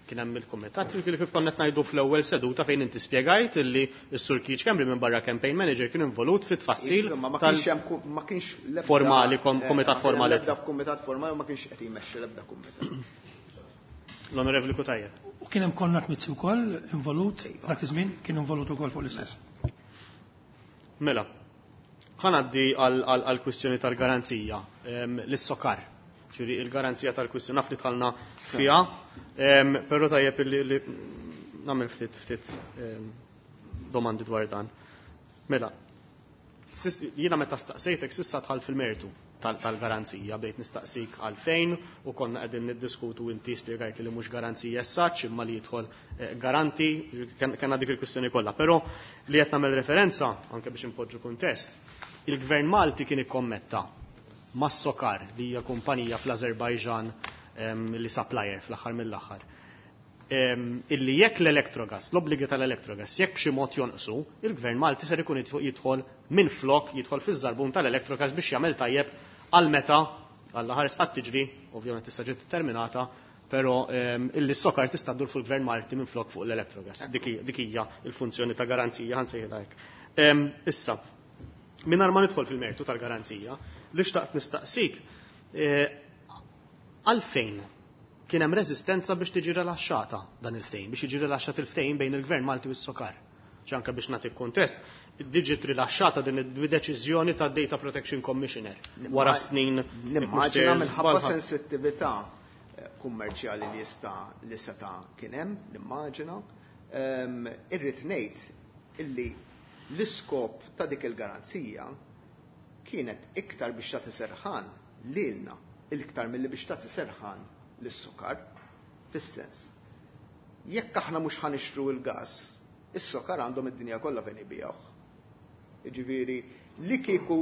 Kien hemm il-kumitat li kif konna qed ngħidu fl-ewwel seduta fejn inti spjegajt illi s-Sur Keith Schembri minn barra campaign manager kien involut fit-tfassil Iva, ma ma tal- kienx hemm ma kienx l-ebda Formali, kumitat ma kien hemm formali. L-ebda kumitat formali u ma kienx qed jmexxi l-ebda kumitat. L-Onorevoli Cutajar. U kien hemm Konrad Mizzi wkoll involut dak iż-żmien, kien involut ukoll fuq l-istess. Mela, ħa ngħaddi għal kwistjoni tal-garanzija, l-SOCAR. Ġifieri il-garanzija tal-kwistjoni naf li dħalna fiha, però tajjeb li nagħmel ftit domandi dwar dan. Mela, jiena meta staqsejtek s'issa dħalt fil-mertu tal-garanzija, bdejt nistaqsik għalfejn u konna qegħdin niddiskutu inti spjegajt li mhux garanzija essaċ imma li jidħol garanti, kellna dik il-kwistjoni kollha. Però li qed nagħmel referenza anke biex inpoġġu kuntest, il-Gvern Malti kien ikkommetta mas-SOCAR li hija kumpanija fl-Azerbajġan li supplier fl-aħħar mill-aħħar. Illi jekk l-Electrogas, l-obbligi tal-Electrogas, jekk b'xi mod jonqsu, il-Gvern Malti ser ikun jidħol minn flok, jidħol fiż-żarbun tal-Electrogas biex jagħmel tajjeb għal meta għall ħares qatt tiġri, ovvjament tista' ġiet terminata, però illi s-SOCAR tista' ddur fuq il-Gvern Malti minn flok fuq l-Electrogas. Dik hija l-funzjoni ta' garanzija, ħansejħilha hekk. Issa, mingħajr ma nidħol fil-mertu tal-garanzija, li xtaqt nistaqsik għalfejn kien hemm reżistenza biex tiġi rilaxxata dan il-ftehim, biex jiġi rilaxxat il-ftehim bejn il-Gvern Malti u s-SOCAR. Ġanka biex nagħti kuntest, diġi rilaxxata din id-deċiżjoni ta' Data Protection Commissioner wara snin Nimmaġina Mister minħabba Balħa. sensittività kummerċjali li jista' li seta' kien hemm, nimmaġina. Irrid ngħid illi l-iskop ta' dik il-garanzija kienet iktar biex tagħti serħan lilna, iktar milli biex tagħti serħan lis-SOCAR, fis-sens. Jekk aħna mhux ħanixtru l-gas, is-SOCAR għandhom id-dinja kollha fejn ibijawh. Jiġifieri li kieku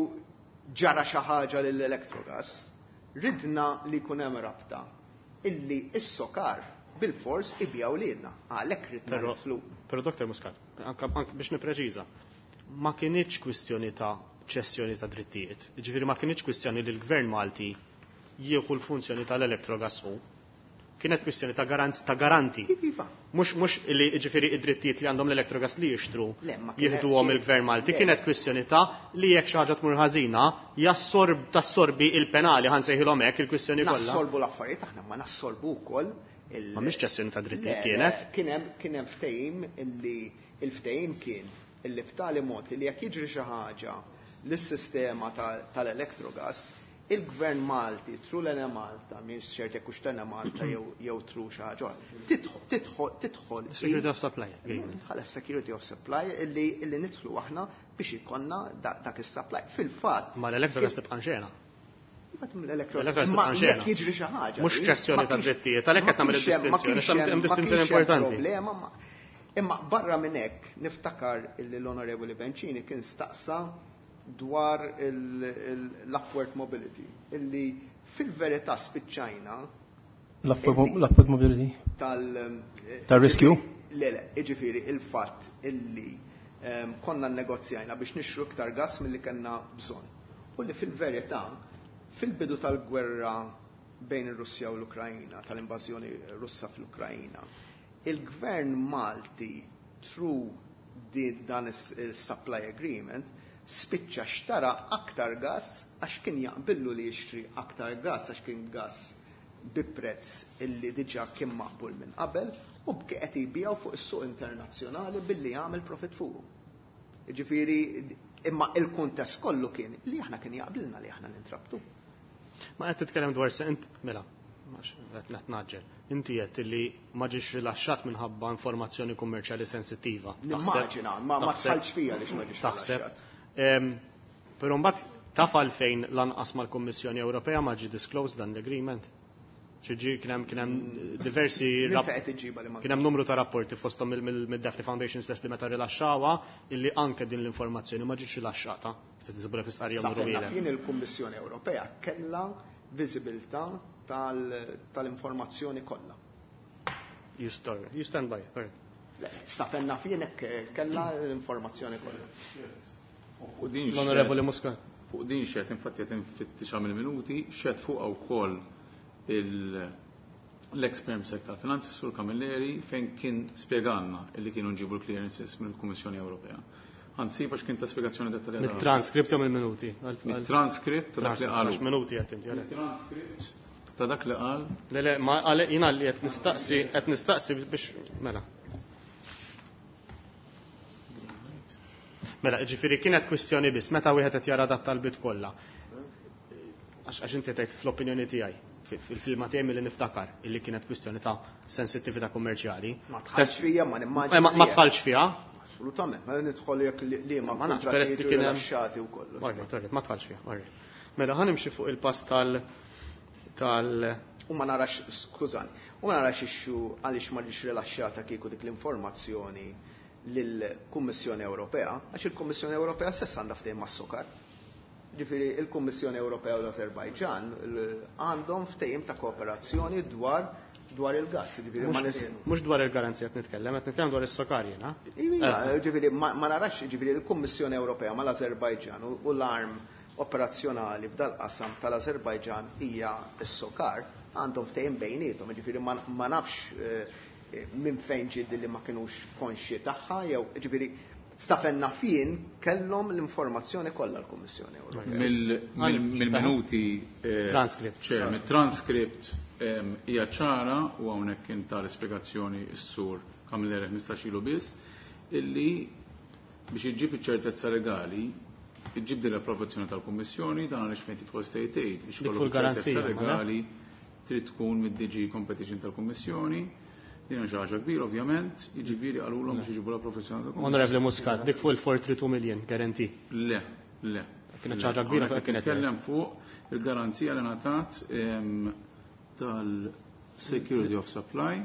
ġara xi ħaġa lill-Electrogas, ridna li jkun hemm rabta illi is-SOCAR bil-fors ibijaw lilna. Għalhekk ridna nidħlu. Però Dr. Muscat, anke biex nippreċiża, ma kinitx kwistjoni ta' ċessjoni ta' drittijiet. Jiġifieri ma kinitx kwistjoni li l-Gvern Malti jieħu l-funzjoni tal-Electrogas hu. Kienet kwistjoni ta' ta' garanti. Iva. Mhux li jiġifieri id-drittijiet li għandhom l-Electrogas li jixtru Le, ma kien jieħduhom hemm- il-Gvern Malti. Le. Kienet kwistjoni ta' li jekk xi ħaġa tmur ħażina, tassorbi il-penali, ħansejħilhom hekk il-kwistjoni kollha. Nassorbu l-affarijiet aħna, ma nassorbu wkoll il- Ma mhix ċessjoni ta' drittijiet Le, kienet. le, kien hemm ftehim illi il-ftehim kien illi b'tali mod li jekk jiġri xi ħaġa lis-sistema tal-Electrogas, il-Gvern Malti, through l-Enemalta, minn ċert jekk hux l-Enemalta jew through xi ħaġa oħra, tidħol Security of Supply Agreement. Bħala Security of Supply illi nidħlu aħna biex ikollna dak is-supply. Fil-fatt. Ma l-Electrogas tibqa' xena. Imbagħad mill-Electrogas. L-Electrogas Ma tibqa' xena. jekk jiġri xi ħaġa, Mhux di, ċessjoni ma ta' kienx drittijiet, għalhekk qed ma nagħmel kienx hemm- ma id-distinzjoni, kienx hemm hemm- ma distinzjoni kienx hemm importanti. problema, imma barra minn hekk niftakar illi l-Onorevoli Bencini kien staqsa dwar l-upward mobility, illi fil-verità spiċċajna L-upward mobility? tal- Tal-riskju? Le, le, jiġifieri il-fatt illi konna nnegozjajna biex nixtru iktar gas milli kellna bżonn. U li fil-verità, fil-bidu tal-gwerra bejn ir-Russja u l-Ukrajna, tal-invażjoni Russa fl-Ukrajna, il-Gvern Malti through dan is-supply agreement spiċċa xtara aktar gas għax kien jaqbillu li jixtri aktar gas għax kien gas bi prezz illi diġà kien maqbul minn qabel u bqi qed jbiegħu fuq is-suq internazzjonali billi jagħmel profit fuqu. Jiġifieri, imma il-kuntest kollu kien li aħna kien jaqbilna li aħna nintrabtu. Ma qed titkellem dwar se int mela, għax qed naġġel. Inti qed li ma ġiex rilaxxat minħabba informazzjoni kummerċjali sensittiva. Nimmaġina, ma tħallx fija għaliex ma ġiex Taħseb. rilaxxat. Però mbagħad taf għalfejn lanqas mal-Kummissjoni Ewropea ma ġie disclosed dan l-agreement. Ġi kien hemm diversi Minn fejn qed iġġibha li ma Kien hemm numru ta' rapporti fosthom mid-Daphne Foundation stess li meta rilaxxawha illi anke din l-informazzjoni ma ġietx rilaxxata. Tisibha fi stqarrija Sa numru fejn naf wieħed. jien, il-Kummissjoni Ewropea kellha viżibilità tal-informazzjoni kollha. You stand by. All right. Le, sa fejn naf jien hekk kellha l-informazzjoni kollha. Fuq din L-Onorevoli Muscat. Fuq din xehed, infatti qed infittixha mill-minuti, xehed fuqha wkoll l-ex Perm Sec tal-Finanzi, Sur Camilleri, fejn kien spjegalna illi kienu nġibu l-clearances mill-Kummissjoni Ewropea. Anzi, għax kien ta' spjegazzjoni dettaljata. Mit-transcript jew mill-minuti? Mit-transcript ta' dak li qalu. Għax minuti qed inti għalhekk. Mit-transcript ta' dak li qal. Le, le, ma għale jiena li qed nistaqsi biex mela. Mela, ġifieri kienet kwistjoni biss, meta wieħed qed jara dat talbit kollha. Għax inti tgħid fl-opinjoni tiegħi, fil-filma tiegħi milli niftakar illi kienet kwistjoni ta' sensittività kummerċjali. Ma tħallx fija, ma nimmaġina. Ma tħallx fiha. Assolutament, ma nidħol jekk li ma Ma nafx, peress li kontratti kien hemm rilaxxati u kollox. Alright, ma tħallx fiha, alright. Mela, ħa nimxi fuq il-pass tal U ma narax, skużani, u ma narax issue għaliex ma ġiex rilaxxata kieku dik l-informazzjoni lill-Kummissjoni Ewropea, għax il-Kummissjoni Ewropea stess għandha ftehim mas-SOCAR. Ġifieri il-Kummissjoni Ewropea u l-Azerbajġan għandhom ftehim ta' kooperazzjoni dwar il-gas. Ġifieri ma Mhux dwar il-garanzija qed nitkellem, qed nitkellem dwar is-SOCAR jiena. Iva, ġifieri ma narax, ġifieri il-Kummissjoni Ewropea mal-Azerbajġan u l-arm operazzjonali f'dal-qasam tal-Azerbajġan hija s-SOCAR, għandhom ftehim bejniethom, ġifieri ma nafx minn fejn ġiet li ma kinux konxji tagħha jew ġifieri sa fejn naf jien kellhom l-informazzjoni kollha l-Kummissjoni Ewropea. Mill-minuti Transcript. ċer, mit-transcript hija ċara u hawnhekk kien tal-ispjegazzjoni s-sur Camilleri 15 ilu biss illi biex iġġib iċ-ċertezza legali iġġib din l-approvazzjoni tal-Kummissjoni, dan għaliex fejn tidħol state aid biex Dik ikollok fuq il-garanzija, ċertezza ma le? legali trid tkun mid-DG Competition tal-Kummissjoni. Din hija xi ħaġa kbira ovvjament, jiġifieri qalulhom biex iġibu l-approvazzjoni tal-Kummissjoni. Onorevoli Muscat, dik fuq il-432 million guarantee. Le, le. Kienet xi ħaġa kbira Hawnhekk fuq kienet. Nitkellem fuq il-garanzija li ngħatat tal-Security of Supply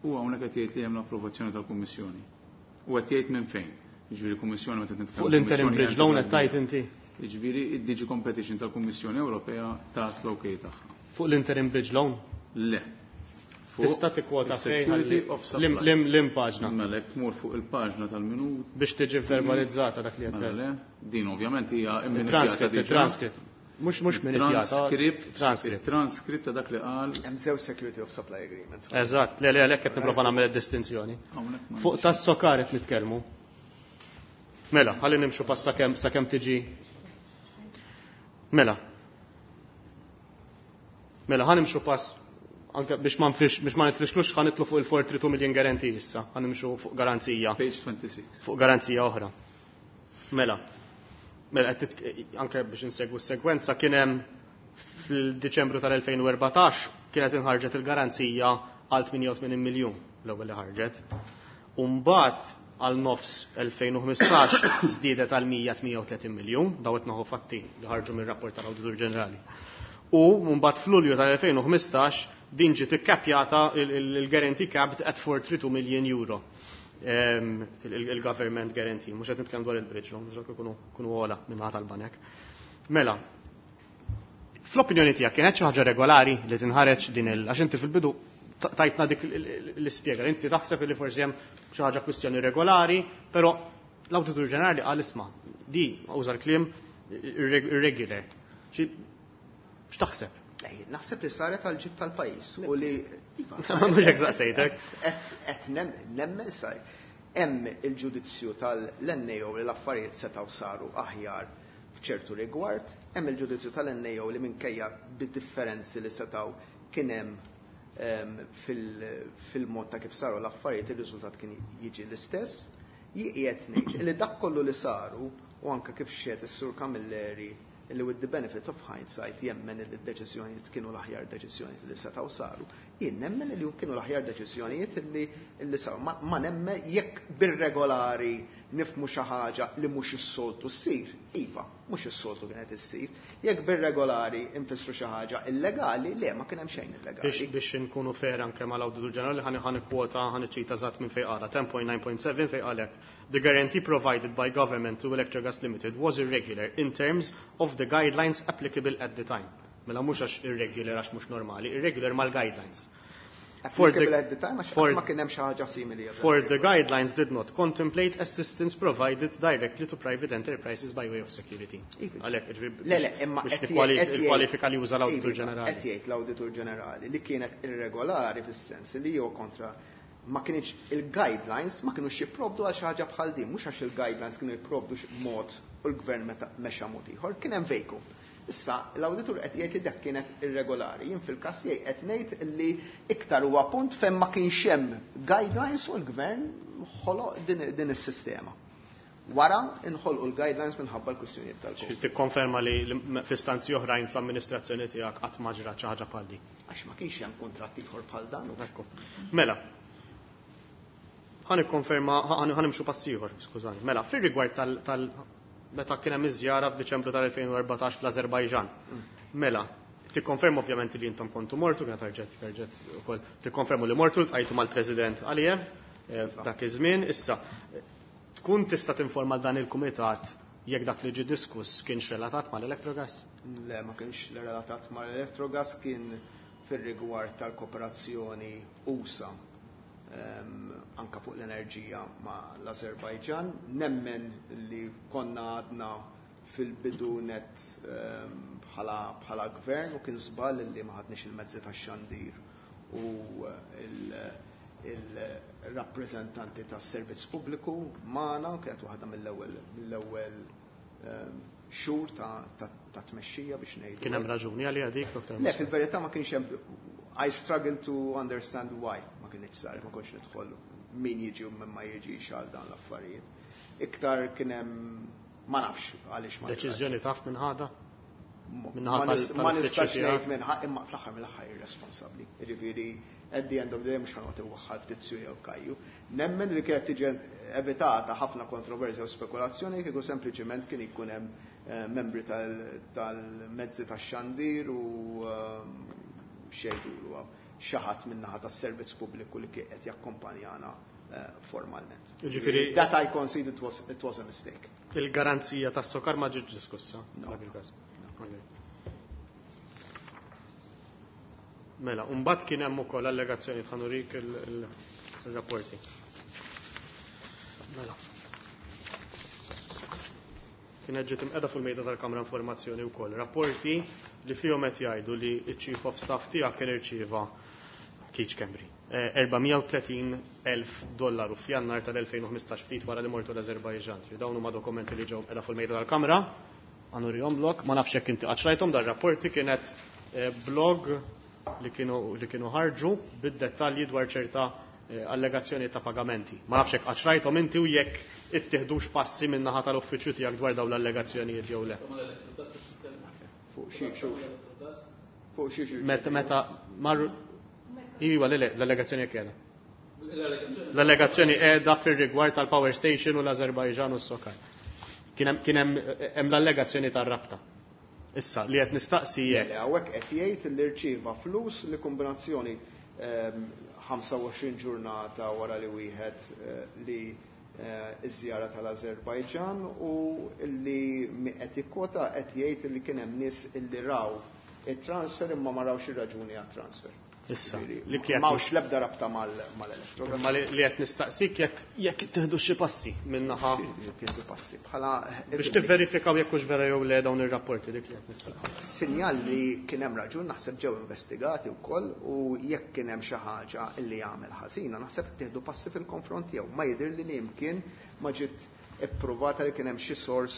u hawnhekk qed jgħid li hemm l-approvazzjoni tal-Kummissjoni. U qed jgħid minn fejn. Jiġifieri l-Kummissjoni meta nitkellem Fuq l-interim bridge loan qed tajt inti. Jiġifieri id-DG Competition tal-Kummissjoni Ewropea tat l-OK tagħha. Fuq l-interim bridge loan? Le. Fuq Tista' tikkwota fejn is-Security of Supply. Lim paġna. Mela jekk tmur fuq il-paġna tal-minut. Biex tiġi verbalizzata dak li qed. Mela le, din ovvjament hija Il-transcript, il-transcript. Mhux minutjata. Transcript, Transcript. Transcript ta' dak li qal. Hemm żewġ Security of Supply Agreements. Eżatt, le le għalhekk qed nipprova nagħmel id-distinzjoni. Hawnhekk ma Fuq tas-SOCAR qed nitkellmu. Mela, ħalli nimxu pass sakemm tiġi. Mela. Mela, ħa nimxu pass anke biex ma nitfixklux, ħa nitlu fuq il-432 million guarantee issa, ħa nimxu fuq garanzija. Page 26. Fuq garanzija oħra. Mela. Mela, anke biex insegwu s-sekwenza, kien hemm fil-Diċembru tal-2014 kienet inħarġet il-garanzija għal 88 miljun l-ewwel li ħarġet. U mbagħad għal nofs 2015 żdiedet għal 138 miljun, daw qed naħu fatti li ħarġu mir-rapport tal-Awditur Ġenerali. U mbagħad f'Lulju tal-2015 din ġiet ikkapjata, il-guarantee capped at 432 million euro. Il-government guarantee, mhux qed nitkellem dwar il-bridge loan, mhux ikunu kunu ogħla minn tal-banek. Mela, fl-opinjoni tiegħek kienet xi ħaġa regolari li tinħareġ din il għax inti fil-bidu tajtna dik l-ispjega, inti taħseb li forsi hemm xi ħaġa kwistjoni regolari, però l-Awditur Ġenerali qal isma' di uża l-kliem irregular. X'taħseb? Naħseb li saret għal ġid tal-pajjiż u li iva, Mhux hekk saqsejtek. Qed nemmen sar. Hemm il-ġudizzju tal-NAO li l-affarijiet setgħu saru aħjar f'ċertu rigward, hemm il-ġudizzju tal-NAO li minkejja bid-differenzi li setgħu kien hemm fil-mod ta' kif saru l-affarijiet, ir-riżultat kien jiġi l-istess. Jien ngħid li dak kollu li saru u anke kif xehed is-Sur Camilleri li with the benefit of hindsight jemmen li d-deċiżjonijiet kienu l-aħjar deċiżjonijiet li setgħu saru. Jien nemmen li kienu l-aħjar deċiżjonijiet li saru. Ma nemmen jekk bir-regolari nifhmu xi ħaġa li mhux is-soltu ssir, iva, mhux is-soltu kienet issir. Jekk bir-regolari nfissru xi ħaġa illegali, le, ma kien hemm xejn illegali. Biex inkunu fair anke mal-Awditur Ġenerali, ħa nikkwota, ħa niċċita eżatt minn fejn qala, 10.9.7 fejn qal hekk: "The guarantee provided by government to Electrogas Limited was irregular in terms of the guidelines applicable at the time." Mela mhux għax irregular għax mhux normali, irregular mal-guidelines. Applicable at the time għax ma kien hemm xi ħaġa simili. For the guidelines did not contemplate assistance provided directly to private enterprises by way of security. Għalhekk, Le, le, imma biex nikkwalifika li uża l-Awditur Ġenerali. Qed jgħid l-Awditur Ġenerali li kienet irregolari fis-sens li jew kontra ma kienx il-guidelines ma kienux jipprovdu għal xi ħaġa bħal din, mhux għax il-guidelines kienu jipprovdu mod u l-gvern meta mexa mod ieħor, kien hemm vacuum. Issa l-awditur qed jgħid li dak kienet irregolari. Jien fil-każ tiegħi qed ngħid li iktar huwa punt fejn ma kienx hemm guidelines u l-gvern ħoloq din is-sistema. Wara inħolqu l-guidelines minħabba l-kwistjonijiet tal-Covid. Tikkonferma li f'istanzi oħrajn fl-amministrazzjoni tiegħek qatt ma ġrat xi ħaġa bħal din? Għax ma kienx hemm kuntratt ieħor bħal dan. Ekku. Mela, ħa nikkonferma, ħa nimxu pass ieħor, skużani. Mela, fir-rigward tal meta kien hemm iż-żjara f'Diċembru tal-2014 fl-Azerbajġan. Mela, tikkonferma ovvjament li intom kontu mortu, kienet ħarġet ukoll, tikkonfermu li mortu ltqajtu mal-President Aliyev dak iż-żmien. Issa, tkun tista' tinforma dan il-kumitat jekk dak li ġie diskuss kienx relatat mal-Electrogas? Le, ma kienx relatat mal-Electrogas, kien fir-rigward tal-kooperazzjoni USA anka fuq l-enerġija ma' l-Azerbajġan. Nemmen li konna għadna fil-bidu net bħala gvern u kien żball li ma ħadniex il-mezzi tax-xandir u il-rappreżentanti tas-servizz pubbliku magħna, kienet waħda mill-ewwel xhur ta' tmexxija biex ngħidu. Kien hemm raġuni għalija dik, Dr. Le, fil-verità ma kienx hemm. I struggle to understand why ma kienx sar, ma kontx nidħol min jiġi u min ma jiġix għal dan l-affarijiet. Iktar kien hemm, ma nafx għaliex ma Deċiżjoni taf minn ħada? Ma nistax ngħid minn ħadd, imma fl-aħħar mill-aħħar irresponsabbli. Jiġifieri at the end of the day mhux ħa noqgħod iwaħħal Tizju jew Kajju. Nemmen li kienet tiġi evitata ħafna kontroversja u spekulazzjoni kieku sempliċiment kien ikun hemm membri tal-mezzi tax-xandir u xejdulu xi ħadd min-naħa tas-servizz pubbliku li kien qed jakkompanjana formalment. Jiġifieri That I concede it was a mistake. Il-garanzija tas-SOCAR ma ġietx diskussa dak il-każ. Mela, mbagħad kien hemm ukoll allegazzjoni, ħa nurik il-rapporti. Mela. Kienet ġiet imqiegħda fuq il-mejda tal-Kamra Informazzjoni wkoll. Rapporti li fihom qed jgħidu li ċ-Chief of Staff tiegħek kien irċieva Keith Schembri 430,000 dollaru f'Jannar tal-2015 ftit wara li mortu l-Azerbajġan. Dawn huma dokumenti li ġew qiegħda fuq il-mejda tal-Kamra. Ħa nurihomlok, ma nafx jekk inti qatt rajthom dar-rapporti, kienet blog li kienu ħarġu bid-dettalji dwar ċerta allegazzjoni ta' pagamenti. Ma nafx jekk qatt rajthom inti u jekk ittieħdux passi minn naħa tal-uffiċċju tiegħek dwar dawn l-allegazzjonijiet jew le. Fuq xi fuq xi xi. Meta marru Iva, le, le, l-allegazzjoni qiegħda. L-allegazzjoni qiegħda fir-rigward tal-power station u l-Azerbajġan u s-SOCAR. Kien hemm l-allegazzjoni tar-rabta. Issa, li qed nistaqsi jekk. Le, hawnhekk qed jgħid li rċieva flus li kombinazzjoni 25 ġurnata wara li wieħed li iż-żjara tal-Azerbajġan u li qed jikkota qed jgħid li kien hemm nies illi raw it-transfer imma ma rawx ir-raġuni għat-transfer. Issa, Ġifieri, li kienet m'hawnx l-ebda rabta mal-Electrogas. Ma li qed nistaqsik jekk tieħdu xi passi min-naħa. Tieħdu passi bħala biex tivverifikaw jekk hux vera jew le dawn ir-rapporti, dik li qed nistaqsik. Sinjal li kien hemm raġun naħseb ġew investigati wkoll u jekk kien hemm xi ħaġa li jagħmel ħażina naħseb tieħdu passi fil-konfront tiegħu. Ma jidhir li imkien ma ġiet ippruvata li kien hemm xi sors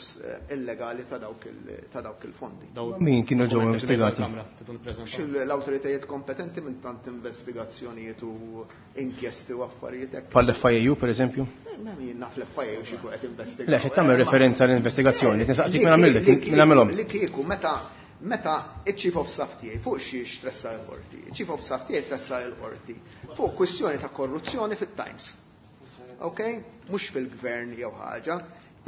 illegali ta' dawk il-fondi. Daw Min kienu ġew dokumenti li investigati? tal-Kamra, tidu nippreżentaw. Xi l-awtoritajiet kompetenti minn tant investigazzjonijiet u inkjesti u affarijiet hekk. Bħal F I A U per eżempju? Ma jien naf l-F I A U xi jkun qed investigaw. Le, xi tagħmel referenza l-investigazzjoni, nistaqsik minn għamilek, minn għamilhom. Li kieku meta iċ-Chief of Staff tiegħi fuq xiex tressa l-qorti, iċ-Chief of Staff tiegħi tressa l-qorti fuq kwistjoni ta' korruzzjoni fit-Times. ok? Mhux fil-gvern jew ħaġa,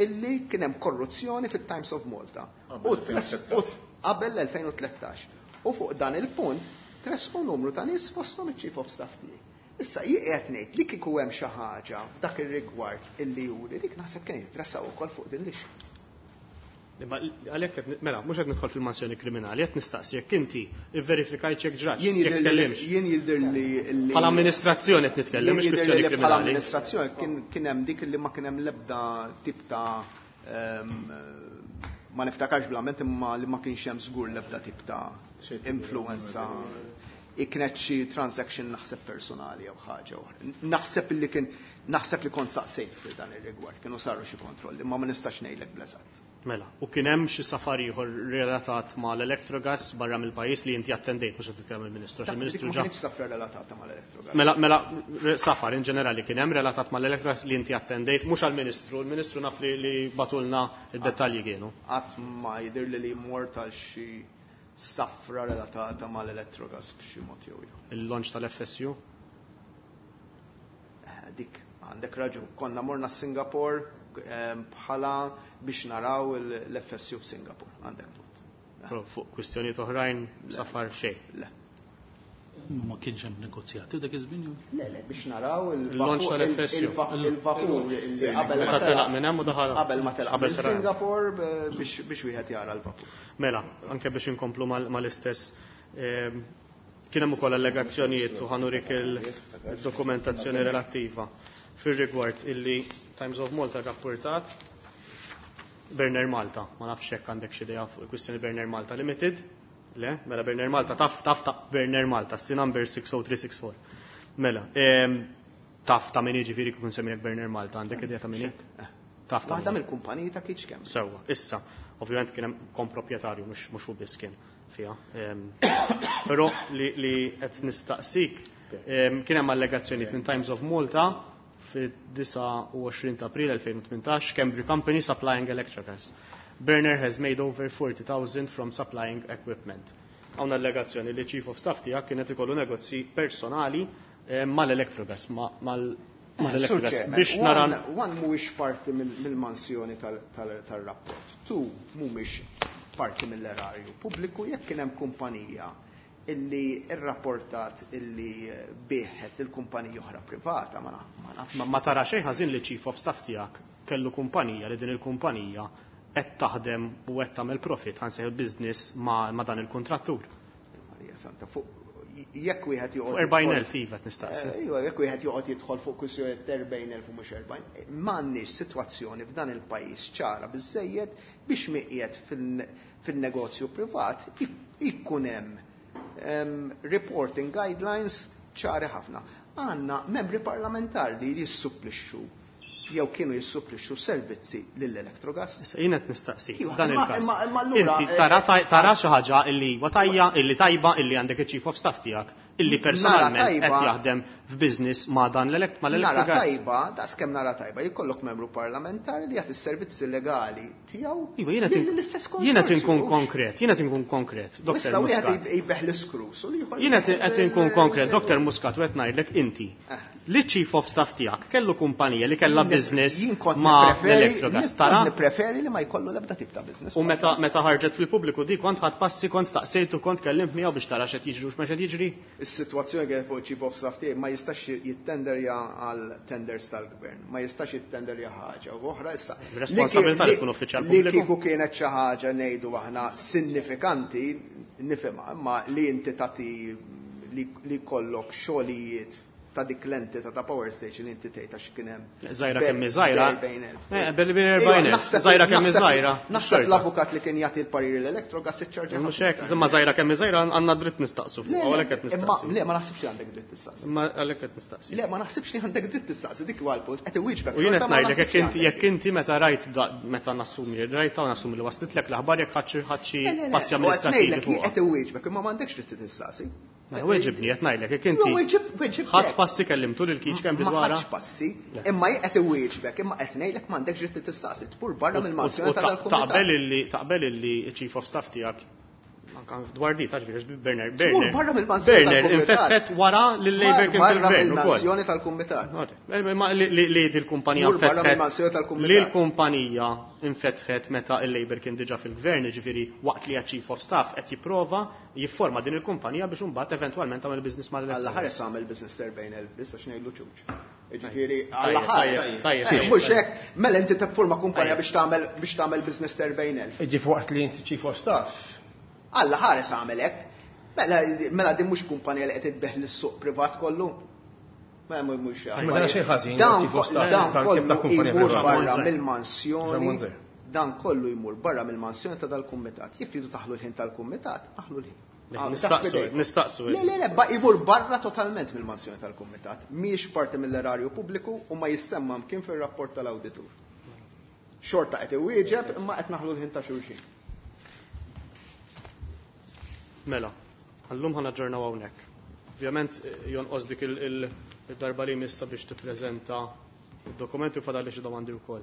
illi kien hemm korruzzjoni fit-Times of Malta. Qabel l-2013. U fuq dan il-punt tressqu numru ta' nies fosthom iċ-Chief of Staff tiegħi. Issa jien qiegħed ngħid li kieku hemm xi ħaġa f'dak ir-rigward illi juri dik naħseb kien jitressaq ukoll fuq din l-issue. Imma għalhekk qed mela mhux qed nidħol fil-mansjoni kriminali, qed nistaqsi jekk inti ivverifikajt jekk ġratx, jekk tkellimx. Jien jidher li Bħala amministrazzjoni qed nitkellem, mhux kwistjoni kriminali. Bħala amministrazzjoni kien hemm dik li ma kien hemm l-ebda tip ta' ma niftakarx bl-amment imma li ma kienx hemm żgur l-ebda tip ta' influenza. Kienet xi transaction naħseb personali jew ħaġa oħra. Naħseb li kien naħseb li kont saqsejt fi dan ir-rigward, kienu saru xi kontrolli, ma ma nistax ngħidlek bl-eżatt. Mela, u kien hemm xi safar ieħor relatat mal-Electrogas barra mill-pajjiż li inti attendejt, mhux qed titkellem il-Ministru, għax il-Ministru ġa. Ma kienx safra relatata mal-Electrogas. Mela, mela safar in ġenerali kien hemm relatat mal-Electrogas li inti attendejt, mhux għall-Ministru, il-Ministru naf li bagħtulna d-dettalji kienu. Qatt ma jidhirli li mort għal xi safra relatata mal-Electrogas b'xi mod jew ieħor. Il-launch tal-FSU? Dik għandek raġun. Konna morna Singapore bħala biex naraw l-FSU f'Singapore. Għandek punt. Fuq kwistjonijiet oħrajn safar xejn. Le. Ma kienx hemm negozjati dak iż-żmien jew? Le, le, biex naraw il-launch tal-FSU. Il-vapur li qabel ma telaq minn hemm u daħal. Qabel ma telaq minn Singapore biex wieħed jara l-vapur. Mela, anke biex inkomplu mal-istess kien hemm ukoll allegazzjonijiet u ħanurik il-dokumentazzjoni relattiva fir-rigward illi Times of Malta rapportat Berner Malta, ma nafx hekk għandek xi idea fuq il-kwistjoni Berner Malta Limited. Le, mela Berner Malta taf taf ta' Berner Malta, si number 60364. Mela, taf ta' min jiġifieri kif nsemmilek Berner Malta, għandek idea ta' min? Taf ta' Waħda mill-kumpaniji ta' Kitch Kemm. Sewwa, issa, ovvjament kien hemm komproprjetarju mhux hu biss kien fiha. Però li qed nistaqsik kien hemm allegazzjonijiet minn Times of Malta fid-29 ta' April 2018, Cambridge Company supplying Electrogas. Berner has made over 40,000 from supplying equipment. Hawn allegazzjoni li Chief of Staff tiegħek kienet ikollu negozji personali mal-Electrogas, mal-Electrogas. Biex nara. One mhuwiex parti mill-mansjoni tal-rapport. Two mhumiex parti mill-erarju pubbliku. Jekk kien hemm kumpanija illi rrapportat illi biegħet il-kumpanija oħra privata, ma nafx. Ma tara xejn ħażin li Chief of Staff tiegħek kellu kumpanija li din il-kumpanija qed taħdem u qed tagħmel profit, ħa nsejħu business ma' dan il-kontrattur. Marija Santa, fuq jekk wieħed joqgħod. 40,000 iva qed nistaqsi. Iva, jekk wieħed joqgħod jidħol fuq kwistjoni 40,000 u mhux 40, m'għandniex sitwazzjoni f'dan il-pajjiż ċara biżejjed biex miqiegħed fin-negozju privat ikun hemm reporting guidelines ċari ħafna. Għandna membri parlamentari li jissupplixxu jew kienu jissupplixxu servizzi lill-Electrogas. Issa jien qed nistaqsi dan il-każ. Inti tara xi ħaġa illi huwa tajja, illi tajba, illi għandek iċ-chief of staff tiegħek, illi personalment qed jaħdem f'business ma' dan mal-Electrogas. Nara tajba, daqskemm nara tajba, jkollok membru parlamentari li jagħti s-servizzi legali tiegħu. Iva, jiena qed inkun konkret, jiena qed inkun konkret, Dr. Muscat. Wieħed l-iskrus u l-ieħor. Jiena qed inkun konkret, Dr. Muscat, u qed ngħidlek inti. Li chief of staff tiegħek kellu kumpanija li kellha business ma' l-Electrogas. Tara? Nippreferi li ma jkollu l-ebda tip ta' business. U meta ħarġet fil-pubbliku di kont ħadt passi, kont staqsejtu, kont kellimt miegħu biex tara x'qed jiġri u x'ma qed jiġri? Is-sitwazzjoni kienet fuq chief of staff tiegħi ma jistax jittenderja għal tenders tal-gvern, ma jistax jittenderja ħaġa u oħra issa. Responsabilità li tkun uffiċjal pubbliku. Li kieku kienet xi ħaġa ngħidu aħna sinifikanti nifhimha, imma li inti tagħti li jkollok xogħlijiet ta' dik l-entità ta' power station li inti tgħid għax kien hemm. Żgħira kemm hi żgħira. Billi 40,000. Żgħira kemm hi żgħira. Naħseb l-avukat li kien jagħti l-pariri l-Electrogas iċċarġa. Mhux hekk, imma żgħira kemm hi żgħira għandna dritt nistaqsu fuq, għalhekk qed nistaqsi. Le, ma naħsibx li għandek dritt tistaqsi. Imma għalhekk qed nistaqsi. Le, ma naħsibx li għandek dritt tistaqsi, dik huwa l-punt, qed iwieġbek. U jien qed ngħidlek jekk inti meta rajt meta nassumi li rajtha u nassumi li waslitlek l-aħbar jekk ħadt xi passi amministrattivi fuqha. Qed iwieġbek imma m'għandekx dritt tistaqsi. Mela weġibni qed ngħidlek jekk inti ħadt passi kellimtu lil Keith Schembri dwarha. Ma ħadx passi, imma jien qed iwieġbek, imma qed ngħidlek m'għandekx dritt tistaqsi, tmur barra mill-mansjoni ta' dal-kumitat. Taqbel illi taqbel illi chief of staff tiegħek Anka dwar di, taġviri, Berner. Tmur barra mill-mansjoni Berner tal-kumitat. infetħet wara li l-Labour kien Barra fil-gvern ukoll. mill-mansjoni tal-kumitat. Ma li dil-kumpanija Mur barra infetħet. mill-mansjoni tal-kumitat. Li l-kumpanija infetħet meta il-Labour kien diġà fil-gvern, ġifieri waqt li chief of staff qed jipprova jifforma din il-kumpanija biex imbagħad eventwalment tagħmel business mal Alla ħares għamel business 40,000 biss għax ngħidlu ċuċ. Ġifieri, Tajjeb, alla ħares. tajjeb, tajjeb, Eh, tajjeb. Mhux hekk, mela inti tiffurma kumpanija biex tagħmel business 40,000. Ġif waqt li inti chief of staff. Alla ħares għamel hekk. Mela mela din mhux kumpanija li qed itbeħ lis-suq privat kollu. Mela mhux Ma dana xejn ħażin, Dan chief of staff dan tal- kollu kif ta' kumpanija jmur privata. barra Monzer. mill-mansjoni. Monzer. Dan kollu jmur barra mill-mansjoni ta' dal-kumitat. Jekk tridu taħlu l-ħin tal-kumitat, aħlu l-ħin. Ah, Nistaqsu, taħt idejk. nistaqsu. Le, le, le, ba jmur barra totalment mill-mansjoni tal-kumitat. Mhijiex parti mill-erarju pubbliku u ma jissemma mkien fir-rapport tal-awditur. Xorta qed iwieġeb imma qed naħlu l-ħin ta' xulxin. Mela, għallum ħana ġornaw hawnhekk. Ovvjament jonqos dik il-darba li missa biex tippreżenta id-dokumenti u fadalli xi domandi wkoll.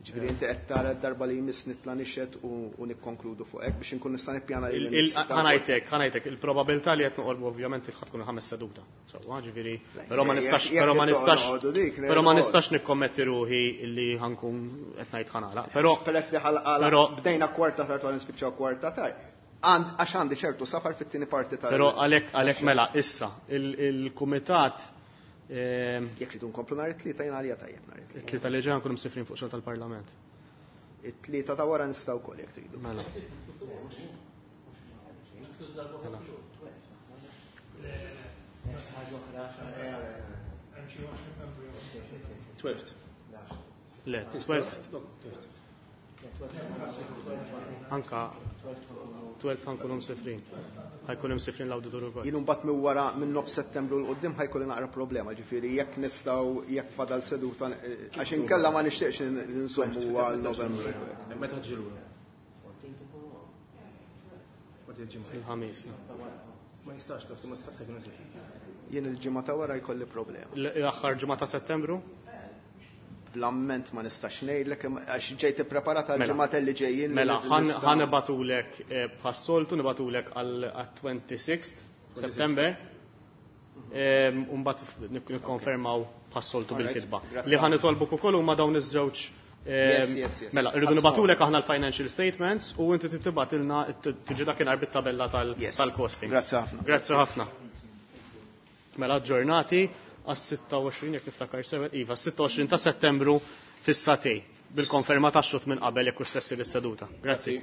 Ġifieri inti qed tara d-darba li jmiss nitla' nixed u nikkonkludu fuq hekk biex inkun nista' nippjana lil Ħanajtek, ħanajtek, il-probabilità li qed noqorbu ovvjament ħad tkun ħames seduta. Sewwa, ġifieri, però ma nistax, jekk però ma jekk nistax, noqogħdu dik, però ma noqogħdu. nistax nikkommetti ruħi li ħankun qed ngħid ħanala. Però peress li ħalqala però- bdejna kwarta tard u nispiċċaw kwarta tard. Għax għandi ċertu safar fit-tieni parti tal. Però għalhekk mela issa il-kumitat Jekk ridu nkomplu nhar it-tlieta jien għalija tajjeb nhar it-tlieta. it-tlieta li ġejja nkunu msifrin fuq xogħol tal-Parlament. It-tlieta ta' wara nistgħu wkoll jekk tridu. Mela. Twelfth. Le, 12 anka 12 ħankunu msifrin. Ħajkunu msifrin l-awditur ukoll. Jien mbagħad minn wara minn nofs Settembru l qudiem ħajkolli naqra problema, ġifieri jekk nistgħu jekk fadal seduta għax inkella ma nixtieqx nżommu għal Novembru. Meta ġilura? Il-ħamis. Ma jistax, dottor, ma sħat ħajkun eżempju. Jien il-ġimgħa ta' wara jkolli problema. L-aħħar ġimgħa ta' Settembru? Bl-amment ma nistax ngħidlek għax ġejt ippreparata Mela. għal-ġimgħat li ġejjin. li Mela, nista' ħan nibatulek bħas-soltu, nibatulek għal 26 September. Umbat nikkonfermaw bħas-soltu Alright, bil-kitba. grazzi. Li ħan nitolbuk ukoll huma dawn iż-żewġ Yes. Mela, irridu nibatulek aħna l-financial statements u inti tibgħatilna tiġi dakinhar bit-tabella tal-costings. Grazzi ħafna. Grazzi ħafna. Mela ġurnati għas-26 jekk niftakar sew, iva, 26 ta' Settembru fis-satej bil-konferma tax-xut minn qabel jekk hux sessi lis-seduta. Grazzi.